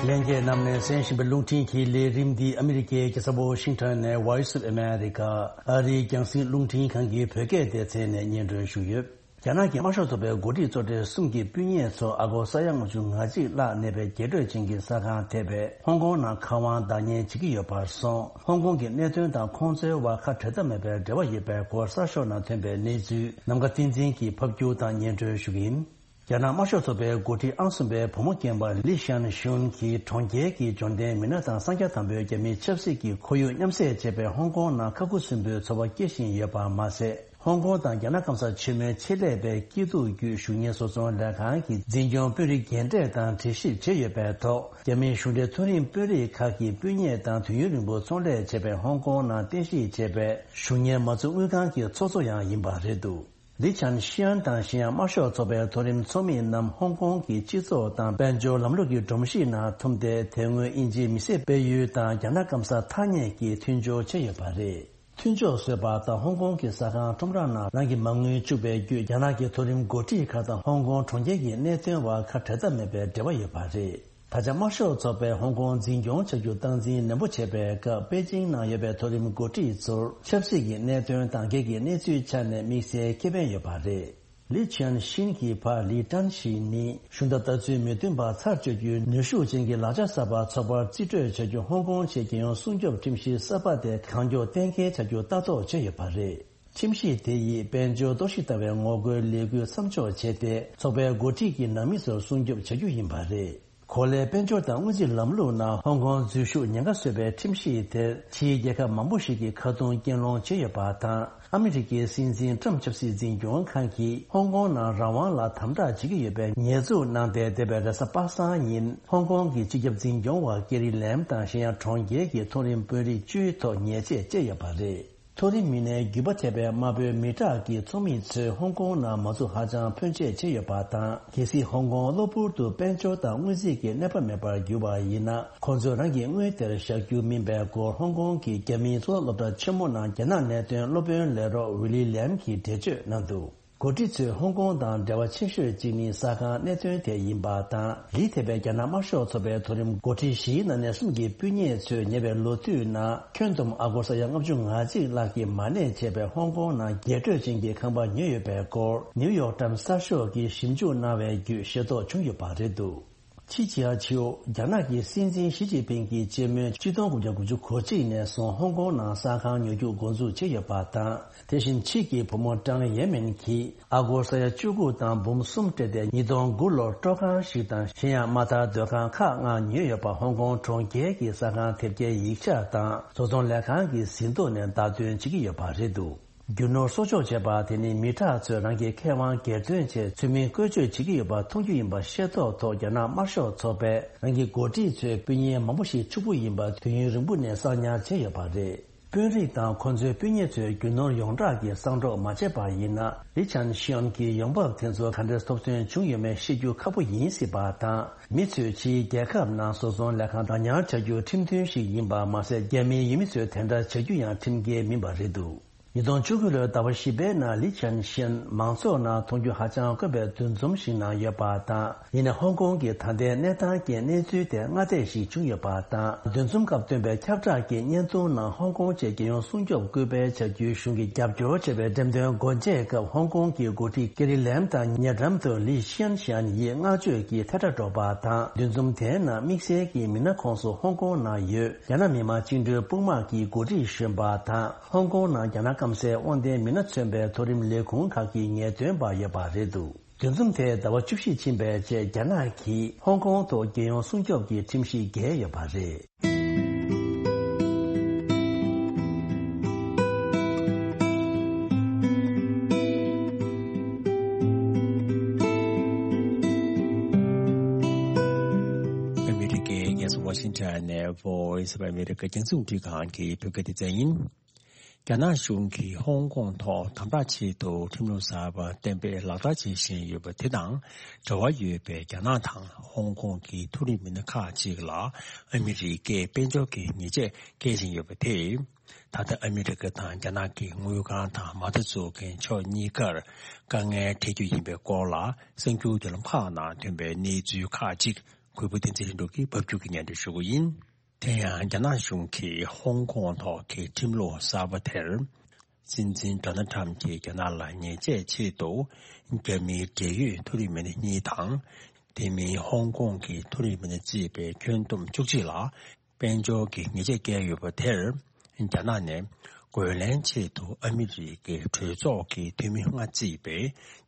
ལྷན་རྒྱས་རྣམས་ནས་གསན་བཞིན་པའི་རླུང་འཕྲིན་གྱི་ལས་རིམ་འདི་ཨ་མི་རི་ཀའི་རྒྱལ་ས་ཝོ་ཤིང་ཊོན་ནས་Voice of America ཨ་རིའི་རྒྱང་སྲིང་རླུང་འཕྲིན་ཁང་གི་བོད་སྐད་སྡེ་ཚན་ནས་སྙན་སྒྲོན་ཞུས་ཡོད། རྒྱ་ནག་གི་དམར་ཤོག་ཚོགས་པའི་འགོ་ཁྲིད་གཙོ་གྲས་གསུམ་གྱི་སྤུན་ཉེ་ཚོ་ཨ་སྒོར་ས་ཡ་ལྔ་བཅུ་ང་གཅིག་ལྷག་གནས་པའི་རྒྱས་སྤྲོས་ཅན་གྱི་ས་ཁང་ཐེ་པའི་ཧོང་ཀོང་ནང་མཁར་དབང་བདག་གཉེར་བྱེད་ཀྱི་ཡོད་པར་སོང་། ཧོང་ཀོང་གི་གནད་དོན་དང་ཁོང་ཚོའི་བར་ཁ་བྲལ་ཐབས་མེད་པའི་འབྲེལ་བ་ཡོད་པའི་སྐོར་གསར་ཤོག་ནང་ཐོན་པའི་གནས་ཚུལ་ནམ་མཁའ་བསྟན་འཛིན་གྱིས་ཕབ་སྒྱུར་དང་སྙན་སྒྲོན་ཞུ་གི་ཡིན། རྒྱ་ནག་དམར་ཤོག་ཚོགས་པའི་འགོ་ཁྲིད་ཨང་གསུམ་པའི་བུ་མོ་རྒན་པ་ལི་ཤན་ཤུན་གྱིས་གྲོང་ཁྱེར་གྱི་འབྱོར་ལྡན་མི་སྣ་དང་གསང་རྒྱ་དམ་པོའི་རྒྱ་མིའི་ཆབ་སྲིད་ཀྱི་ཁོར་ཡུག་མཉམ་བསྲེས་བྱས་པའི་ཧོང་ཀོང་ནང་ཁ་ཁུ་སིམ་པོའི་ཚོར་བ་སྐྱེ་བཞིན་ཡོད་པ་མ་ཟད། ཧོང་ཀོང་དང་རྒྱ་ནག་སྐམ་ས་ཆེན་མོའི་ཆེད་ལས་པའི་སྐྱིད་སྡུག་བརྒྱུད་གཞུང་གཉེར་བཟོ་ཚོང་ལས་ཁང་གི་འཛིན་སྐྱོང་དཔོན་རིགས་རྒན་གྲས་དང་འདྲིས་གཤིབ་བྱས་ཡོད་པའི་ཐོག་རྒྱ་མིའི་གཞུང་འབྲེལ་མཐོ་རིམ་དཔོན་རིགས་ཁག་གི་སྤུན་ཉེ་དང་དུས་ཡུན་རིང་པོ་ཚོང་ལས་བྱས་པའི་ཧོང་ཀོང་ནང་རྟེན་གཞི་བྱས་པའི་གཞུང་གཉེར་མ་འཛུགས་དངུལ་ཁང་གི་ཚོགས་གཙོ་ཡང་ཡིན་པ་རེད་འདུག་ལི་ཆན་ཤིའན་དང་གཞན་ཡང་དམར་ཤོག་ཚོགས་པའི་མཐོ་རིམ་ཚོགས་མི་རྣམས་ཧོང་ཀོང་གི་སྤྱི་ཚོགས་དང་དཔལ་འབྱོར་ལམ་ལུགས་ཀྱི་སྒྲོམ་གཞི་ནང་འཐིམས་ཏེ། དེ་སྔོན་དབྱིན་ཇིའི་མི་སེར་སྤེལ་ཡུལ་དང་རྒྱ་ནག་སྐམ་ས་ཐ་སྙད་ཀྱིས་མཐུན་སྦྱོར་བྱས་ཡོད་པ་རེད། མཐུན་ཕྱོགས་བཟོས་པ་དང་ཧོང་ཀོང་གི་ཟ་ཁང་ཁྲོམ་ར་ནང་རང་གི་མ་དངུལ་བཅུག་པའི་བརྒྱུད། རྒྱ་ནག་གི་མཐོ་རིམ་འགོ་ཁྲིད་ཁག་དང་ཧོང་ཀོང་གྲོང་ཁྱེར་གྱི་གནད་དོན་བར་ཁ་བྲལ་ཐབས་མེད་པའི་འབྲེལ་བ་ཡོད་པ་རེད། ད་ཆ་དམར་ཤོག་ཚོགས་པས་ཧོང་ཀོང་འཛིན་སྐྱོང་བྱ་རྒྱུ་སྟངས་འཛིན་ནན་པོ་བྱས་པའི་སྐབས། པེ་ཅིང་ནང་ཡོད་པའི་མཐོ་རིམ་འགོ་ཁྲིད་ཚོར་ཆབ་སྲིད་ཀྱི་གནད་དོན་དང་སྒེར་གྱི་གནས་ཚུལ་ཆ་ནས་དམིགས་བསལ་ཁེ་ཕན་ཡོད་པ་རེད། ལི་ཆན་ཤིན་གྱི་ཕ་ལི་ཀྲན་ཞི་ནི་གཞུང་དང་ལྟ་ཚུལ་མི་མཐུན་པ་ཚར་གཅོད་རྒྱུའི་ནུས་ཤུགས་ཅན་གྱི་ལག་ཆ་གསར་པ་ཚོགས་པར་རྩིས་སྤྲོད་བྱ་རྒྱུ། ཧོང་ཀོང་ཆེད་རྒྱལ་ཡོངས་སྲུང་སྐྱོབ་ཁྲིམས་གཞི་གསར་པ་དེ་གང་མགྱོགས་གཏན་འཁེལ་བྱ་རྒྱུ་ལྟ་རྟོག་བྱས་ཡོད་པ་རེད། ཁྲིམས་གཞི་དེ་ཡིས་དཔལ་འབྱོར་གཏོར་བཤིག་ལྟ་བའི་ངོ་རྒོལ་ལས་འགུལ་མཚམས་འཇོག་བྱས་ཏེ། ཚོགས་པའི་འགོ་ཁྲིད་ཀྱི་ནང་མི་ཚོར་སྲུང་སྐྱོབ་བྱ་རྒྱུ་ཡིན་པ་རེད། གོ་ལའི་དཔལ་འབྱོར་དང་དངུལ་རྩིས་ལམ་ལུགས་ནང་ཧོང་ཀོང་འཛུལ་ཞུགས་ཉེན་ཁ་བཟོས་པའི་ཁྲིམས་གཞི་དེར་ཕྱིའི་རྒྱལ་ཁབ་མང་པོ་ཞིག་གིས་ཁ་རྡུང་བྱས་ཡོད་པ་དང་། ཨ་མི་རི་ཀའི་སྲིད་འཛིན་ཊམ་ཆབ་སྲིད་འཛིན་སྐྱོང་ཁང་གིས་ཧོང་ཀོང་ནང་རང་དབང་ལ་དམ་དྲག་བྱེད་ཀྱི་ཡོད་པའི་ཉེས་འཛུགས་གནང་སྟེ། འདས་པའི་རེས་གཟའ་པ་སངས་ཉིན་ཧོང་ཀོང་གི་སྤྱི་ཁྱབ་འཛིན་སྐྱོང་བ་ཀེ་རི་ལེམ་དང་གཞན་ཡང་གྲོང་ཁྱེར་གྱི་མཐོ་རིམ་དཔོན་རིགས་བཅུའི་ཐོག་ཉེས་ཆད་བཅད་ཡོད་པ་རེད། མཐོ་རིམ་མི་སྣའི་རྒྱུད་པ་ཐེབས་པའི་དམར་པོའི་མི་དྲག་གི་ཚོགས་མི་ཚོས་ཧོང་ཀོང་ནང་མ་འཛུགས་ཧ་ཅང་ཕོན་ཆེ་བྱས་ཡོད་པ་དང་། གལ་སྲིད་ཧོང་ཀོང་གློ་བུར་དུ་དཔལ་འབྱོར་དང་དངུལ་རྩིས་ཀྱི་གནས་བབ་མེད་པར་གྱུར་པ་ཡིན་ན། ཁོང་ཚོས་རང་གི་དངུལ་དེར་བཞག་རྒྱུ་མིན་པའི་སྐོར་ཧོང་ཀོང་གི་རྒྱ་མིའི་གཙུག་ལག་སློབ་གྲྭ་ཆེན་མོ་ནང་རྒྱ་ནག་གནད་དོན་སློབ་དཔོན་ལས་རོགས་ཝི་ལི་ལེམ་གྱིས་འགྲེལ་བརྗོད་གནང་འདུག་འགོ་ཁྲིད་ཚོས་ཧོང་ཀོང་དང་འབྲེལ་བ་ཆེ་ཤོས་གཅིག་ནི་ཟ་ཁང་གནད་དོན་དེ་ཡིན་པ་དང་། ལི་ཐེ་པའི་རྒྱ་ནག་དམར་ཤོག་ཚོགས་པའི་མཐོ་རིམ་འགོ་ཁྲིད་བཞིའི་ནང་ནས་གསུམ་གྱི་སྤུན་ཉེ་ཚོས་ཉེ་བའི་ལོ་དུས་ནང་ཁྱོན་བསྡོམས་ཨ་སྒོར་ས་ཡ་ལྔ་བཅུ་ང་གཅིག་ལྷག་གིས་མ་གནས་བྱས་པའི་ཧོང་ཀོང་ནང་རྒྱས་སྤྲོས་ཅན་གྱི་ཁང་པ་ཉོས་ཡོད་པའི་སྐོར་ནིའུ་ཡོག་ཊའིམ་སི་གསར་ཤོག་གིས་ཞིབ་འཇུག་གནང་བའི་བརྒྱུད་ཤེས་རྟོགས་བྱུང་ཡོད་པ་རེད་འདུག་ཕྱི་ཕྱི་ཨ་ཆིའོ། རྒྱ་ནག་གི་སྲིད་འཛིན་ཞི་ཅིན་ཕིང་གིས་སྤྱི་སྨོན་ཆིག་སྟོང་དགུ་བརྒྱ་དགུ་བཅུ་གོ་གཅིག་ནས་བཟུང་ཧོང་ཀོང་ནང་ས་ཁང་ཉོ་རྒྱུ་འགོ་འཛུགས་བྱས་ཡོད་པ་དང་། དེ་བཞིན་ཕྱིས་ཀྱི་བུ་མོ་ཀྲང་ཡེ་མིན་གྱིས་ཨ་སྒོར་ས་ཡ་བཅུ་དགུ་དང་འབུམ་གསུམ་སྤྲད་དེ། ཉིས་སྟོང་དགུ་ལོར་སྤྲོ་ཁང་ཞིག་དང་གཞན་ཡང་མ་མཐའ་སྡོད་ཁང་ཁག་ལྔ་ཉོས་ཡོད་པ་ཧོང་ཀོང་གྲོང་ཁྱེར་གྱི་ཟ་ཁང་ཐེབས་རྩའི་ཡིག་ཆ་དང་བཟོ་ཚོང་ལས་ཁང་གི་ཟིན་ཐོ་ནས་བརྡ་སྟོན་བྱེད་ཀྱི་ཡོད་པ་རེད་འདུག་རྒྱུ་ནོར་གསོག་འཇོག་བྱས་པ་དེ་ནི་མི་དྲག་ཚོས་རང་གི་ཁེ་དབང་སྒེར་དོན་ཆེད་ཚུལ་མིན་བཀོལ་སྤྱོད་བྱེད་ཀྱི་ཡོད་པ་མཐོང་རྒྱུ་ཡིན་པ་ཤེས་རྟོགས་ཐོག་རྒྱ་ནག་དམར་ཤོག་ཚོགས་པས་རང་གི་འགོ་ཁྲིད་ཚོའི་སྤུན་ཉེ་མང་པོ་ཞིག་ཕྱུག་པོ་ཡིན་པ་དུས་ཡུན་རིང་པོ་ནས་གསང་ཉར་བྱས་ཡོད་པ་རེད། དཔོན་རིགས་དང་ཁོ་ཚོའི་སྤུན་ཉེ་ཚོས་རྒྱུ་ནོར་ཡོངས་གྲགས་ཀྱི་གསང་སྒྲོག་མ་བྱས་པ་ཡིན་ན། ལི་ཆན་ཤིའོན་གྱི་ཡོང་འབབ་དེ་ཚོ་ག་འདྲས་ཐོབ་ཐོན་བྱུང་ཡོད་མེད་ཤེས་རྒྱུ་ཁག་པོ་ཡིན་སྲིད་པ་དང་། མི་ཚོས་ཕྱིའི་རྒྱལ་ཁབ་ནང་བཟོ་ཚོང་ལས་ཁང་བདག་ཉར་བྱ་རྒྱུ་ཁྲིམས་མཐུན་ཞིག་ཡིན་པ་མ་ཟད། རྒྱ་མིའི་ཡུལ་མི་ཚོས་དེ་འདྲ་བྱ་རྒྱུ་ཡང་ཁྲིམས་འགལ་མིན་པ་རེད་འདུག་ཉིས་སྟོང་བཅུ་དགུ་ལོའི་ཟླ་བ་བཞི་པའི་ནང་ལི་ཆན་ཤིན་མང་ཚོགས་ནང་མཐོང་རྒྱུ་ཧ་ཅང་དཀོན་པའི་འདུ་འཛོམས་ཤིག་ནང་ཡོད་པ་དང་། ཡིན་ནའི་ཧོང་ཀོང་གི་ད་ལྟའི་གནས་སྟངས་ཀྱི་གནས་ཚུལ་དེ་སྔ་བལྟས་ཤིག་བྱུང་ཡོད་པ་དང་། འདུ་འཛོམས་སྐབས་བཏོན་པའི་ཁྱབ་བསྒྲགས་ཀྱི་བརྙན་ཐུང་ནང་ཧོང་ཀོང་ཆེད་རྒྱལ་ཡོངས་སྲུང་སྐྱོབ་སྐུལ་སྤེལ་བྱ་རྒྱུའི་གཞུང་གི་རྒྱབ་སྐྱོར་བྱས་པའི་འགྲེམས་སྟོན་སྒོ་འབྱེད་སྐབས། ཧོང་ཀོང་གི་འགོ་ཁྲིད་ཀེ་རི་ལེམ་དང་ཉེ་འགྲམ་དུ་ལི་ཤན་ཤན་ཡིས་བསྔགས་བརྗོད་ཀྱི་ཐལ་སྒྲ་སྒྲོག་པ་དང་། འདུ་འཛོམས་དེའི་ནང་དམིགས་བསལ་གྱི་མི་སྣ་ཁོངས་སུ་ཧོང་ཀོང་ནང་ཡོད་རྒྱ་ནག་མི་དམངས་བཅིངས་འགྲོལ་དཔུང་དམག་གི་འགོ་ཁྲིད་གཞོན་པ་དང་། ཧོང་ཀོང་ནང་རྒྱ་ནག་སྐམ་སའི་དབང་ལྡན་མི་སྣ་མཚོན་པའི་མཐོ་རིམ་ལས་ཁུངས་ཁག་གི་ངེས་སྟོན་པ་ཡོད་པ་རེད་འདུག་འདུ་འཛོམས་དེ་ཟླ་བ་བཅུ་བཞི་ཕྱིན་པའི་རྗེས། རྒྱ་ནག་གིས་ཧོང་ཀོང་ཐོག་རྒྱལ་ཡོངས་སྲུང་སྐྱོབ་ཀྱི་ཁྲིམས་གཞི་འགེལ་ཡོད་པ་རེད། ཨ་མི་རི་ཀའི་རྒྱལ་ས་ཝ་ཤིང་ཊོན་ནས་Voice of America རྒྱང་སྲིང་རླུང་འཕྲིན་ཁང་གི་བོད་སྐད་སྡེ་ཚན་ཡིན། རྒྱ་ནག་གཞུང་གིས་ཧོང་ཀོང་ཐོག་དམ་དྲག་ཆེད་དུ་ཁྲིམས་ལུགས་གསར་པ་གཏན་འབེབས་ལག་བསྟར་བྱེད་བཞིན་ཡོད་པ་དེ་དང་འབྲེལ་བ་ཡོད་པའི་རྒྱ་ནག་དང་ཧོང་ཀོང་གི་མཐོ་རིམ་མི་སྣ་ཁག་ཅིག་ལ་ཨ་མི་རི་ཀས་དཔལ་འབྱོར་གྱི་ཉེས་ཆད་འགེལ་བཞིན་ཡོད་པ་དེས། ད་ལྟ་ཨ་མི་རི་ཀ་དང་རྒྱ་ནག་གི་དངུལ་ཁང་དང་མ་མཐའ་འཛུགས་མཁན་ཕྱོགས་གཉིས་ཀར་དཀའ་ངལ་འཕྲད་རྒྱུ་ཡིན་པའི་སྐོར་ལ་གསར་འགྱུར་བརྒྱུད་ལམ་ཁག་ནང་ཐོན་པའི་གནས་ཚུལ་ཁག་ཅིག་གུས་པ་བསྟན་འཛིན་ལྷུན་གྲུབ་ཀྱིས་ཕབ་སྒྱུར་གྱིས་སྙན་སྒྲོན་ཞུ་གི་ཡིན། དེ་ཡང་རྒྱ་ནག་གཞུང་གིས་ཧོང་ཀོང་ཐོག་གི་ཁྲིམས་ལུགས་གསར་པ་དེར། སྲིད་འཛིན་ཌོ་ནལ་ཊམ་གྱིས་རྒྱ་ནག་ལ་ཉེས་ཆད་ཆེད་དུ། རྒྱ་མིའི་འབྲེལ་ཡོད་མཐོ་རིམ་མི་སྣ་གཉིས་དང་། དེ་མིན་ཧོང་ཀོང་གི་མཐོ་རིམ་མི་སྣ་བརྩིས་པའི་ཁྱོན་བསྡོམས་བཅུ་གཅིག་ལ། དཔལ་འབྱོར་གྱི་ཉེས་ཆད་བཀལ་ཡོད་པ་དེར། རྒྱ་ནག་ནས་རྒོལ་ལན་ཆེད་དུ་ཨ་མི་རི་ཀའི་གྲོས་ཚོགས་ཀྱི་འཐུས་མི་ལྔ་བརྩིས་པའི་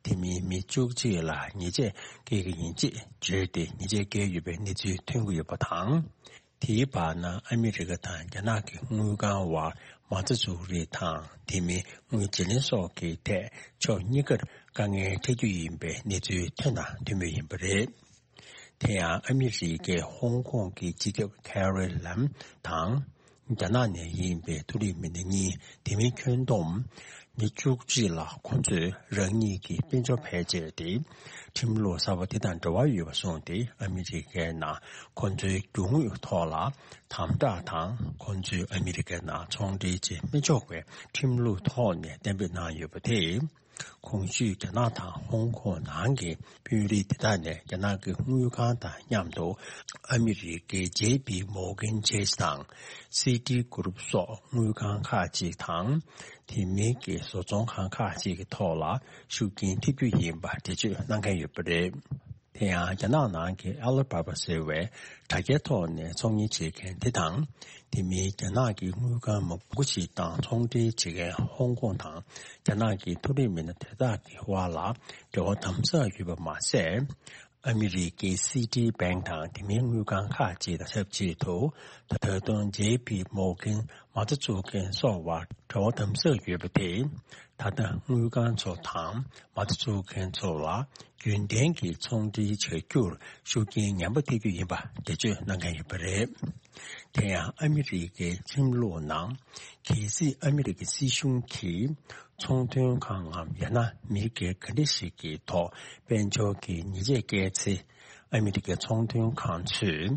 དེ་མིན་མི་བཅུ་གཅིག་ལ་ཉེས་ཆད་བཀལ་གྱི་ཡིན་ཅེས་བརྗོད་དེ། ཉེས་ཆད་བཀལ་ཡོད་པའི་གནས་ཚུལ་ཐོན་གྱི་ཡོད་པ་དང་། དེའི་བར་ན་ཨ་མི་རི་ཀ་དང་རྒྱ་ནག་གི་དངུལ་ཁང་བར་མ་རྩ་འཛུགས་རིས་དང་། དེ་མིན་དངུལ་བརྗེ་ལེན་སོགས་ཀྱི་ཐད་ཕྱོགས་གཉིས་ཀར་དཀའ་ངལ་འཕྲད་རྒྱུ་ཡིན་པའི་གནས་ཚུལ་ཐོན་དང་ཐོན་མུས་ཡིན་པ་རེད། དེ་ཡང་ཨ་མི་རི་ཀས་ཧོང་ཀོང་གི་སྤྱི་ཁྱབ་ཁེ་རི་ལམ་དང་། རྒྱ་ནག་ནས་ཡིན་པའི་མཐོ་རིམ་མི་སྣ་གཉིས། དེ་མིན་ཁྱོན་བསྡོམས་མི་བཅུ་གཅིག་ལ་ཁོང་ཚོས་རང་ཉིད་ཀྱི་དཔལ་འབྱོར་ཕལ་ཆེར་དེ་ཁྲིམས་ལུགས་གསར་པ་དེ་དང་འབྲེལ་བ་ཡོད་པ་སོང་སྟེ། ཨ་མི་རི་ཀའི་ནང་ཁོང་ཚོའི་རྒྱུ་དངོས་ཐོག་ལ་དམ་དྲག་དང་། ཁོང་ཚོས་ཨ་མི་རི་ཀའི་ནང་ཚོང་འབྲེལ་བྱེད་མི་ཆོག་པའི་ཁྲིམས་ལུགས་ཐོག་ནས་གཏན་འབེབས་གནང་ཡོད་པ་དེས། གོང་ཞུས་རྒྱ་ནག་དང་ཧོང་ཀོང་ནང་གི་དཔོན་རིགས་དེ་དག་ནས་རྒྱ་ནག་གི་དངུལ་ཁང་དང་མཉམ་དུ་ཨ་མི་རི་ཀའི་ཇེ་པི་མོར་གན་ཆེས་དང་སི་ཊི་གུ་རུབ་སོགས་དངུལ་ཁང་ཁག་ཅིག་དང་། དེ་མིན་གྱི་བཟོ་ཚོང་ཁང་ཁག་ཅིག་གི་ཐོག་ལ་ཤུགས་རྐྱེན་ཐེབས་རྒྱུ་ཡིན་པ་འགྲེལ་བརྗོད་གནང་མཁན་ཡོད་པ་རེད། དེ་ཡང་རྒྱ་ནག་ནང་གི་ཨ་ལི་བྷ་བྷ་ཟེར་བའི་དྲ་རྒྱའི་ཐོག་ནས་ཚོང་གཉེར་བྱེད་མཁན་དེ་དང་། དེ་མིན་རྒྱ་ནག་གི་དངུལ་ཁང་མང་པོ་ཞིག་དང་ཚོང་འབྲེལ་བྱེད་མཁན་ཧོང་ཀོང་དང་རྒྱ་ནག་གི་མཐོ་རིམ་མི་སྣ་དེ་དག་གི་དབར་ལ་འབྲེལ་བ་དམ་ཟབ་ཡོད་པ་མ་ཟད། ཨ་མི་རི་ཀའི་སི་ཊི་བེང་དང་དེ་མིན་དངུལ་ཁང་ཁག་ཅིག་དང་ཆབས་ཅིག་ཏུ། ད་དུང་ཇེ་པི་མོར་གན་མ་རྩ་འཛུགས་མཁན་སོགས་བར་འབྲེལ་བ་དམ་ཟབ་ཡོད་པ་དེས། ད་ལྟ་དངུལ་ཁང་ཚོ་དང་མ་རྩ་འཛུགས་མཁན་ཚོ་ལ་རྒྱུན་ལྡན་གྱི་ཚོང་འབྲེལ་བྱ་རྒྱུར་ཤུགས་རྐྱེན་ངན་པ་ཐེབས་རྒྱུ་ཡིན་པ་འགྲེལ་བརྗོད་གནང་མཁན་ཡོད་པ་རེད། དེ་ཡང་ཨ་མི་རི་ཀའི་ཁྲིམས་ལུགས་ནང་། གལ་སྲིད་ཨ་མི་རི་ཀའི་སྲིད་གཞུང་གིས་ཚོང་དོན་ཁང་ངམ་ཡང་ན་མི་སྒེར་ག་འདྲ་ཞིག་གི་ཐོག་དཔལ་འབྱོར་གྱི་ཉེས་ཆད་བཀལ་ཚེ། ཨ་མི་རི་ཀའི་ཚོང་དོན་ཁང་ཚོས་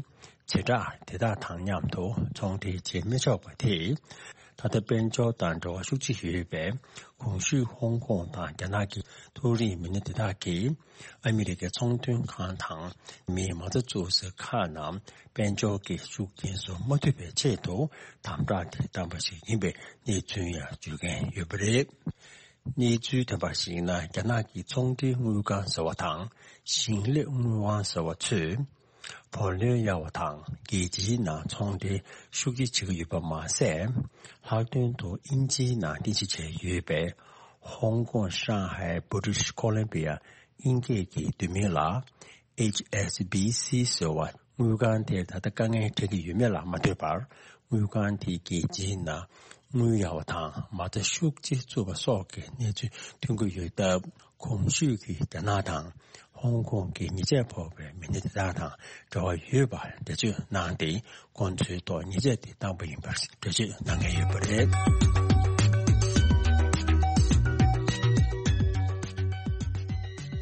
བྱེ་བྲག་དེ་དག་དང་མཉམ་དུ་ཚོང་འབྲེལ་བྱེད་མི་ཆོག་པ་དེས། ད་ལྟ་དཔལ་འབྱོར་དང་འབྲེལ་བ་ཤུགས་ཆེ་ཡོད་པའི་གོང་ཞུས་ཧོང་ཀོང་དང་རྒྱ་ནག་གི་མཐོ་རིམ་མི་སྣ་དེ་དག་གིས། ཨ་མི་རི་ཀའི་ཚོང་དོན་ཁང་དང་མིའི་མ་རྩ་འཛུགས་ས་ཁག་རྣམས་དཔལ་འབྱོར་གྱི་ཤུགས་རྐྱེན་སོགས་མ་ཐུབ་པའི་ཆེད་དུ་དམ་དྲག་དེ་བཏང་པ་ཞིག་ཡིན་པའི་གནས་ཚུལ་ཡང་བརྗོད་མཁན་ཡོད་པ་རེད། གནས་ཚུལ་ཐོན་པར་གཞིགས་ན། རྒྱ་ནག་གི་ཚོང་འབྲེལ་དངུལ་ཁང་ཟེར་བ་དང་ཞིང་ལས་དངུལ་ཁང་ཟེར་བ་ཚོས་བུ་ལོན་གཡར་བ་དང་རྒྱལ་སྤྱིའི་ནང་ཚོང་འབྲེལ་ཤུགས་ཆེ་བྱེད་ཀྱི་ཡོད་པ་མ་ཟད། ལྷག་དོན་དུ་དབྱིན་ཇིའི་ནང་རྟེན་གཞི་བྱས་ཡོད་པའི་ཧོང་ཀོང་། ཧྲང་ཧའེ། བྷི་ཊི་ཤི་ཀོ་ལམ་བི་ཡ། དབྱིན་སྐད་ཀྱི་བསྡུས་མིང་ལ་ཨེཆ་ཨེས་བི་སི་ཟེར་བ། དངུལ་ཁང་དེར་ད་ལྟ་དཀའ་ངལ་འཕྲད་ཀྱི་ཡོད་མེད་ལ་མ་ལྟོས་པར། དངུལ་ཁང་དེས་རྒྱལ་སྤྱིའི་ནང་དངུལ་གཡར་བ་དང་མ་རྩ་ཤུགས་ཆེ་བཙུགས་པ་སོགས་ཀྱི་གནས་ཚུལ་ཐོན་གྱི་ཡོད་སྟབས། གོང་ཞུས་ཀྱི་རྒྱ་ནག་དང་ཧོང་ཀོང་གི་ཉེས་ཆད་ཕོག་པའི་མི་སྣ་དེ་དག་དང་འབྲེལ་བ་ཡོད་པར་འགྲེལ་བརྗོད་གནང་སྟེ། ཁོང་ཚོའི་ཐོག་ཉེས་ཆད་དེ་བཏང་པ་ཡིན་པར་འགྲེལ་བརྗོད་གནང་མཁན་ཡོད་པ་རེད།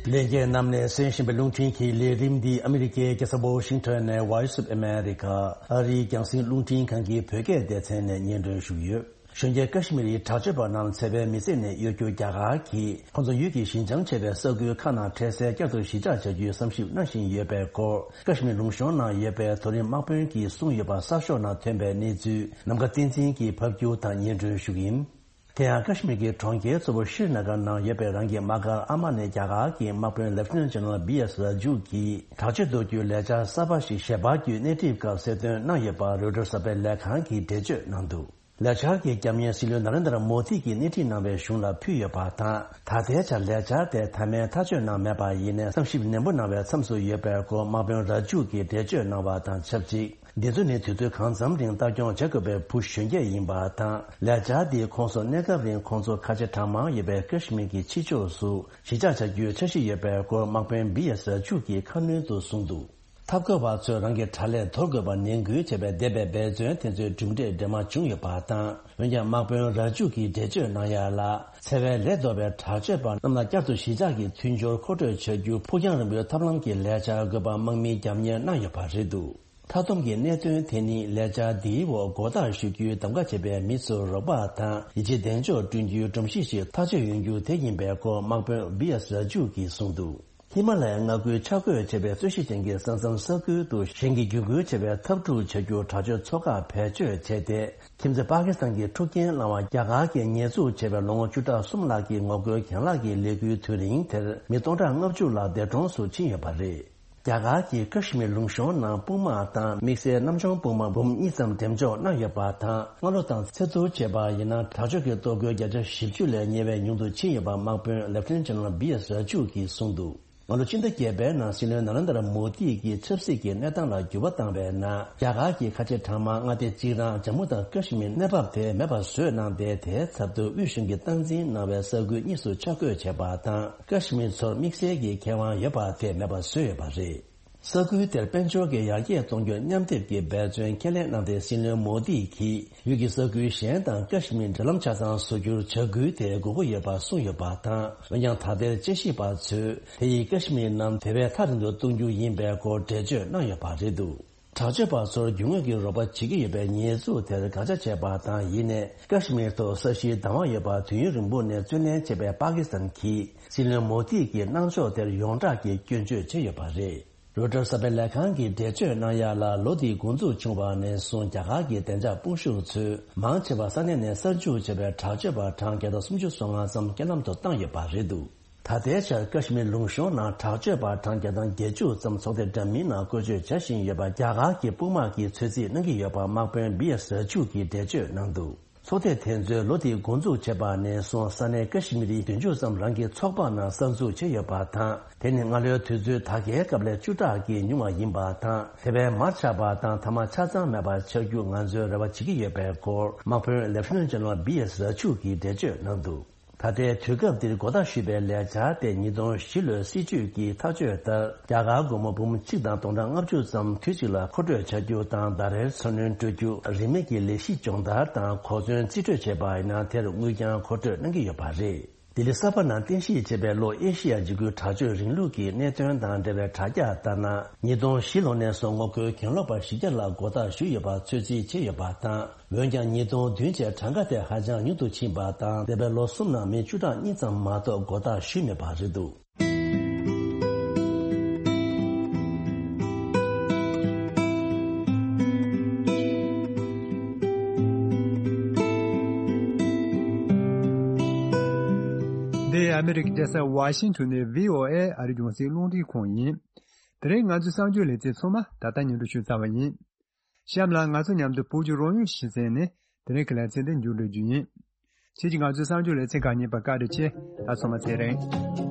ལྷན་རྒྱས་རྣམས་ནས་གསན་བཞིན་པའི་རླུང་འཕྲིན་གྱི་ལས་རིམ་འདི་ཨ་མི་རི་ཀའི་རྒྱལ་ས་ཝོ་ཤིང་ཊོན་ནས་Voice of America ཨ་རིའི་རྒྱང་སྲིང་རླུང་འཕྲིན་ཁང་གི་བོད་སྐད་སྡེ་ཚན་ནས་སྙན་སྒྲོན་ཞུ་གི་ཡོད། གཞོན་སྐྱེས་ཀ་ཤི་མིར་ཡི་དྲག་སྤྱོད་པ་རྣམས་འཚེ་བའི་མི་ཚེ་ནས་གཡོལ་རྒྱུ་རྒྱ་གར་གྱིས་ཁོང་ཚོ་ཡུལ་གྱི་ཞི་འཇམ་ཆེ་བའི་ས་ཁུལ་ཁག་ནང་འཕྲལ་སེལ་བསྐྱར་དུ་གཞིས་ཆགས་བྱ་རྒྱུའི་བསམ་ཞིབ་གནང་བཞིན་ཡོད་པའི་སྐོར། ཀ་ཤི་མིར་ལུང་གཤོང་ནང་ཡོད་པའི་མཐོ་རིམ་དམག་དཔོན་གྱིས་གསུངས་ཡོད་པ་གསར་ཤོག་ནང་ཐོན་པའི་གནས་ཚུལ་ནམ་མཁའ་བསྟན་འཛིན་གྱིས་ཕབ་སྒྱུར་དང་སྙན་སྒྲོན་ཞུ་གི་ཡིན། དེ་ཡང་ཀ་ཤི་མིར་གྱི་གྲོང་ཁྱེར་གཙོ་བོ་ཤྲི་ན་གར་ནང་ཡོད་པའི་རང་གི་དམག་སྒར་ཨ་མ་ནས་རྒྱ་གར་གྱི་དམག་དཔོན་Lieutenant General B S Raju གྱིས་དྲག་སྤྱོད་གཏོར་རྒྱུའི་ལས་འཆར་གསར་པ་ཞིག་ཞལ་པར་བརྒྱུད་སྣེ་ཁྲིད་སྐབས་གསལ་སྟོན་གནང་ཡོད་པ་རོའི་ཊར་གསར་པའི་ལས་ཁང་གིས་འགྲེལ་བརྗོད་གནང་འདུག་ལས་འཆར་གྱི་རྒྱབ་གཉེར་སྲིད་བློན་ན་རེན་དྲ་མོ་དི་གིས་སྣེ་ཁྲིད་གནང་བའི་གཞུང་ལ་ཕུལ་ཡོད་པ་དང་། ད་ལྟའི་ཆར་ལས་འཆར་དེ་མཐའ་མའི་ཐག་གཅོད་གནང་མེད་པ་ཡིན་ནའི་བསམ་ཞིབ་ནན་པོ་གནང་བའི་མཚམས་སུ་ཡོད་པའི་སྐོར་དམག་དཔོན་ར་ཇུ་གིས་འགྲེལ་བརྗོད་གནང་བ་དང་ཆབས་ཅིག་འདི་ཚོ་ནི་དུས་ཚོད་གང་འཚམ་རིང་ལྟ་སྐྱོང་བྱ་དགོས་པའི་བུ་གཞོན་སྐྱེས་ཡིན་པ་དང་། ལས་འཆར་འདིས་ཁོང་ཚོ་གནས་སྐབས་རིང་ཁོང་ཚོ་ཁ་ཆེ་གྲངས་མང་ཡོད་པའི་ཀ་ཤི་མིར་གྱི་ཕྱི་ཕྱོགས་སུ་གཞིས་ཆགས་བྱ་རྒྱུའི་འཆར་གཞི་ཡོད་པའི་སྐོར་དམག་དཔོན་བི་ཡ་ས་ཇུ་གིས་ཁ་སྣོན་དུ་གསུངས་འདུག་འཐབ་རྒོལ་བ་ཚོས་རང་གི་དྲ་ལས་དོར་དགོས་པར་ནན་སྐུལ་བྱས་པའི་འདས་པའི་འབད་བརྩོན་དེ་ཚོའི་གྲུབ་འབྲས་འདྲེས་མ་བྱུང་ཡོད་པ་དང་། འོན་ཀྱང་དམག་དཔོན་ར་ཇུ་གིས་འགྲེལ་བརྗོད་གནང་ཡ་ལ། འཚེ་བའི་ལས་ལྡོག་པའི་དྲག་སྤྱོད་པ་རྣམས་ལ་བསྐྱར་དུ་གཞིས་ཆགས་ཀྱི་མཐུན་སྦྱོར་མཁོ་སྤྲོད་བྱ་རྒྱུ་ཕུགས་རྒྱང་རིང་པོའི་ཐབས་ལམ་གྱི་ལས་འཆར་དགོས་པ་དམག་མིས་རྒྱབ་གཉེར་གནང་ཡོད་པ་རེད་འདུག་མཐའ་སྡོམ་གྱི་གནད་དོན་དེ་ནི་ལས་འཆར་འདིའི་འོག་མགོ་བཏགས་ཞུ་རྒྱུའི་གདམ་ག་བྱས་པའི་མི་ཚོར་རོགས་པ་དང་ཡིད་ཆེས་གདེང་འཇོག་བསྐྲུན་རྒྱུའི་སྒྲོམ་གཞི་ཞིག་ཐག་གཅོད་ཡོང་རྒྱུ་དེ་ཡིན་པའི་སྐོར་དམག་དཔོན་བི་ཨེས་ར་ཇུ་གིས་གསུངས་འདུག་ཧི་མ་ལ་ཡའི་མངའ་ཁུལ་ཆ་བགོས་བྱས་པའི་རྩོད་གཞི་ཅན་གྱི་ས་མཚམས་ས་ཁུལ་དུ་གཞན་གྱིས་བརྒྱུད་སྐུལ་བྱས་པའི་འཐབ་འཁྲུག་བྱ་རྒྱུར་དྲག་སྤྱོད་ཚོགས་ཁག་བེད་སྤྱོད་བྱས་ཏེ། ཁྱིམ་མཚེས་པ་ཀི་སི་ཐན་གྱི་འཁྲུག་རྐྱེན་བསླངས་བ་རྒྱ་གར་གྱིས་ཉེས་འཛུགས་བྱས་པའི་ལོ་ངོ་བཅུ་ཕྲག་གསུམ་ལྷག་གི་ངོ་རྒོལ་གྱེན་ལངས་ཀྱི་ལས་འགུལ་དུས་རིང་དེར་མི་སྟོང་ཕྲག་ལྔ་བཅུ་ལྷག་འདས་གྲོངས་སུ་ཕྱིན་ཡོད་པ་རེད། རྒྱ་གར་གྱིས་ཀ་ཤི་མིར་ལུང་གཤོང་ནང་དཔུང་དམག་དང་དམིགས་བསལ་གནམ་གཤིས་དཔུང་དམག་འབུམ་གཉིས་ཙམ་འགྲེམས་འཇོག་གནང་ཡོད་པ་དང་། སྔ་ལོ་དང་ཚོད་བསྡུར་བྱས་པ་ཡིན་ན། དྲག་སྤྱོད་ཀྱི་གཏོར་རྒོལ་བརྒྱ་ཆ་བཞི་བཅུ་ལས་ཉེ་བའི་ཉུང་དུ་ཕྱིན་ཡོད་པ་དམག་དཔོན་ལེབ་ཊི་ནན་ཊི་ཇེ་ནེ་རལ་བི་ཨེསི་ར་ཇུ་གིས་གསུངས་འདུག་སྔ་ལོ་སྤྱི་ཟླ་བརྒྱད་པའི་ནང་སྲིད་བློན་ནཱ་ལེནྡྲ་མོ་དི་གིས་ཆབ་སྲིད་ཀྱི་གནས་སྟངས་ལ་འགྱུར་བ་བཏང་བའི་ནང་། རྒྱ་གར་གྱིས་ཁ་ཆེ་གྲངས་མང་མངའ་སྡེ་གཅིག་རང་ཇམ་མུ་དང་ཀ་ཤི་མིར་གནས་བབ་དེ་མེད་པ་བཟོས་གནང་སྟེ། དེའི་ཚབ་ཏུ་དབུས་གཞུང་གིས་སྟངས་འཛིན་གནང་བའི་ས་ཁུལ་གཉིས་སུ་ཆ་བགོས་བྱས་པ་དང་། ཀ་ཤི་མིར་ཚོར་དམིགས་བསལ་གྱི་ཁེ་དབང་ཡོད་པ་དེ་མེད་པ་བཟོས་ཡོད་པ་རེད། ས་ཁུལ་དེར་དཔལ་འབྱོར་གྱི་ཡར་རྒྱས་གཏོང་རྒྱུར་མཉམ་སྡེབ་ཀྱི་འབད་བརྩོན་ཁས་ལེན་གནང་སྟེ། སྲིད་བློན་མོ་དི་གིས་ཡུལ་གྱི་ས་ཁུལ་གཞན་དང་ཀ་ཤི་མིར་འབྲེལ་ལམ་ཆ་ཚང་བཟོ་རྒྱུར་བྱ་འགུལ་དེ་དགོས་མཁོ་ཡོད་པ་གསུངས་ཡོད་པ་དང་། འོན་ཀྱང་། ད་ལྟའི་དཔྱད་ཞིབ་པ་ཚོས་དེ་ཡིས་ཀ་ཤི་མིར་རྣམས་དེ་བས་ཐག་རིང་དུ་གཏོང་རྒྱུ་ཡིན་པའི་སྐོར་འགྲེལ་བརྗོད་གནང་ཡོད་པ་རེད་འདུག་དྲག་སྤྱོད་པ་ཚོར་རྒྱུ་དངོས་ཀྱི་རོགས་པ་བྱེད་ཀྱི་ཡོད་པའི་ཉེས་འཛུགས་དེར་དགག་བྱ་བྱས་པ་དང་། ཡིན་ནའི། ཀ་ཤི་མིར་ཐོག་ས་གཞིའི་བདག་དབང་ཡོད་པར་དུས་ཡུན་རིང་པོ་ནས་བརྩོན་ལེན་བྱས་པའི་པ་ཀི་སི་ཐན་གྱིས། སྲིད་བློན་མོ་དི་གི་གནང་ཕྱོགས་དེར་ཡོངས་གྲགས་ཀྱིས་སྐྱོན་བརྗོད་བྱས་ཡོད་པ་རེད། རོའི་ཊར་གསར་པའི་ལས་ཁང་གིས་འགྲེལ་བརྗོད་གནང་ཡག་ལ། ལོ་འདིའི་འགོ་འཛུགས་བྱུང་བ་ནས་བཟུང་། རྒྱ་གར་གྱི་བདེ་འཇགས་དཔུང་ཤུགས་ཚོས་མང་ཆེ་བ་ས་གནས་ནས་གསར་འཇུག་བྱས་པའི་དྲག་སྤྱོད་པ་གྲངས་བརྒྱ་དང་སུམ་ཅུ་སོ་ལྔ་ཙམ་རྐྱེན་ལམ་དུ་བཏང་ཡོད་པ་རེད་འདུག་ད་ལྟའི་ཆར་ཀ་ཤི་མིར་ལུང་གཤོང་ནང་དྲག་སྤྱོད་པ་གྲངས་བརྒྱ་དང་བརྒྱད་ཅུ་ཙམ་ཚོགས་སྡེ་འདྲ་མིན་ནང་བཀོལ་སྤྱོད་བྱ་བཞིན་ཡོད་པ་རྒྱ་གར་གྱི་དཔུང་དམག་གིས་ཚོད་རྩིས་གནང་གི་ཡོད་པ་དམག་དཔོན་བི་ཨེསི་ར་ཇུ་གིས་འགྲེལ་བརྗོད་གནང་འདུག་ཚོགས་སྡེ་དེ་ཚོས་ལོ་དེའི་འགོ་འཛུགས་བྱས་པ་ནས་བཟུང་། ས་གནས་ཀ་ཤི་མིར་བདུན་ཅུ་ཙམ་རང་གི་ཚོགས་པ་ནང་གསར་འཛུགས་བྱས་ཡོད་པ་དང་། དེ་ནི་སྔ་ལོའི་དུས་ཚོད་ད་གའི་སྐབས་ལས་བཅུ་ཕྲག་གིས་ཉུང་བ་ཡིན་པ་དང་། དེ་བས་མར་ཆག་པ་དང་། ཐ་མག་ཆ་ཚང་མེད་པར་ཆགས་རྒྱུ་ང་ཚོས་རེ་བ་བྱེད་ཀྱི་ཡོད་པའི་སྐོར། དམག་དཔོན་ལེབ་ཊི་ནན་ཊི་ཇེ་ནེ་རལ་བི་ཨེསི་ར་ཇུ་གིས་འགྲེལ་བརྗོད་གནང་འདུག་ད་ལྟའི་དུས་སྐབས་འདིར་འགོ་ཐག་ཞུས་པའི་ལས་འཆར་དེ་ཉིས་སྟོང་བཞི་ལོའི་སྲིད་ཇུས་ཀྱི་ཐག་གཅོད་ལྟར། རྒྱ་གར་སྒོར་མོ་འབུམ་གཅིག་དང་སྟོང་ཕྲག་ལྔ་བཅུ་ཙམ་དུས་གཅིག་ལ་མཁོ་སྤྲོད་བྱ་རྒྱུ་དང་། ཟླ་རེར་འཚོ་སྣོན་སྤྲོད་རྒྱུ། རིན་མེད་ཀྱི་ལས་གཞི་སྦྱོང་བརྡར་དང་གོ་མཚོན་རྩིས་སྤྲོད་བྱས་པ་ཡིན་ན། དེར་དངུལ་ཀྱང་མཁོ་སྤྲོད་གནང་གི་ཡོད་པ་རེད། ལྡི་ལི་གསར་པ་ནང་རྟེན་གཞི་བྱས་པའི་ལྷོ་ཨེ་ཤི་ཡ་འཇིགས་སྐུལ་དྲག་སྤྱོད་རིང་ལུགས་ཀྱི་གནད་དོན་དང་འབྲེལ་བའི་དྲ་རྒྱ་ལྟར་ན། ཉིས་སྟོང་བཞི་ལོ་ནས་བཟུང་ངོ་རྒོལ་གྱེན་ལོག་པ་བཞི་བརྒྱ་ལ་མགོ་བཏགས་ཞུས་ཡོད་པ་ཚོད་རྩིས་བྱས་ཡོད་པ་དང་། འོན་ཀྱང་། ཉིས་སྟོང་བདུན་བཅས་གྲངས་ཀ་དེ་ཧ་ཅང་ཉུང་དུ་ཕྱིན་པ་དང་། འདས་པའི་ལོ་གསུམ་ནང་མི་བཅུ་ཕྲག་གཉིས་ཙམ་མ་གཏོགས་མགོ་བཏགས་ཞུས་མེད་པ་རེད་འདུག་འདི་ཨ་མི་རི་ཀའི་རྒྱལ་ས་ཝ་ཤིང་ཊོན་ནས་བྷི་ཨོ་ཨེ་ཨ་རིའི་རྒྱང་སྲིང་རླུང་འཕྲིན་ཁང་ཡིན། དེ་རིང་ང་ཚོའི་གསར་འགྱུར་ལེ་ཚན་ཚང་མ་ད་ལྟ་སྙན་སྒྲོན་ཞུས་ཚར་བ་ཡིན། གཤམ་ལ་ང་ཚོ་མཉམ་དུ་བོད་ཀྱི་རང་ཡུལ་གཞི་རྩའི་ནས་དེ་རིང་གི་ལེ་ཚན་འདི་མཇུག་སྒྲིལ་རྒྱུ་ཡིན། ཁྱེད་ཀྱིས་ང་ཚོའི་གསར་འགྱུར་ལེ་ཚན་གང་ཉན་པར་བཀའ་དྲིན་ཆེ། ད་སོ་མ་ཚེ་རིང་།